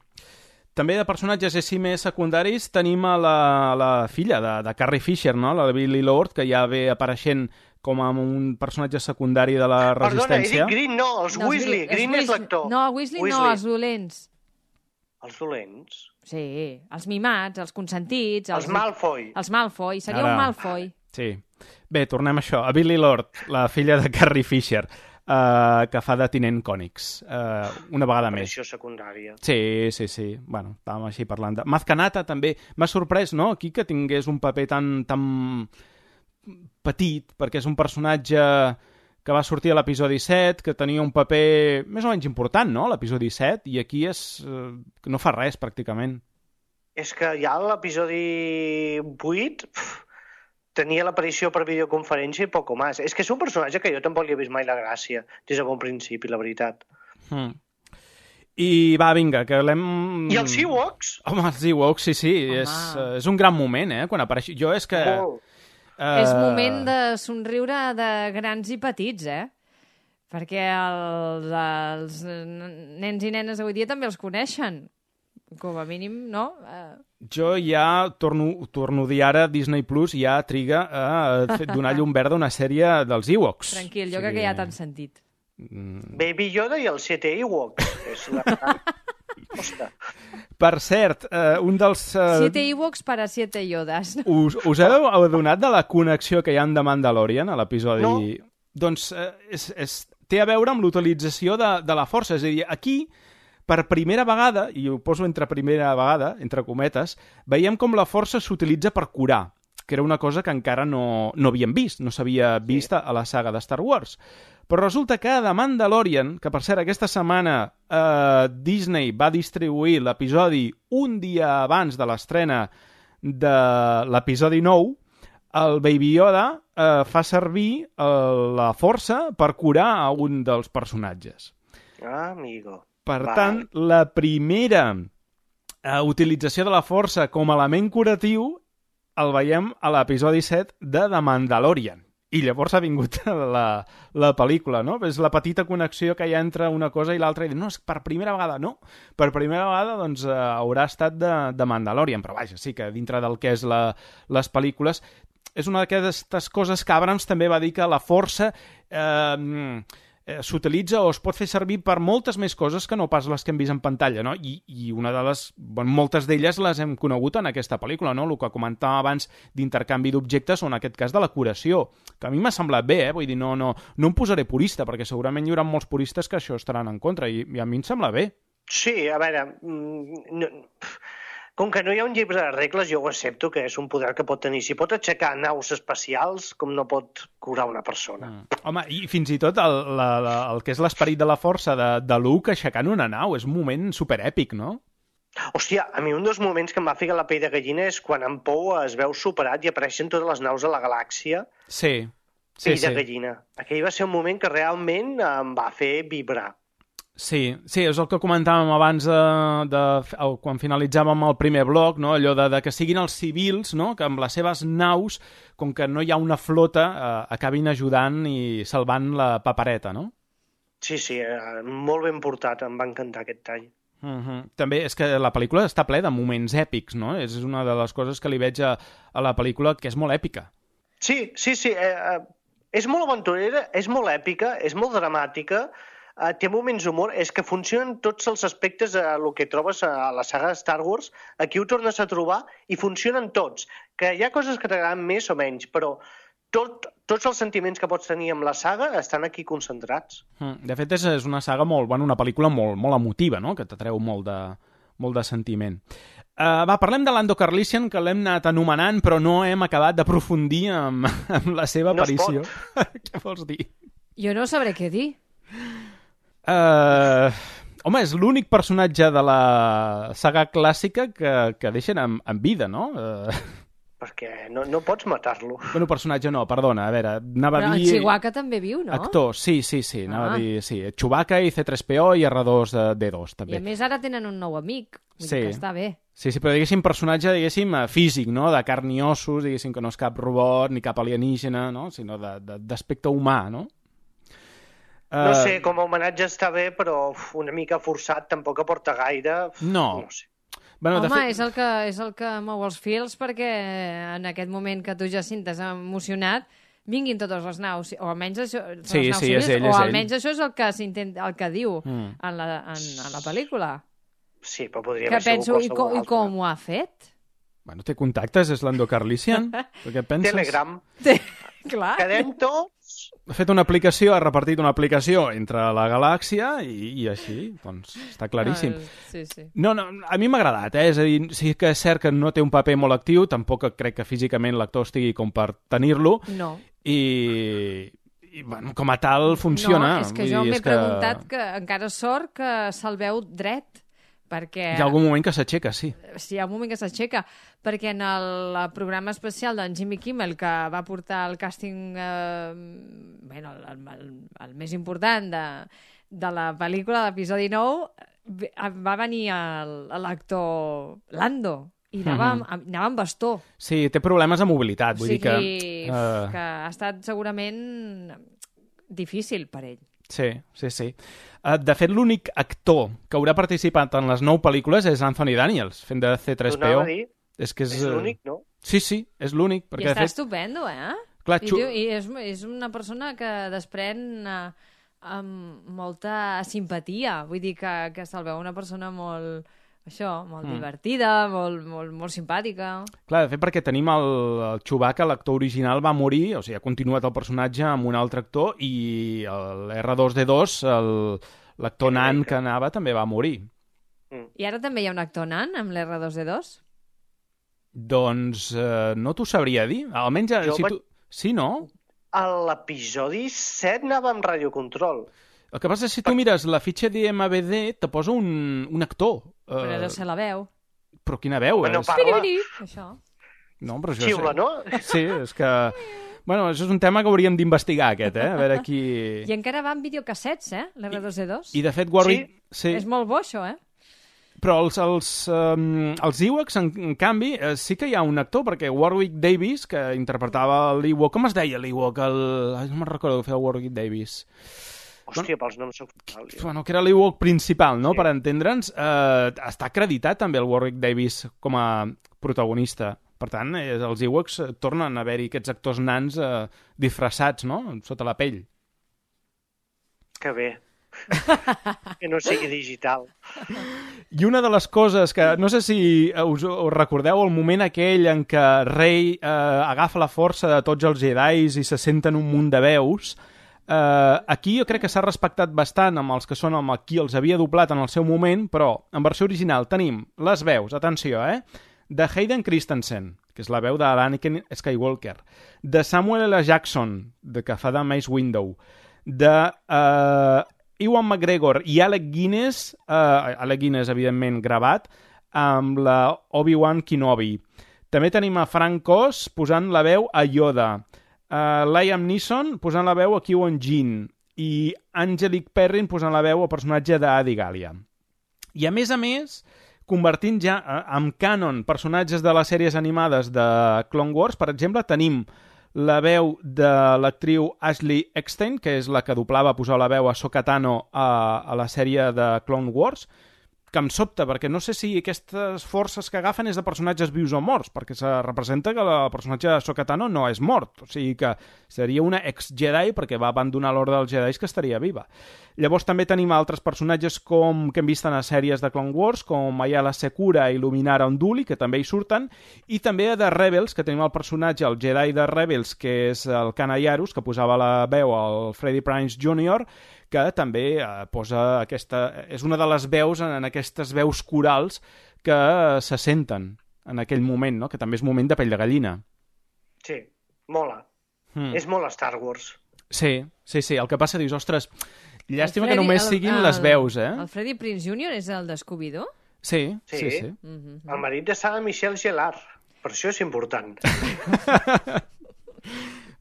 També de personatges així més secundaris tenim a la, la filla de, de Carrie Fisher, no?, la de Billy Lord, que ja ve apareixent com a un personatge secundari de la Perdona, he resistència. dit Green, no, els No, els Weasley. Gre- els Green és Weasley- l'actor. No, Weasley, no, els dolents. Els dolents? Sí, els mimats, els consentits... Els Malfoy. Els Malfoy, seria Ara. un Malfoy. Sí. Bé, tornem a això. A Billy Lord, la filla de Carrie Fisher, eh, que fa de tinent Cònics. Eh, una vegada més. Aparició secundària. Sí, sí, sí. Bueno, estàvem així parlant de... Mazcanata també. M'ha sorprès, no?, aquí que tingués un paper tan, tan petit, perquè és un personatge que va sortir a l'episodi set, que tenia un paper més o menys important, no?, l'episodi set, i aquí és... Eh, que no fa res, pràcticament. És que ja a l'episodi vuit pf, tenia l'aparició per videoconferència i poco més. És que és un personatge que jo tampoc li he vist mai la gràcia des de bon principi, la veritat. Hmm. I va, vinga, que l'hem... I els Ewoks? Home, els Ewoks, sí, sí, és, eh, és un gran moment, eh, quan apareix... Jo és que... Molt. Uh... És moment de somriure de grans i petits, eh? Perquè els, els nens i nenes avui dia també els coneixen. Com a mínim, no? Uh... Jo ja torno, torno a dir ara, Disney Plus ja triga a donar llum verda a una sèrie dels Ewoks. Tranquil, jo O sigui... crec que ja t'han sentit. Mm. Baby Yoda i els siete Ewoks. És la... Ostres. Per cert, eh, un dels... Eh, Siete Ewoks para siete Yodas. us, us heu adonat de la connexió que hi ha amb The Mandalorian a l'episodi? No. Doncs eh, és, és, té a veure amb l'utilització de, de la força. És a dir, aquí, per primera vegada, i ho poso entre primera vegada, entre cometes, veiem com la força s'utilitza per curar, que era una cosa que encara no, no havíem vist, no s'havia vist sí. a la saga de Star Wars. Però resulta que The Mandalorian, que per cert aquesta setmana eh, Disney va distribuir l'episodi un dia abans de l'estrena de l'episodi nou, el Baby Yoda eh, fa servir eh, la força per curar a un dels personatges. Ah, amigo. Per Val. tant, la primera eh, utilització de la força com a element curatiu el veiem a l'episodi set de The Mandalorian. I llavors ha vingut la, la pel·lícula, no? És la petita connexió que hi ha entre una cosa i l'altra i dir, no, és per primera vegada, no. Per primera vegada, doncs, eh, haurà estat de, de Mandalorian, però vaja, sí que dintre del que és la, les pel·lícules és una d'aquestes coses que Abrams també va dir que la força eh, eh, s'utilitza o es pot fer servir per moltes més coses que no pas les que hem vist en pantalla, no? I, i una de les... Bon, moltes d'elles les hem conegut en aquesta pel·lícula, no? El que comentàvem abans d'intercanvi d'objectes o en aquest cas de la curació, que a mi m'ha semblat bé, eh? Vull dir, no, no, no em posaré purista, perquè segurament hi haurà molts puristes que això estaran en contra, i, i a mi em sembla bé. Sí, a veure... mm, No, com que no hi ha un llibre de regles, jo ho accepto que és un poder que pot tenir. Si pot aixecar naus espacials, com no pot curar una persona. Mm. Home, i fins i tot el, la, la, el que és l'esperit de la força de, de Luke aixecant una nau, és un moment superèpic, no? Hòstia, a mi un dels moments que em va ficar la pell de gallina és quan en Poe es veu superat i apareixen totes les naus a la galàxia. Sí, sí, Pell sí. de gallina. Aquell va ser un moment que realment em va fer vibrar. Sí, sí, és el que comentàvem abans de, de, de quan finalitzàvem el primer bloc, no? Allò de, de que siguin els civils, no? Que amb les seves naus, com que no hi ha una flota, eh, acabin ajudant i salvant la papereta, no? Sí, sí, eh, molt ben portat, em va encantar aquest tall. Uh-huh. També és que la pel·lícula està ple de moments èpics, no? És una de les coses que li veig a, a la pel·lícula que és molt èpica. Sí, sí, sí, eh, eh, és molt aventurera, és molt èpica, és molt dramàtica, Uh, té moments d'humor, és que funcionen tots els aspectes a el que trobes a la saga de Star Wars, aquí ho tornes a trobar i funcionen tots, que hi ha coses que t'agraden més o menys, però tot, tots els sentiments que pots tenir amb la saga estan aquí concentrats. De fet, és, és una saga molt, bueno, una pel·lícula molt, molt emotiva, no? Que t'atreu molt de, molt de sentiment. Uh, va, parlem de Lando Calrissian, que l'hem anat anomenant, però no hem acabat d'aprofundir amb, amb la seva no aparició. Què vols dir? Jo no sabré què dir. Uh, home, és l'únic personatge de la saga clàssica que, que deixen en, en vida, no? Uh... Perquè no, no pots matar-lo. Bueno, personatge no, perdona, a veure, anava Però a dir... el Chewbacca també viu, no? Actor, sí, sí, sí, anava Ah. a dir, sí. Chewbacca i C tres P O i R dos D dos, també. I a més ara tenen un nou amic, vull Sí. dir que està bé. Sí, sí, però diguéssim personatge, diguéssim, eh, físic, no? De carn i ossos, diguéssim que no és cap robot ni cap alienígena, no? Sinó de- de- d'aspecte humà, no? No Eh, sé, com a homenatge està bé, però uf, una mica forçat, tampoc aporta gaire. Uf, No. no sé. Bueno, Home, de fet... és, el que, és el que mou els fils perquè en aquest moment que tu, Jacint, t'has emocionat, vinguin totes les naus, o almenys això, Sí, les naus sí, és civils, ell, o és ell. almenys això és el que s'intenta, el que diu Mm. en, la, en, en la pel·lícula. Sí, però podria Que haver sigut penso, i, qualsevol co, i altre. com ho ha fet? Bueno, té contactes, és Lando Calrissian. Per què penses? Telegram. Clar. Quedem tots... Ha fet una aplicació, ha repartit una aplicació entre la galàxia i, i així, doncs està claríssim. El- Sí, sí. No, no, a mi m'ha agradat, eh? És a dir, sí que és cert que no té un paper molt actiu, tampoc crec que físicament l'actor estigui com per tenir-lo, No. i, i bueno, com a tal funciona. No, és que Vull jo dir, m'he és que preguntat que encara sort que se'l veu dret, perquè... Hi ha algun moment que s'aixeca, sí. Sí, hi ha un moment que s'aixeca, perquè en el, el programa especial d'en Jimmy Kimmel, que va portar el càsting, eh, bueno, el, el, el més important de, de la pel·lícula, l'episodi nou, ve- va venir el- l'actor Lando, i anava, Mhm. amb, anava amb bastó. Sí, té problemes de mobilitat, O vull sigui, dir que... eh, que ha estat segurament difícil per ell. Sí, sí, sí. Uh, de fet, l'únic actor que haurà participat en les nou pel·lícules és Anthony Daniels, fent de C tres P O. Anava a dir, És que és... és eh, l'únic, no? Sí, sí, és l'únic. I Perquè, està de fet, estupendo, eh? Clar, I, xu- diu, i és, és una persona que desprèn eh, amb molta simpatia. Vull dir que, que se'l veu una persona molt, això, molt Mm. divertida, molt, molt, molt simpàtica. clar, de fet, perquè tenim el, el Chewbacca, l'actor original, va morir, o sigui, ha continuat el personatge amb un altre actor, i el R dos D dos, el- l'actor nan que anava, també va morir. I ara també hi ha un actor nan amb l'R dos D dos? Doncs eh, no t'ho sabria dir. Almenys, eh, Jo si vaig- tu... Sí, no? A l'episodi set anava amb radiocontrol. El que passa és que si tu mires la fitxa d'I M D B, te posa un, un actor. Eh, Però deu ser la veu. Però quina veu, Bueno, és? parla. Piripiri, això. No, però això Xiula, és... no? Sí, és que... Bueno, això és un tema que hauríem d'investigar, aquest, eh? A veure qui... I encara va en videocassets, eh? L'R dos D dos. I, de fet, Warwick... Sí. És molt bo, això, eh? Però els, els, um, els Ewoks, en, en canvi, eh, sí que hi ha un actor, perquè Warwick Davis, que interpretava l'Ewok... Com es deia l'Ewok? El... Ai, no me'n recordo que feia Warwick Davis. Hòstia, pels noms soc fatal. jo. Bueno, que era l'Ewok principal, no?, Sí. per entendre'ns. Eh, està acreditat també el Warwick Davis com a protagonista. Per tant, eh, els Ewoks eh, tornen a haver-hi aquests actors nans eh, disfressats, no?, sota la pell. Que bé. Que no sigui digital. I una de les coses que, no sé si us, us recordeu el moment aquell en què Rey eh, agafa la força de tots els Jedis i se senten un munt de veus, eh, aquí jo crec que s'ha respectat bastant amb els que són amb qui els havia doblat en el seu moment, però en versió original tenim les veus, atenció, eh, de Hayden Christensen, que és la veu d'Anakin Skywalker, de Samuel L. Jackson, de que fa de Mace Windu, de eh, Ewan McGregor i Alec Guinness, eh, Alec Guinness, evidentment, gravat, amb la Obi-Wan Kenobi. També tenim a Frank Oz posant la veu a Yoda, uh, Liam Neeson posant la veu a Qui-Gon Jinn, i Angelique Perrin posant la veu al personatge d'Adi Gallia. I a més a més, convertint ja en canon personatges de les sèries animades de Clone Wars, per exemple, tenim la veu de l'actriu Ashley Eckstein, que és la que doblava, posava la veu a Ahsoka Tano a, a la sèrie de Clone Wars, que em sobta, perquè no sé si aquestes forces que agafen és de personatges vius o morts, perquè se representa que el personatge de Ahsoka Tano no és mort, o sigui que seria una ex-Jedi perquè va abandonar l'ordre dels Jedi que estaria viva. Llavors també tenim altres personatges com que hem vist en les sèries de Clone Wars, com Ayala Secura i Luminara Unduli, que també hi surten, i també de Rebels, que tenim el personatge, el Jedi de Rebels, que és el Kana Jarrus, que posava la veu al Freddie Prinze júnior, que també eh, posa aquesta... és una de les veus en, en aquestes veus corals que eh, se senten en aquell moment, no? Que també és moment de pell de gallina. Sí, mola. Mm. És molt Star Wars. Sí, sí, sí. El que passa, dius, ostres, llàstima Freddy, que només el, siguin el, les veus, eh? El Freddie Prinze júnior és el de Scooby-Doo? Sí, sí, sí. sí. Mm-hmm. El marit de Sarah Michelle Gellar. Per això és important.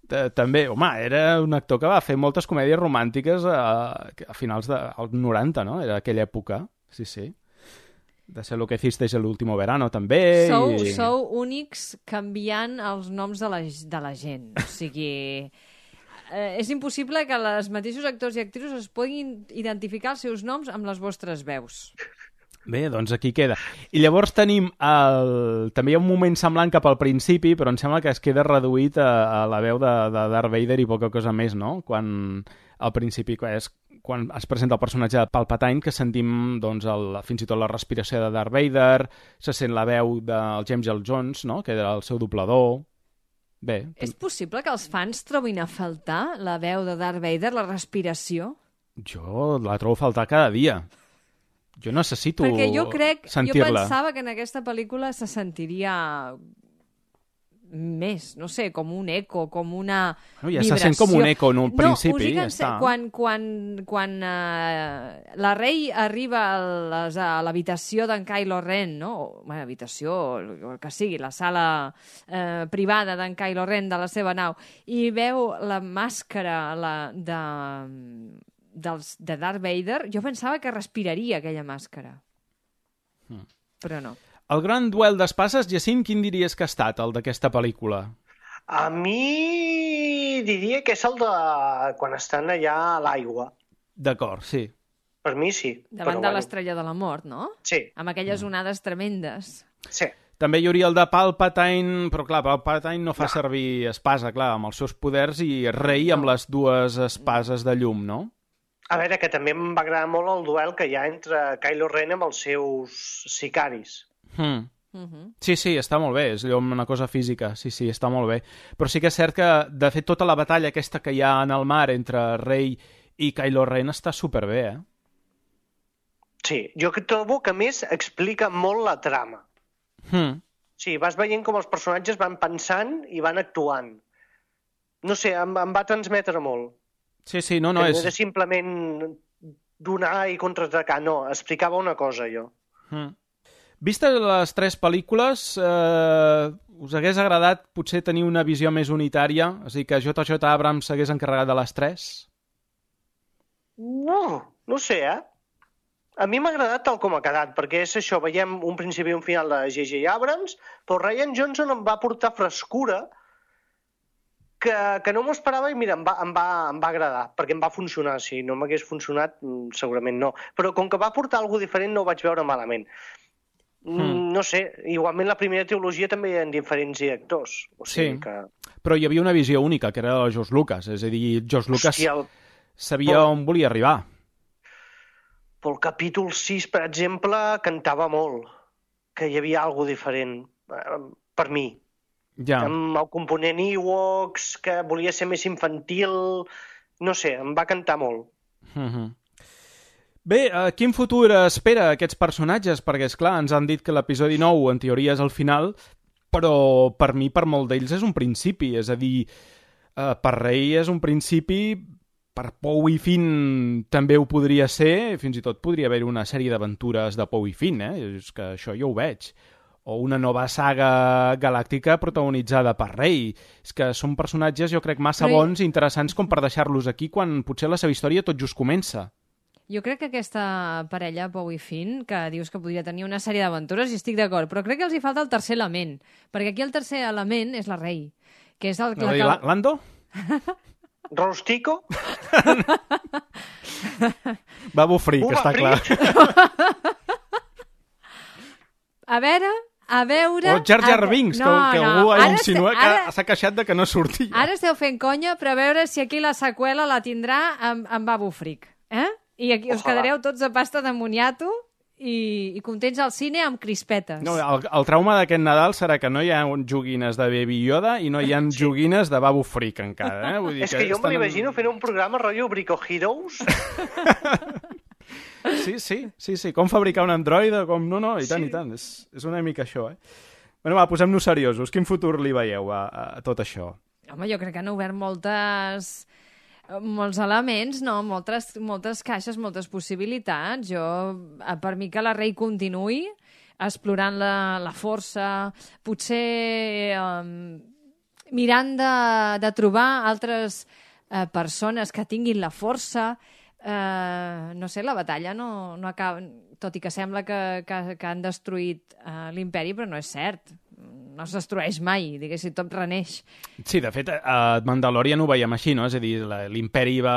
També, home, era un actor que va fer moltes comèdies romàntiques a, a finals dels noranta, no? Era aquella època, sí, sí. De ser lo que hicisteis el último verano, també. Sou, i... sou únics canviant els noms de la, de la gent. O sigui, eh, és impossible que els mateixos actors i actrius es puguin identificar els seus noms amb les vostres veus. Bé, doncs aquí queda. I llavors tenim el... també hi ha un moment semblant cap al principi, però em sembla que es queda reduït a, a la veu de, de Darth Vader i poca cosa més, no? Quan al principi és quan es presenta el personatge de Palpatine, que sentim doncs, el, fins i tot la respiració de Darth Vader, se sent la veu del James Earl Jones, no? Que era el seu doblador. Bé. És possible que els fans trobin a faltar la veu de Darth Vader, la respiració? Jo la trobo a faltar cada dia. Jo necessito sentir-la. Perquè jo crec, jo pensava que en aquesta pel·lícula se sentiria més, no sé, com un eco, com una no, ja vibració. Se sent com un eco en un no, principi. Ja està. Quan, quan, quan uh, la Rey arriba a, les, a l'habitació d'en Kylo Ren, no? O, bueno, habitació, el que sigui, la sala uh, privada d'en Kylo Ren de la seva nau, i veu la màscara la, de... Dels, de Darth Vader, jo pensava que respiraria aquella màscara. Mm. Però no. El gran duel d'espases, Jacint, quin diries que ha estat, el d'aquesta pel·lícula? A mi diria que és el de quan estan allà a l'aigua. D'acord, sí. Per mi sí. Davant de bueno. l'estrella de la mort, no? Sí. Amb aquelles onades tremendes. Sí. També hi hauria el de Palpatine, però clar, Palpatine no fa no. servir espasa, clar, amb els seus poders, i Rey amb no. les dues espases de llum, no? A veure, que també em va agradar molt el duel que hi ha entre Kylo Ren amb els seus sicaris. Mm. Mm-hmm. Sí, sí, està molt bé, és allò una cosa física, sí, sí, està molt bé. Però sí que és cert que, de fet, tota la batalla aquesta que hi ha en el mar entre Rey i Kylo Ren està superbé, eh? Sí, jo trobo que, a més, explica molt la trama. Mm. Sí, vas veient com els personatges van pensant i van actuant. No sé, em, em va transmetre molt. Sí, sí, no, no que és... no era simplement donar i contraatacar, no, explicava una cosa, jo. Mm. Vistes les tres pel·lícules, eh, us hagués agradat potser tenir una visió més unitària? És a dir, que J J Abrams s'hagués encarregat de les tres? No, no sé, eh? A mi m'ha agradat tal com ha quedat, perquè és això, veiem un principi i un final de J J Abrams, però Rian Johnson em va portar frescura que, que no m'ho esperava i mira, em va, em, va, em va agradar, perquè em va funcionar. Si no m'hagués funcionat, segurament no. Però com que va portar alguna diferent no ho vaig veure malament. Mm. No sé, igualment la primera trilogia també hi ha diferents directors. O sigui sí, que... però hi havia una visió única, que era la de George Lucas. És a dir, George Lucas Hòstia, el... sabia però... on volia arribar. Pel capítol sis, per exemple, cantava molt, que hi havia alguna diferent, per mi. Ja. Amb el component Ewoks, que volia ser més infantil, no sé, em va cantar molt. Mm-hmm. Bé, uh, quin futur espera aquests personatges? Perquè, esclar, ens han dit que l'episodi nou en teoria és el final, però per mi, per molt d'ells, és un principi. És a dir, uh, per Rey és un principi, per Poe i Finn també ho podria ser, fins i tot podria haver una sèrie d'aventures de Poe i Finn, eh? És que això jo ho veig. o una nova saga galàctica protagonitzada per Rey. És que són personatges, jo crec, massa Però... bons i interessants com per deixar-los aquí quan potser la seva història tot just comença. Jo crec que aquesta parella, Poe i Finn, que dius que podria tenir una sèrie d'aventures, i estic d'acord, però crec que els hi falta el tercer element, perquè aquí el tercer element és la Rey, que és el... No, que... La... Lando? Rostico? Babu Frick, està clar. A veure, a veure... O Jar Jar Binks, no, que, que no. algú Ara insinua este, ara... que s'ha queixat de que no sortia. Ara esteu fent conya per a veure si aquí la seqüela la tindrà amb, amb Babu Frick. Eh? I aquí us Ojalà. quedareu tots a pasta de moniato i, i contents al cine amb crispetes. No, el, el trauma d'aquest Nadal serà que no hi ha joguines de Baby Yoda i no hi ha sí. joguines de Babu Frick encara. Eh? Vull dir és que, que jo estan... m'imagino fent un programa rotllo Brico Heroes. Sí, sí, sí, sí. Com fabricar un androide, com... No, no, i tant, sí. i tant. És, és una mica això, eh? Bueno, va, posem-nos seriosos. Quin futur li veieu a, a tot això? Home, jo crec que han obert moltes... molts elements, no? Moltes, moltes caixes, moltes possibilitats. Jo, per mi que la Rey continuï explorant la, la força, potser um, mirant de, de trobar altres uh, persones que tinguin la força. Uh, no sé, la batalla no, no acaba... Tot i que sembla que, que, que han destruït uh, l'imperi, però no és cert. No es destrueix mai, diguéssim, tot reneix. Sí, de fet, a Mandalorian ho veiem així, no? És a dir, l'imperi va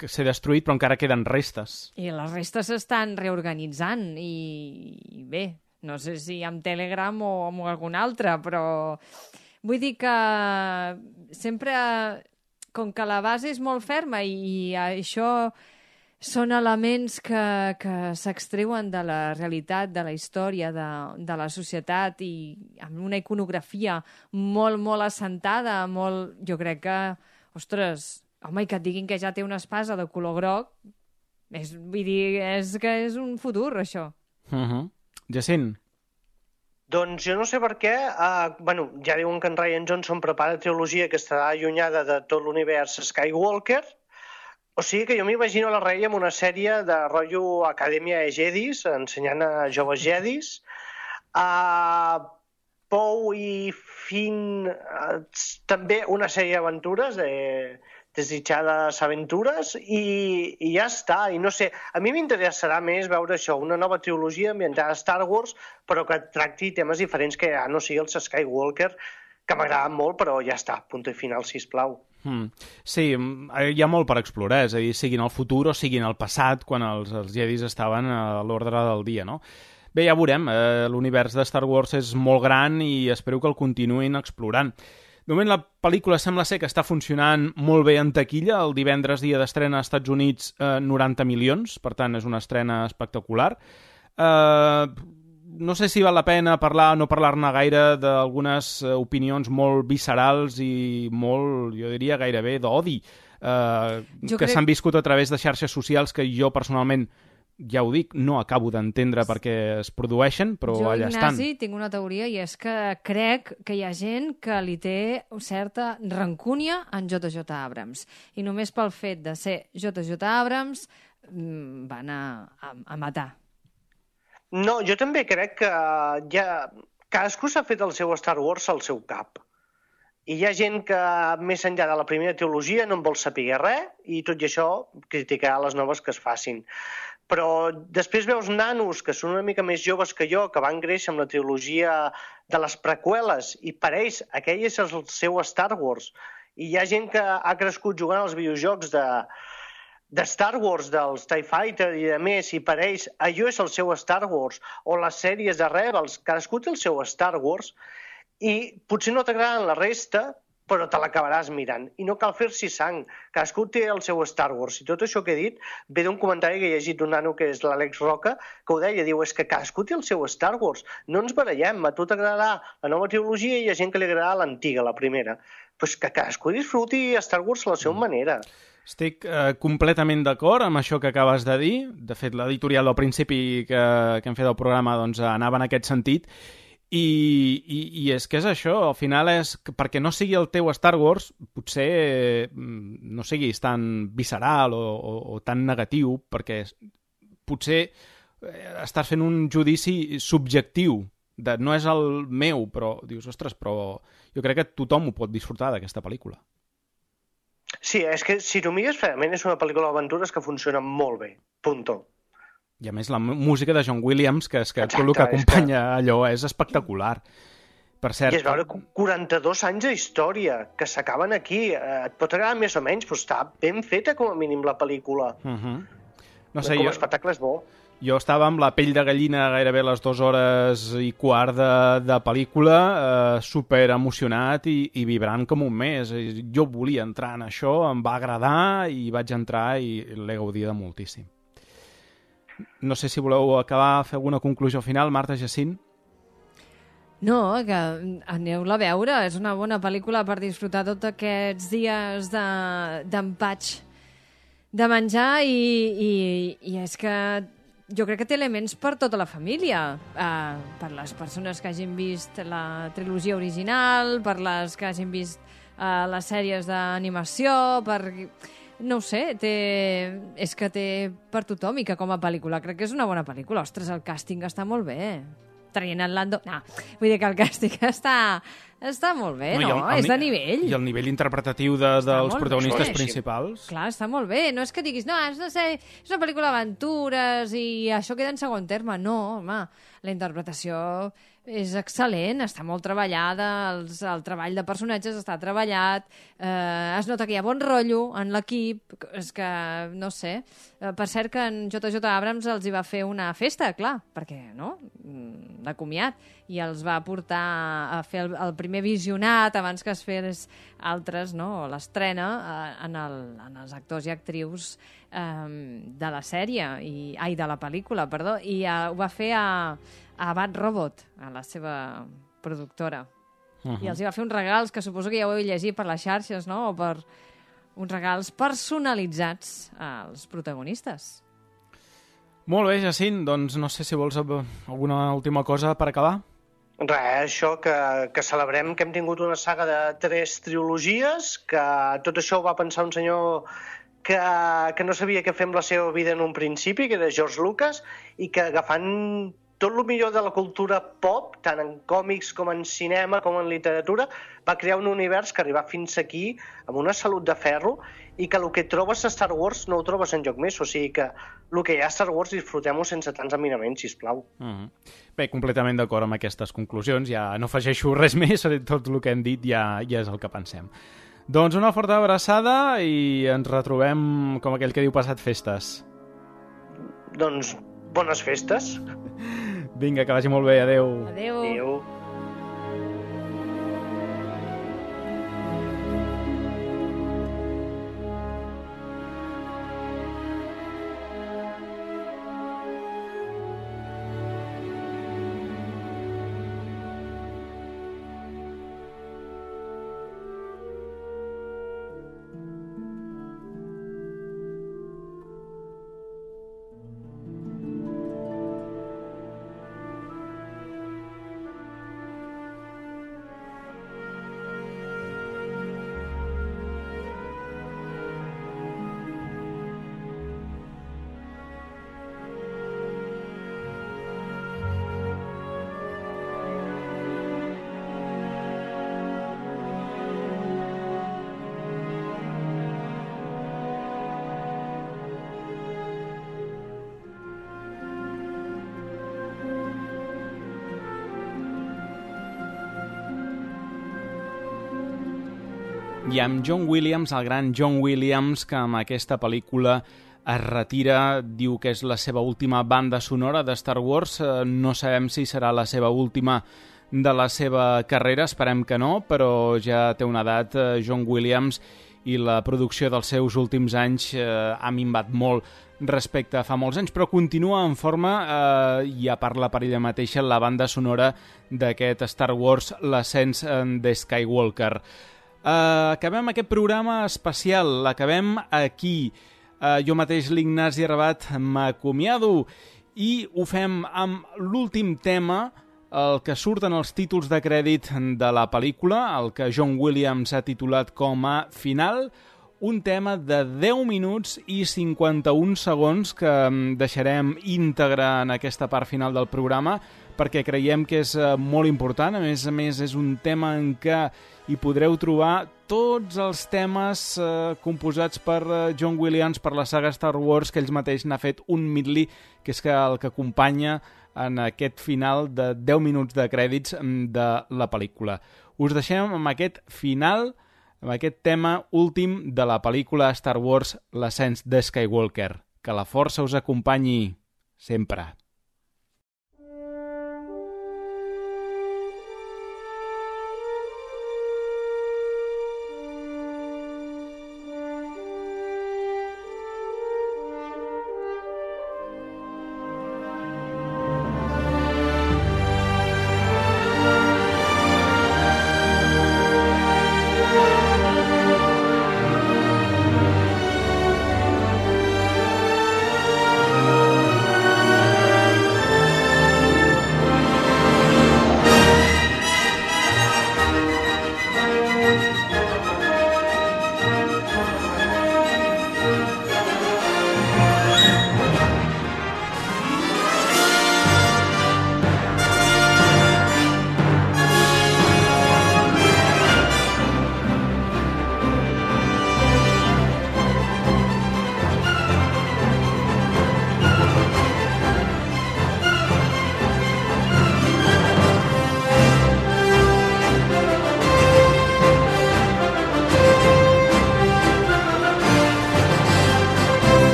ser destruït, però encara queden restes. I les restes s'estan reorganitzant, i, i bé, no sé si amb Telegram o amb algun altre, però vull dir que sempre, com que la base és molt ferma i, i això són elements que, que s'extreuen de la realitat, de la història, de, de la societat, i amb una iconografia molt, molt assentada, molt... Jo crec que, ostres, home, i que et diguin que ja té una espasa de color groc, és, vull dir, és que és un futur, això. Uh-huh. Jacint? Doncs jo no sé per què, uh, bueno, ja diuen que en Rian Johnson prepara trilogia que estarà allunyada de tot l'univers Skywalker. O sigui que jo m'imagino la Rey amb una sèrie de rotllo Acadèmia de Jedis, ensenyant a joves Jedis. Uh, Poe i Finn, uh, també una sèrie d'aventures, de desitjades aventures, i, i ja està. I no sé, a mi m'interessarà més veure això, una nova trilogia ambientada a Star Wars, però que tracti temes diferents, que ja no sigui els Skywalker, que m'agraden molt, però ja està, punt i final, sisplau. Hmm. Sí, hi ha molt per explorar, és a dir, siguin el futur o siguin el passat, quan els, els Jedis estaven a l'ordre del dia, no? Bé, ja veurem, eh, l'univers de Star Wars és molt gran i espero que el continuïn explorant. De moment la pel·lícula sembla ser que està funcionant molt bé en taquilla, el divendres dia d'estrena als Estats Units eh, noranta milions, per tant és una estrena espectacular. Eh... No sé si val la pena parlar o no parlar-ne gaire d'algunes opinions molt viscerals i molt, jo diria, gairebé d'odi, eh, que crec... s'han viscut a través de xarxes socials que jo personalment, ja ho dic, no acabo d'entendre per què es produeixen, però jo, allà Ignasi, estan. Jo, Ignasi, tinc una teoria, i és que crec que hi ha gent que li té certa rancúnia en J J Abrams. I només pel fet de ser J J Abrams van a, a, a matar. No, jo també crec que ja... cadascú s'ha fet el seu Star Wars al seu cap. I hi ha gent que, més enllà de la primera trilogia, no en vol saber res, i tot i això criticar les noves que es facin. Però després veus nanos que són una mica més joves que jo, que van créixer amb la trilogia de les preqüeles, i per ells aquell és el seu Star Wars. I hi ha gent que ha crescut jugant als videojocs de... de Star Wars, dels TIE Fighter i de més, i per ells allò és el seu Star Wars, o les sèries de Rebels, cadascú té el seu Star Wars, i potser no t'agraden la resta, però te l'acabaràs mirant, i no cal fer-s'hi sang, cadascú té el seu Star Wars, i tot això que he dit ve d'un comentari que he llegit d'un nano que és l'Àlex Roca, que ho deia, diu, és que cadascú té el seu Star Wars, no ens barallem, a tu t'agradarà la nova trilogia i hi ha gent que li agradarà l'antiga, la primera, però que cadascú disfruti Star Wars a la seva manera. Estic eh, completament d'acord amb això que acabes de dir. De fet, l'editorial del principi que, que hem fet del programa doncs, anava en aquest sentit. I, i, I és que és això, al final és que perquè no sigui el teu Star Wars, potser no siguis tan visceral o, o, o tan negatiu, perquè potser estàs fent un judici subjectiu de, no és el meu, però dius, ostres, però jo crec que tothom ho pot disfrutar d'aquesta pel·lícula. Sí, és que si t'ho mires fredament és una pel·lícula d'aventures que funciona molt bé, punto. I a més la música de John Williams, que és que Exacte, tot el que acompanya és que... allò és espectacular. Per cert... I és veure quaranta-dos anys de història que s'acaben aquí. Et pot agradar més o menys, però està ben feta com a mínim la pel·lícula. Uh-huh. No sé, com a jo... espectacle és bo. Jo estava amb la pell de gallina gairebé les dues hores i quart de, de pel·lícula, eh, super emocionat i, i vibrant com un mes. Jo volia entrar en això, em va agradar i vaig entrar i l'he gaudida moltíssim. No sé si voleu acabar, fer alguna conclusió final, Marta, Jacint? No, que aneu-la a veure. És una bona pel·lícula per disfrutar tots aquests dies d'empatx de, de menjar i, i, i és que jo crec que té elements per tota la família, uh, per les persones que hagin vist la trilogia original, per les que hagin vist uh, les sèries d'animació, per... no ho sé, té... és que té per tothom i que com a pel·lícula crec que és una bona pel·lícula. Ostres, el càsting està molt bé. Traient en Lando... No, vull dir que el càsting està, està molt bé, no? no? El, el, és de nivell. I el nivell interpretatiu de, dels protagonistes bé. principals. Clar, està molt bé. No és que diguis, no, és, no sé, és una pel·lícula d'aventures i això queda en segon terme. No, home, la interpretació és excel·lent, està molt treballada, els, el treball de personatges està treballat, eh, es nota que hi ha bon rotllo en l'equip, és que, no sé, eh, per cert que en J J Abrams els hi va fer una festa, clar, perquè, no?, de comiat, i els va portar a fer el, el primer visionat abans que es fes altres, no?, l'estrena eh, en, el, en els actors i actrius eh, de la sèrie, i, ai, de la pel·lícula, perdó, i eh, ho va fer a a Bad Robot, a la seva productora. Uh-huh. I els hi va fer uns regals que suposo que ja ho heu llegit per les xarxes, no?, o per uns regals personalitzats als protagonistes. Molt bé, Jacint, doncs no sé si vols alguna última cosa per acabar. Res, això, que, que celebrem que hem tingut una saga de tres trilogies, que tot això ho va pensar un senyor que, que no sabia què fer amb la seva vida en un principi, que era George Lucas, i que agafant tot el millor de la cultura pop, tant en còmics com en cinema com en literatura, va crear un univers que arriba fins aquí amb una salut de ferro i que el que trobes a Star Wars no ho trobes enlloc més. O sigui que el que hi ha a Star Wars disfrutem-ho sense tants emiraments, sisplau. Uh-huh. Bé, completament d'acord amb aquestes conclusions. Ja no afegeixo res més, tot el que hem dit ja, ja és el que pensem. Doncs una forta abraçada i ens retrobem, com aquell que diu, passat festes. Doncs bones festes. Vinga, que vagi molt bé. Adéu. Adéu. Adéu. I amb John Williams, el gran John Williams, que amb aquesta pel·lícula es retira, diu que és la seva última banda sonora de Star Wars. No sabem si serà la seva última de la seva carrera, esperem que no, però ja té una edat, John Williams, i la producció dels seus últims anys eh, ha minvat molt respecte a fa molts anys, però continua en forma, eh, ja parla per ella mateixa, la banda sonora d'aquest Star Wars, l'ascens de Skywalker. Uh, acabem aquest programa especial, l'acabem aquí. Uh, jo mateix, l'Ignasi Rabat, m'acomiado i ho fem amb l'últim tema, el que surt en els títols de crèdit de la pel·lícula, el que John Williams ha titulat com a final, un tema de deu minuts i cinquanta-un segons que deixarem íntegre en aquesta part final del programa perquè creiem que és molt important. A més a més, és un tema en què hi podreu trobar tots els temes eh, composats per John Williams, per la saga Star Wars, que ells mateix n'ha fet un medley, que és que el que acompanya en aquest final de deu minuts de crèdits de la pel·lícula. Us deixem amb aquest final, amb aquest tema últim de la pel·lícula Star Wars, l'ascens de Skywalker. Que la força us acompanyi sempre.